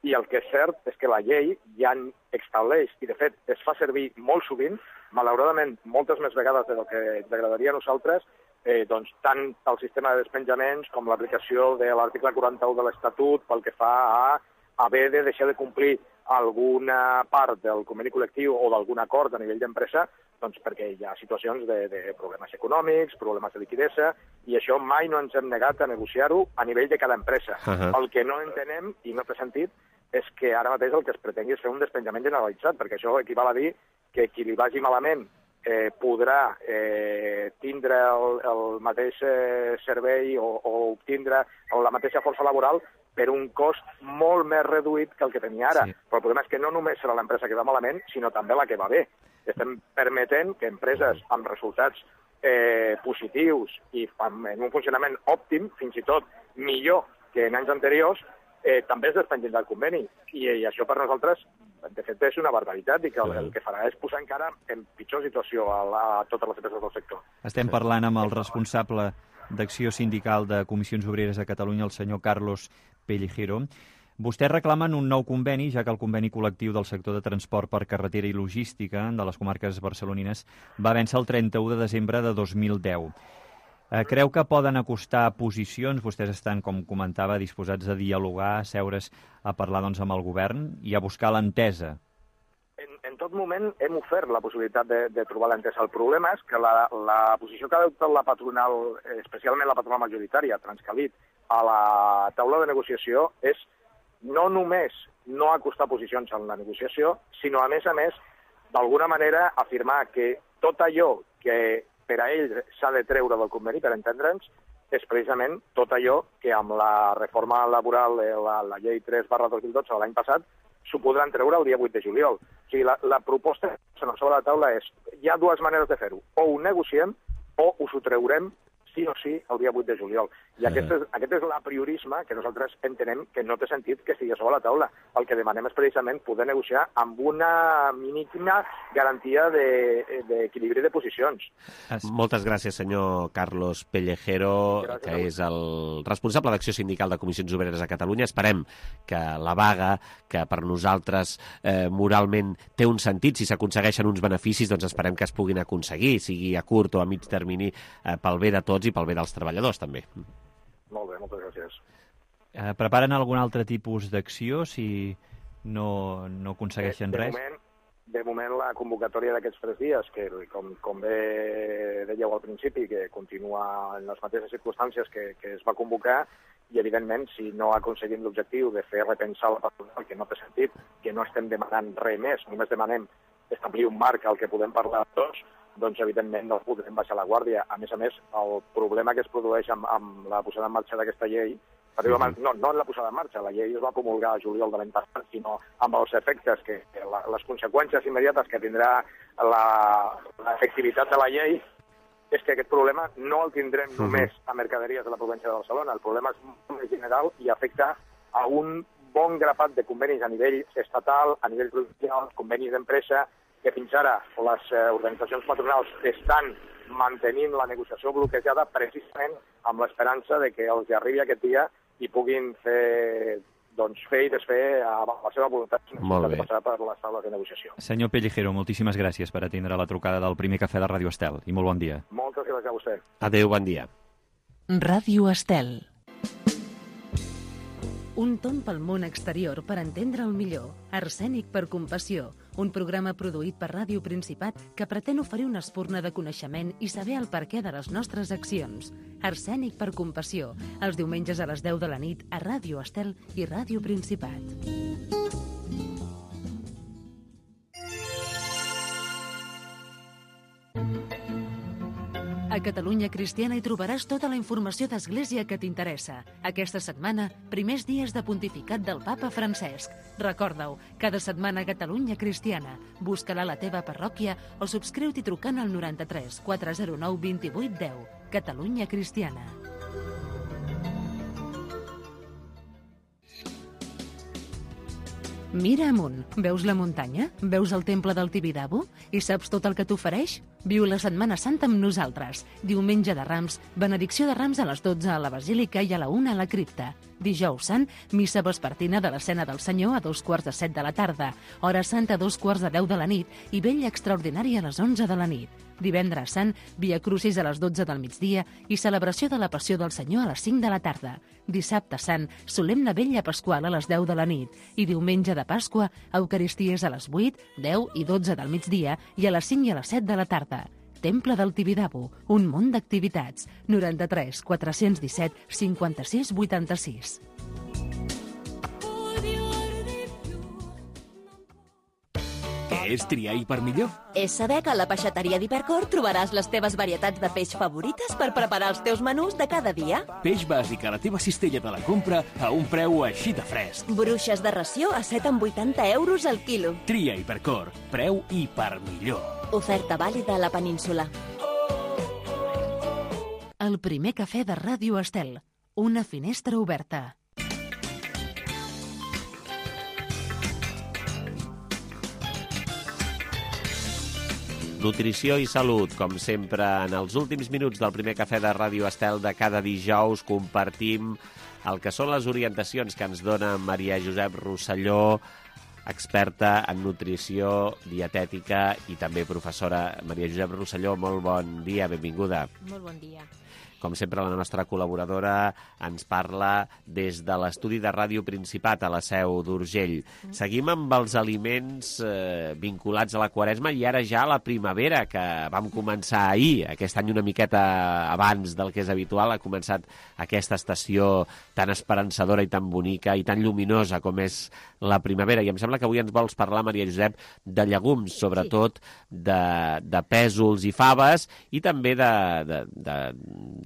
i el que és cert és que la llei ja estableix, i de fet es fa servir molt sovint, malauradament moltes més vegades del que ens agradaria a nosaltres, eh, doncs, tant el sistema de despenjaments com l'aplicació de l'article quaranta-u de l'Estatut pel que fa a haver de deixar de complir alguna part del conveni col·lectiu o d'algun acord a nivell d'empresa, doncs perquè hi ha situacions de, de problemes econòmics, problemes de liquidesa, i això mai no ens hem negat a negociar-ho a nivell de cada empresa. Uh-huh. El que no entenem, i no té sentit, és que ara mateix el que es pretengui és fer un despenjament generalitzat, perquè això equival a dir que qui li vagi malament eh, podrà eh, tindre el, el mateix eh, servei o, o obtindre la mateixa força laboral per un cost molt més reduït que el que tenia ara. Sí. Però el problema és que no només serà l'empresa que va malament, sinó també la que va bé. Estem permetent que empreses amb resultats eh, positius i en un funcionament òptim, fins i tot millor que en anys anteriors, eh, també es despengin del conveni. I, i això per nosaltres, de fet, és una barbaritat i que el, el que farà és posar encara en pitjor situació a, la, a totes les empreses del sector.
Estem parlant amb el responsable d'Acció Sindical de Comissions Obreres a Catalunya, el senyor Carlos Pellejero. Vostès reclamen un nou conveni, ja que el conveni col·lectiu del sector de transport per carretera i logística de les comarques barcelonines va vèncer el trenta-u de desembre de dos mil deu. Eh, creu que poden acostar posicions? Vostès estan, com comentava, disposats a dialogar, a seure's, a parlar doncs, amb el govern i a buscar l'entesa.
En, en tot moment hem ofert la possibilitat de, de trobar l'entesa. El problema és que la, la posició que ha adoptat la patronal, especialment la patronal majoritària, Transcalit, a la taula de negociació és no només no acostar posicions en la negociació, sinó, a més a més, d'alguna manera afirmar que tot allò que per a ells s'ha de treure del conveni, per entendre'ns, és precisament tot allò que amb la reforma laboral, la, la llei tres barra dos mil dotze de l'any passat, s'ho podran treure el dia vuit de juliol. O sigui, la, la proposta sobre la taula és, hi ha dues maneres de fer-ho. O ho negociem o us ho treurem sí o sí el dia vuit de juliol. I aquest és, aquest és l'apriorisme que nosaltres entenem que no té sentit que estigui sobre la taula. El que demanem és precisament poder negociar amb una mínima garantia d'equilibri de, de posicions.
Moltes gràcies, senyor Carlos Pellejero, gràcies, que és el responsable d'Acció Sindical de Comissions Obreres a Catalunya. Esperem que la vaga, que per nosaltres eh, moralment té un sentit, si s'aconsegueixen uns beneficis, doncs esperem que es puguin aconseguir, sigui a curt o a mig termini, eh, pel bé de tots i pel bé dels treballadors, també.
Molt bé, moltes gràcies.
Eh, preparen algun altre tipus d'acció si no, no aconsegueixen
de, de
res?
Moment, de moment, la convocatòria d'aquests tres dies, que com, com bé dèieu al principi, que continua en les mateixes circumstàncies que, que es va convocar, i evidentment, si no aconseguim l'objectiu de fer repensar la patronal, que no té sentit, que no estem demanant res més, només demanem establir un marc al que podem parlar tots, doncs evidentment no podrem baixar la guàrdia. A més a més, el problema que es produeix amb, amb la posada en marxa d'aquesta llei, mm-hmm. no, no en la posada en marxa, la llei es va promulgar a juliol de l'any passat, sinó amb els efectes, que, que la, les conseqüències immediates que tindrà l'efectivitat de la llei, és que aquest problema no el tindrem mm-hmm. només a mercaderies de la província de Barcelona. El problema és molt més general i afecta a un bon grapat de convenis a nivell estatal, a nivell provincial, convenis d'empresa, que fins ara les eh, organitzacions patronals estan mantenint la negociació bloquejada precisament amb l'esperança de que els arribi aquest dia i puguin fer, doncs, fer i desfer a la seva voluntat de passar per les taules de negociació.
Senyor Pellejero, moltíssimes gràcies per atendre la trucada del primer cafè de Ràdio Estel i molt bon dia.
Moltes gràcies a vostè.
Adéu, bon dia.
Ràdio Estel. Un tomb pel món exterior per entendre el millor. Arsènic per compassió. Un programa produït per Ràdio Principat que pretén oferir una espurna de coneixement i saber el perquè de les nostres accions. Arsènic per compassió. Els diumenges a les deu de la nit a Ràdio Estel i Ràdio Principat. A Catalunya Cristiana hi trobaràs tota la informació d'Església que t'interessa. Aquesta setmana, primers dies de pontificat del papa Francesc. Recorda-ho, cada setmana a Catalunya Cristiana. Busca-la a la teva parròquia o subscriu-t'hi trucant al noranta-tres quatre zero nou vint vuit deu. Catalunya Cristiana. Mira amunt. Veus la muntanya? Veus el temple del Tibidabo? I saps tot el que t'ofereix? Viu la Setmana Santa amb nosaltres. Diumenge de Rams, benedicció de Rams a les dotze a la Basílica i a la una a la cripta. Dijous Sant, missa vespertina de l'Escena del Senyor a dos quarts de set de la tarda. Hora Santa a dos quarts de deu de la nit i vella extraordinària a les onze de la nit. Divendres Sant, Via Crucis a les dotze del migdia i celebració de la Passió del Senyor a les cinc de la tarda. Dissabte Sant, solemne vella pasqual a les deu de la nit. I diumenge de Pasqua, Eucaristies a les vuit, deu i dotze del migdia i a les cinc i a les set de la tarda. Temple del Tibidabo, un món d'activitats. noranta-tres quatre cents disset cinquanta-sis vuitanta-sis.
és triar i per millor.
És saber que a la peixateria d'Hipercor trobaràs les teves varietats de peix favorites per preparar els teus menús de cada dia.
Peix bàsic a la teva cistella de la compra a un preu així de fresc.
Bruixes de ració a set coma vuitanta euros al quilo.
Tria Hipercor, preu i per millor.
Oferta vàlida a la península.
El primer cafè de Ràdio Estel. Una finestra oberta.
Nutrició i salut, com sempre, en els últims minuts del primer cafè de Ràdio Estel de cada dijous compartim el que són les orientacions que ens dona Maria Josep Rosselló, experta en nutrició, dietètica i també professora. Maria Josep Rosselló, molt bon dia, benvinguda.
Molt bon dia.
Com sempre, la nostra col·laboradora ens parla des de l'estudi de Ràdio Principat a la Seu d'Urgell. Mm. Seguim amb els aliments eh, vinculats a la Quaresma i ara ja a la primavera, que vam començar ahir, aquest any una miqueta abans del que és habitual. Ha començat aquesta estació tan esperançadora i tan bonica i tan lluminosa com és la primavera. I em sembla que avui ens vols parlar, Maria Josep, de llegums, sobretot sí. de, de pèsols i faves i també de... de, de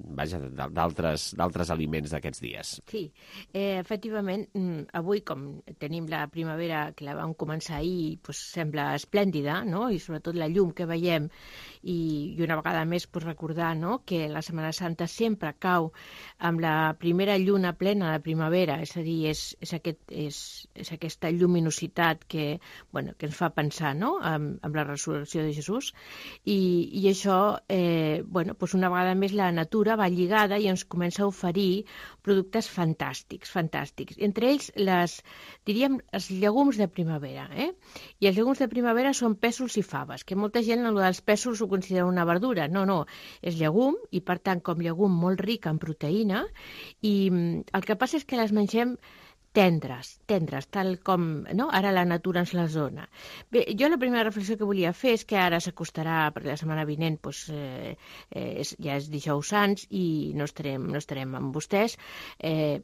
vaja, d'altres d'altres aliments d'aquests dies.
Sí, eh, efectivament, avui, com tenim la primavera que la vam començar ahir, pues, sembla esplèndida, no? I sobretot la llum que veiem, i, i una vegada més pues, recordar, no?, que la Setmana Santa sempre cau amb la primera lluna plena de primavera, és a dir, és, és, aquest, és, és aquesta lluminositat que, bueno, que ens fa pensar, no?, amb, amb la resurrecció de Jesús, i, i això, eh, bueno, pues una vegada més la natura va lligada i ens comença a oferir productes fantàstics, fantàstics. Entre ells, les, diríem, els llegums de primavera. Eh? I els llegums de primavera són pèsols i faves, que molta gent el dels pèsols ho considera una verdura. No, no, és llegum i, per tant, com llegum molt ric en proteïna, i el que passa és que les mengem tendres, tendres, tal com no? Ara la natura ens les dona. Bé, jo la primera reflexió que volia fer és que ara s'acostarà, perquè la setmana vinent pues, eh, eh, ja és dijous sants i no estarem, no estarem amb vostès, eh,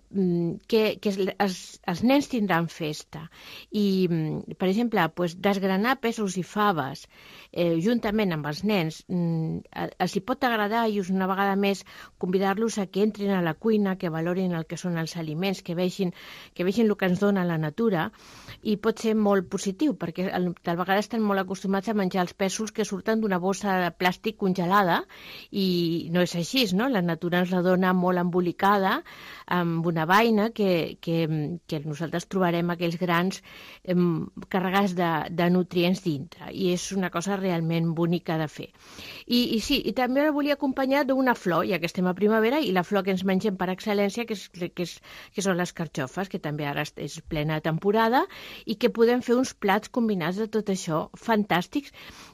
que, que els, els nens tindran festa. I, per exemple, pues, desgranar pèsols i faves eh, juntament amb els nens eh, els hi pot agradar i una vegada més convidar-los a que entrin a la cuina, que valorin el que són els aliments, que vegin que vegin el que ens dona la natura, i pot ser molt positiu, perquè tal vegada estem molt acostumats a menjar els pèsols que surten d'una bossa de plàstic congelada, i no és així, no? La natura ens la dona molt embolicada, amb una vaina que, que, que nosaltres trobarem aquells grans eh, carregats de, de nutrients dintre, i és una cosa realment bonica de fer. I, i sí, i també la volia acompanyar d'una flor, ja que estem a primavera, i la flor que ens mengem per excel·lència, que, és, que, és, que són les carxofes, que també ara és plena temporada, i que podem fer uns plats combinats de tot això fantàstics,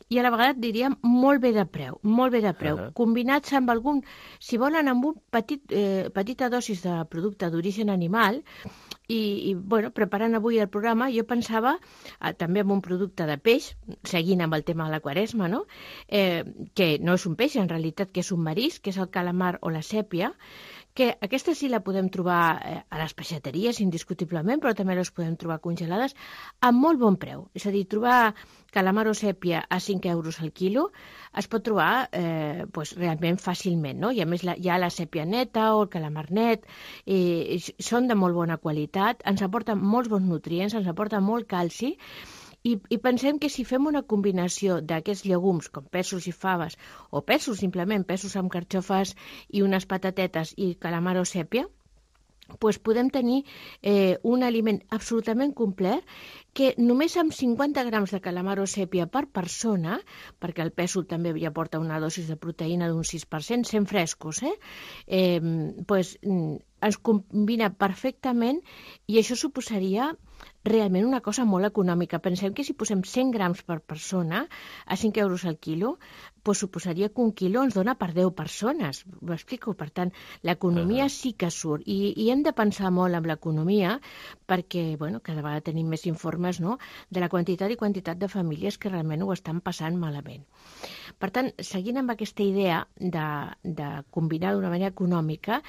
i a la vegada diríem molt bé de preu, molt bé de preu, uh-huh. combinats amb algun, si volen, amb un petit, eh, petita dosis de producte d'origen animal, i, i bueno, preparant avui el programa jo pensava eh, també amb un producte de peix, seguint amb el tema de la Quaresma, no? eh, que no és un peix, en realitat que és un marisc, que és el calamar o la sèpia, que aquesta sí la podem trobar a les peixateries, indiscutiblement, però també les podem trobar congelades a molt bon preu. És a dir, trobar calamar o sèpia a cinc euros al quilo es pot trobar eh, pues, realment fàcilment, no? I a més la, hi ha la sèpia neta o el calamar net, eh, són de molt bona qualitat, ens aporten molts bons nutrients, ens aporten molt calci, I, i pensem que si fem una combinació d'aquests llegums, com pèsols i faves, o pèsols simplement, pèsols amb carxofes i unes patatetes i calamar o sèpia, pues podem tenir eh, un aliment absolutament complet que només amb cinquanta grams de calamar o sèpia per persona, perquè el pèsol també ja porta una dosis de proteïna d'un sis per cent, sent frescos, eh? Eh, pues, ens combina perfectament i això suposaria realment una cosa molt econòmica. Pensem que si posem cent grams per persona a cinc euros al quilo, pues suposaria que un quilo ens dona per deu persones. M'explico? Per tant, l'economia uh-huh. sí que surt. I, I hem de pensar molt en l'economia perquè, bueno, cada vegada tenim més informes, no?, de la quantitat i quantitat de famílies que realment ho estan passant malament. Per tant, seguint amb aquesta idea de, de combinar d'una manera econòmica,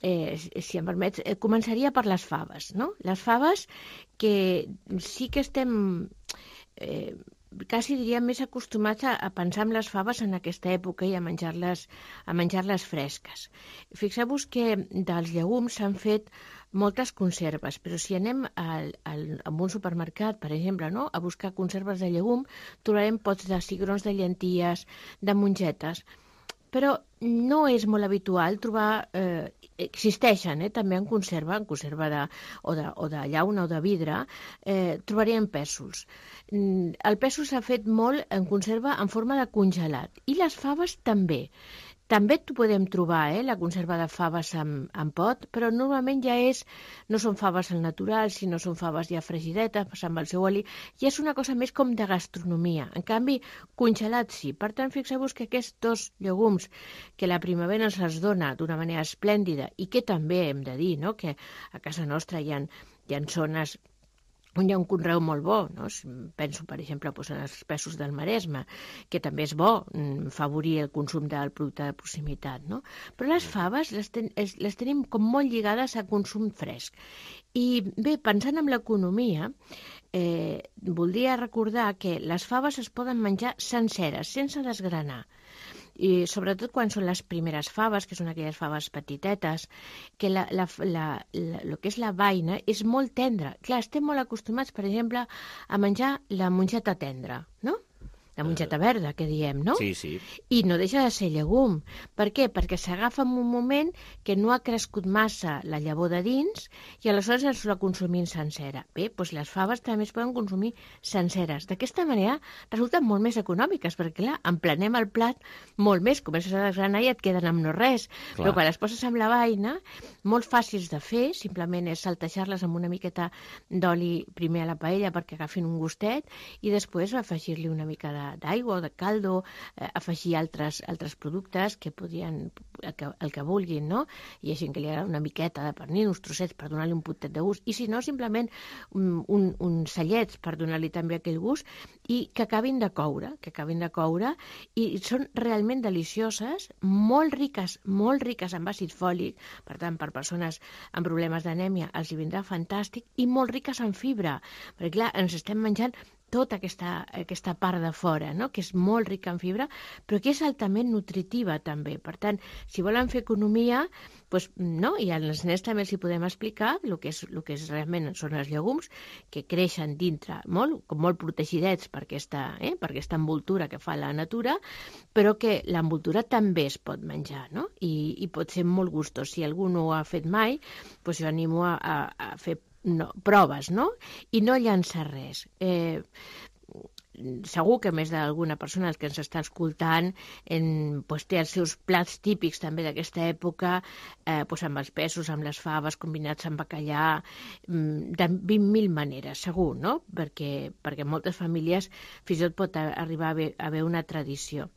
Eh, si em permets, eh, començaria per les faves, no? Les faves que sí que estem eh, quasi diria més acostumats a, a pensar en les faves en aquesta època i a menjar-les a menjar-les fresques. Fixeu-vos que dels llegums s'han fet moltes conserves, però si anem al, al, a un supermercat, per exemple, no? a buscar conserves de llegum, trobarem pots de cigrons de llenties, de mongetes, però no és molt habitual trobar, eh, existeixen eh, també en conserva, en conserva de, o, de, o de llauna o de vidre, eh, trobaríem pèsols. El pèsol s'ha fet molt en conserva en forma de congelat, i les faves també. També t'ho podem trobar, eh, la conserva de faves en, en pot, però normalment ja és, no són faves al natural, sinó són faves ja fregidetes, amb el seu oli, i és una cosa més com de gastronomia. En canvi, congelat sí. Per tant, fixeu-vos que aquests dos llegums que la primavera ens els dona d'una manera esplèndida i que també hem de dir, no?, que a casa nostra hi ha, hi ha zones on hi ha un conreu molt bo, no? Penso, per exemple, doncs, en els pèsols del Maresme, que també és bo favorir el consum del producte de proximitat, no? Però les faves les, ten les tenim com molt lligades a consum fresc. I bé, pensant en l'economia, eh, voldria recordar que les faves es poden menjar senceres, sense desgranar. I sobretot quan són les primeres faves, que són aquelles faves petitetes, que la, la, la, la, el que és la vaina és molt tendra. Clar, estem molt acostumats, per exemple, a menjar la mongeta tendra, no? La mongeta verda, que diem, no?
Sí, sí.
I no deixa de ser llegum. Per què? Perquè s'agafa en un moment que no ha crescut massa la llavor de dins i aleshores ens la consumim sencera. Bé, doncs les faves també es poden consumir senceres. D'aquesta manera resulten molt més econòmiques, perquè clar, emplenem el plat molt més, comences a desgranar i et queden amb no res. Clar. Però quan les poses amb la vaina, molt fàcils de fer, simplement és saltejar-les amb una miqueta d'oli primer a la paella perquè agafin un gustet i després afegir-li una mica de d'aigua o de caldo, eh, afegir altres, altres productes que podrien, el que, el que vulguin, no? Hi ha gent que li agrada una miqueta de pernil, uns trossets per donar-li un puntet de gust, i si no, simplement un, un, uns cellets per donar-li també aquell gust, i que acabin de coure, que acabin de coure, i són realment delicioses, molt riques, molt riques en àcid fòlic, per tant, per persones amb problemes d'anèmia els hi vindrà fantàstic, i molt riques en fibra, perquè clar, ens estem menjant tota aquesta, aquesta part de fora, no?, que és molt rica en fibra, però que és altament nutritiva també. Per tant, si volen fer economia, doncs, no? I als nens també els hi podem explicar el que, és, el que és realment són els llegums, que creixen dintre, molt, com molt protegidets per aquesta, eh, per aquesta envoltura que fa la natura, però que l'envoltura també es pot menjar, no? I, i pot ser molt gustós. Si algú no ho ha fet mai, doncs jo animo a, a, a fer no, proves, no? I no llançar res. Eh, segur que més d'alguna persona que ens està escoltant en, pues, té els seus plats típics també d'aquesta època, eh, pues, amb els pèsols, amb les faves, combinats amb bacallà, de vint mil maneres, segur, no? Perquè, perquè moltes famílies fins i tot pot arribar a haver, a haver una tradició.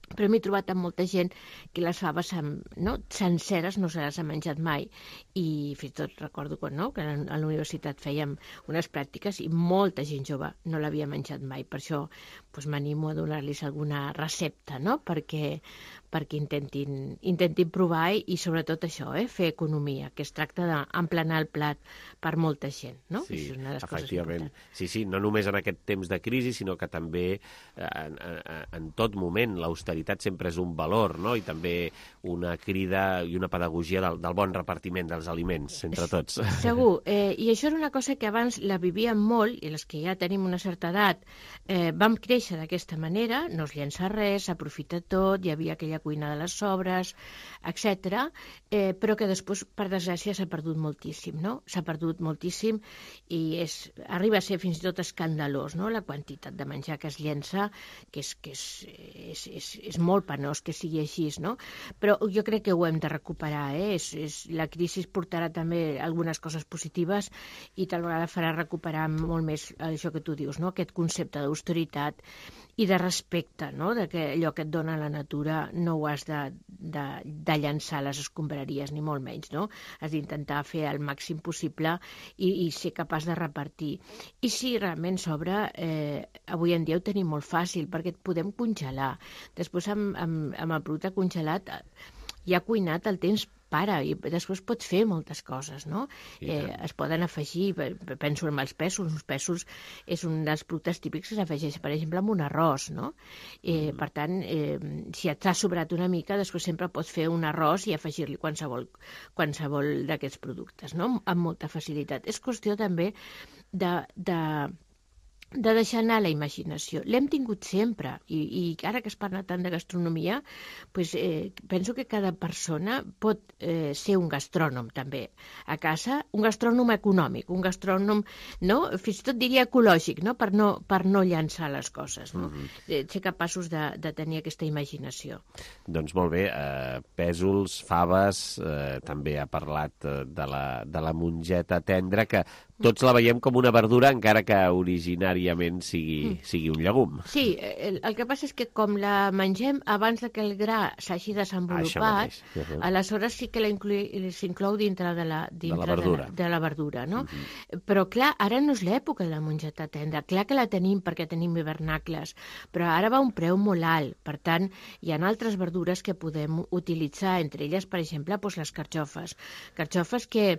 Però m'he trobat amb molta gent que les faves no, senceres no se les ha menjat mai, i fins i tot recordo quan, no, que a la universitat fèiem unes pràctiques i molta gent jove no l'havia menjat mai. Per això doncs, m'animo a donar-los alguna recepta, no? perquè, perquè intentin, intentin provar i, i sobretot això, eh, fer economia, que es tracta d'emplenar el plat per molta gent. No?
Sí,
és una de les
efectivament. Sí, sí, no només en aquest temps de crisi, sinó que també en, en, en tot moment l'austeritat sempre és un valor, no? I també una crida i una pedagogia del, del bon repartiment dels aliments entre tots.
Segur, eh, i això era una cosa que abans la vivíem molt, i les que ja tenim una certa edat eh, vam créixer d'aquesta manera, no es llença res, s'aprofita tot, hi havia aquella cuina de les sobres, etcètera, eh, però que després, per desgràcia, s'ha perdut moltíssim, no? S'ha perdut moltíssim i és, arriba a ser fins i tot escandalós, no?, la quantitat de menjar que es llença, que és, que és, és, és, és molt penós que sigui així, no? Però jo crec que ho hem de recuperar, eh? És, és, la crisi portarà també algunes coses positives i tal vegada farà recuperar molt més això que tu dius, no?, aquest concepte d'austeritat i de respecte, no?, de que allò que et dona la natura no ho has de, de, de llançar a les escombraries, ni molt menys, no? Has d'intentar fer el màxim possible i, i ser capaç de repartir. I si realment sobra, eh, avui en dia ho tenim molt fàcil, perquè et podem congelar. Després, amb, amb, amb el producte congelat, ja cuinat el tens para i després pots fer moltes coses, no? Eh, es poden afegir, penso en els pèsols, els pèsols és un dels productes típics que s'afegeix, per exemple, amb un arròs, no? Eh, mm. Per tant, eh, si et t'ha sobrat una mica, després sempre pots fer un arròs i afegir-li qualsevol, qualsevol d'aquests productes, no? Amb molta facilitat. És qüestió també de... de de deixar anar la imaginació. L'hem tingut sempre, i, i ara que es parla tant de gastronomia, pues, eh, penso que cada persona pot eh, ser un gastrònom, també, a casa, un gastrònom econòmic, un gastrònom, no? Fins i tot diria ecològic, no? Per no, per no llançar les coses, no? Mm-hmm. eh, ser capaços de, de tenir aquesta imaginació.
Doncs molt bé, eh, pèsols, faves, eh, també ha parlat eh, de, la, de la mongeta tendra, que tots la veiem com una verdura, encara que originàriament sigui, mm. sigui un llegum.
Sí, el, el que passa és que com la mengem abans de que el gra s'hagi desenvolupat, uh-huh. aleshores sí que s'inclou dintre de la, dintre de la verdura, de la, de la verdura no? Uh-huh. Però clar, ara no és l'època de la mongeta tendra. Clar que la tenim perquè tenim hivernacles, però ara va un preu molt alt. Per tant, hi ha altres verdures que podem utilitzar, entre elles, per exemple, doncs les carxofes. Carxofes que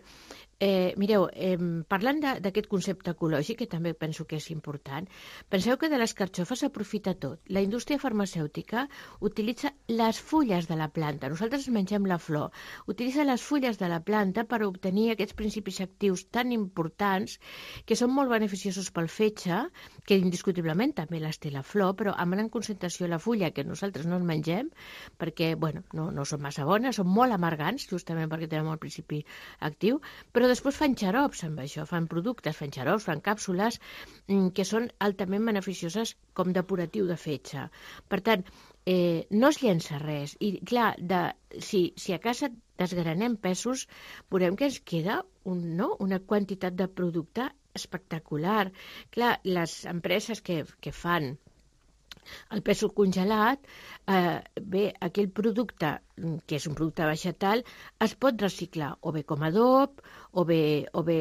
Eh, mireu, eh, parlant d'aquest concepte ecològic, que també penso que és important, penseu que de les carxofes s'aprofita tot. La indústria farmacèutica utilitza les fulles de la planta. Nosaltres mengem la flor. Utilitza les fulles de la planta per obtenir aquests principis actius tan importants que són molt beneficiosos pel fetge, que indiscutiblement també les té la flor, però amb gran concentració la fulla, que nosaltres no en mengem, perquè bueno, no, no són massa bones, són molt amargants, justament perquè tenen molt principi actiu, però però després fan xarops amb això, fan productes, fan xarops, fan càpsules que són altament beneficioses com depuratiu de fetge. Per tant, eh, no es llença res. I clar, de, si, si a casa desgranem pèsols, veurem que ens queda un, no? una quantitat de producte espectacular. Clar, les empreses que, que fan el pèsol congelat, eh, bé, aquell producte, que és un producte vegetal, es pot reciclar o bé com a adob, o bé, o bé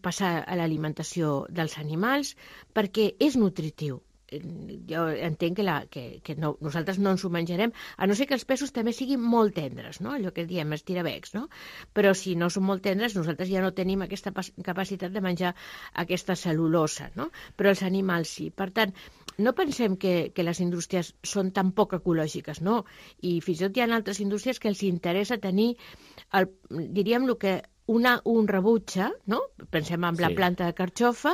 passar a l'alimentació dels animals, perquè és nutritiu. Jo entenc que, la, que, que no, nosaltres no ens ho menjarem, a no ser que els pèsols també siguin molt tendres, no? Allò que diem estirabecs, no? Però si no són molt tendres, nosaltres ja no tenim aquesta capacitat de menjar aquesta cel·lulosa, no? Però els animals sí. Per tant, no pensem que, que les indústries són tan poc ecològiques, no. I fins i tot hi ha altres indústries que els interessa tenir, el, diríem, el que una, un rebutge, no? Pensem en la sí. planta de carxofa,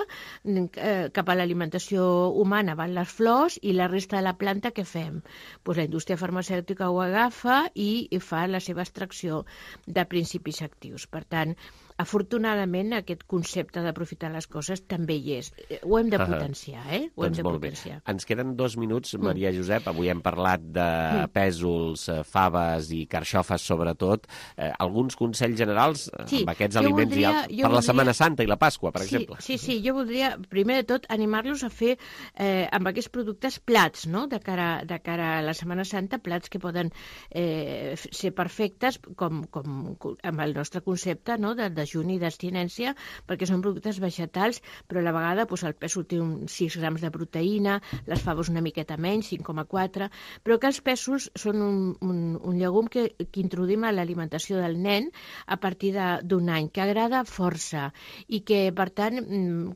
eh, cap a l'alimentació humana van les flors i la resta de la planta què fem? Pues la indústria farmacèutica ho agafa i, i fa la seva extracció de principis actius. Per tant, afortunadament, aquest concepte d'aprofitar les coses també hi és. Ho hem de potenciar, eh? Ho
doncs
hem de
molt
potenciar.
Bé. Ens queden dos minuts, Maria Josep. Avui hem parlat de mm. pèsols, faves i carxofes, sobretot. Eh, alguns consells generals sí, amb aquests aliments
voldria,
i altres, per
voldria...
la Setmana Santa i la Pasqua, per
sí,
exemple.
Sí, sí, jo voldria, primer de tot, animar-los a fer eh, amb aquests productes plats, no?, de cara, de cara a la Setmana Santa, plats que poden eh, ser perfectes com, com amb el nostre concepte, no?, de, de dejuni i d'abstinència, perquè són productes vegetals, però a la vegada doncs, el pèsol té uns sis grams de proteïna, les faves una miqueta menys, cinc coma quatre, però que els pèsols són un, un, un llegum que, que introduïm a l'alimentació del nen a partir d'un any, que agrada força i que, per tant,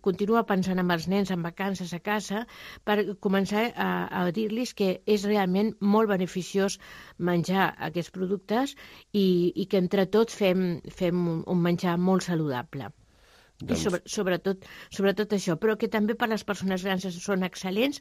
continua pensant en els nens en vacances a casa per començar a, a dir-los que és realment molt beneficiós menjar aquests productes i, i que entre tots fem, fem un, un menjar molt saludable. Doncs... I sobre, sobretot, sobretot això, però que també per les persones grans són excel·lents.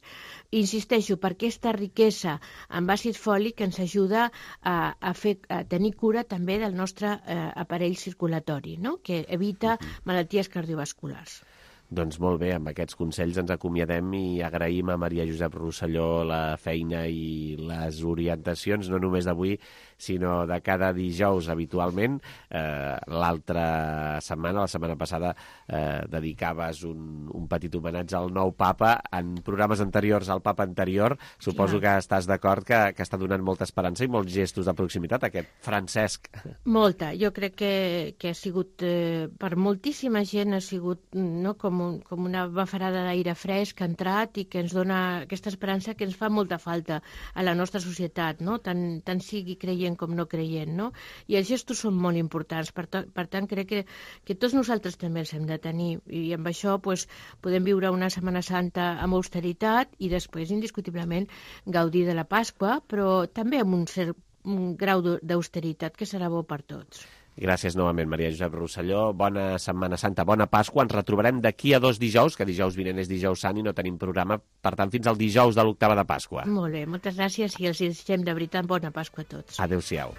Insisteixo, per aquesta riquesa amb àcid fòlic ens ajuda a, a, fer, a tenir cura també del nostre eh, aparell circulatori, no?, que evita malalties cardiovasculars.
Doncs molt bé, amb aquests consells ens acomiadem i agraïm a Maria Josep Rosselló la feina i les orientacions, no només d'avui, sinó de cada dijous habitualment. Eh, L'altra setmana, la setmana passada, eh, dedicaves un, un petit homenatge al nou papa. En programes anteriors al papa anterior, suposo Clar. que estàs d'acord que, que està donant molta esperança i molts gestos de proximitat, aquest Francesc.
Molta. Jo crec que, que ha sigut, eh, per moltíssima gent, ha sigut no, com com, un, com una bafarada d'aire fresc que ha entrat i que ens dona aquesta esperança que ens fa molta falta a la nostra societat, no? tant, tant sigui creient com no creient. No? I els gestos són molt importants, per, to, per tant crec que, que tots nosaltres també els hem de tenir, i amb això pues, podem viure una Setmana Santa amb austeritat i després indiscutiblement gaudir de la Pasqua, però també amb un cert un grau d'austeritat que serà bo per tots.
Gràcies novament, Maria Josep Rosselló. Bona Setmana Santa, bona Pasqua. Ens retrobarem d'aquí a dos dijous, que dijous vinent és dijous sant i no tenim programa, per tant, fins al dijous de l'octava de Pasqua.
Molt bé, moltes gràcies i els desitgem de veritat bona Pasqua a tots.
Adéu-siau.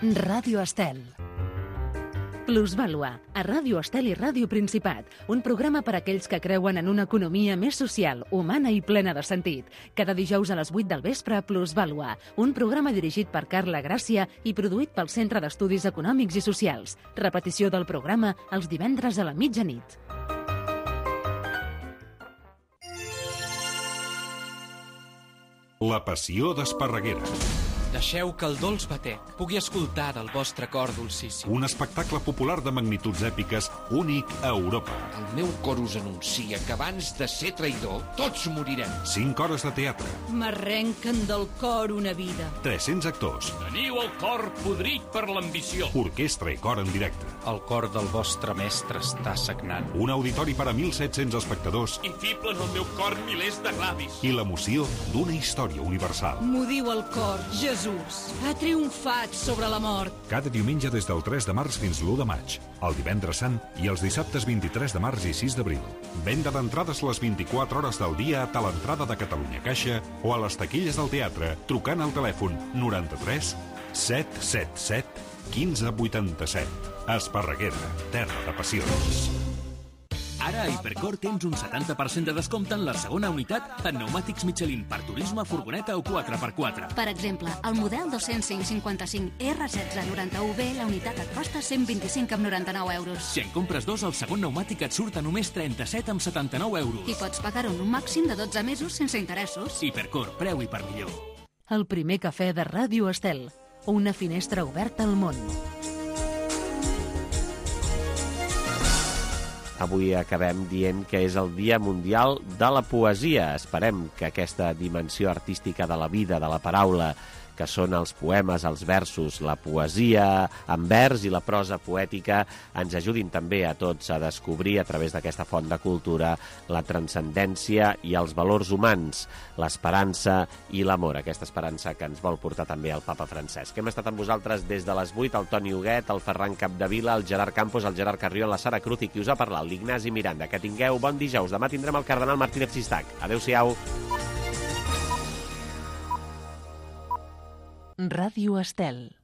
Ràdio Estel. Plusvàlua, a Ràdio Estel i Ràdio Principat, un programa per a aquells que creuen en una economia més social, humana i plena de sentit. Cada dijous a les vuit del vespre a Plusvàlua, un programa dirigit per Carla Gràcia i produït pel Centre d'Estudis Econòmics i Socials. Repetició del programa els divendres a la mitjanit.
La passió d'Esparreguera.
Deixeu que el dolç batec pugui escoltar del vostre cor dolcíssim.
Un espectacle popular de magnituds èpiques únic a Europa.
El meu cor us anuncia que abans de ser traïdor, tots morirem.
Cinc hores de teatre.
M'arrenquen del cor una vida.
tres-cents actors.
Teniu el cor podrit per l'ambició.
Orquestra i cor en directe.
El cor del vostre mestre està sagnant.
Un auditori per a mil set-cents espectadors.
I fiblen al meu cor milers de glavis.
I l'emoció d'una història universal.
M'ho diu el cor, Jesús. Ha triomfat sobre la mort.
Cada diumenge des del tres de març fins l'u de maig, el divendres sant i els dissabtes vint-i-tres de març i sis d'abril. Venda d'entrades les vint-i-quatre hores del dia a l'entrada de Catalunya Caixa o a les taquilles del teatre trucant al telèfon noranta-tres set set set quinze vuitanta-set. Esparreguera, terra de passions.
Ara a Hipercor tens un setanta per cent de descompte en la segona unitat en pneumàtics Michelin per turisme, furgoneta o quatre per quatre.
Per exemple, el model dos-cents cinc cinquanta-cinc R setze noranta-u B, la unitat et costa cent vint-i-cinc coma noranta-nou euros.
Si en compres dos, el segon pneumàtic et surt a només trenta-set coma setanta-nou euros.
I pots pagar-ho en un màxim de dotze mesos sense interessos.
Hipercor, preu i per millor.
El primer cafè de Ràdio Estel. Una finestra oberta al món.
Avui acabem dient que és el Dia Mundial de la Poesia. Esperem que aquesta dimensió artística de la vida, de la paraula, que són els poemes, els versos, la poesia en vers i la prosa poètica, ens ajudin també a tots a descobrir a través d'aquesta font de cultura la transcendència i els valors humans, l'esperança i l'amor, aquesta esperança que ens vol portar també el papa Francesc. Hem estat amb vosaltres des de les vuit, el Toni Huguet, el Ferran Capdevila, el Gerard Campos, el Gerard Carrió, la Sara Cruz i qui us ha parlat, l'Ignasi Miranda. Que tingueu bon dijous. Demà tindrem el cardenal Martínez Sistac. Adéu-siau.
Ràdio Estel.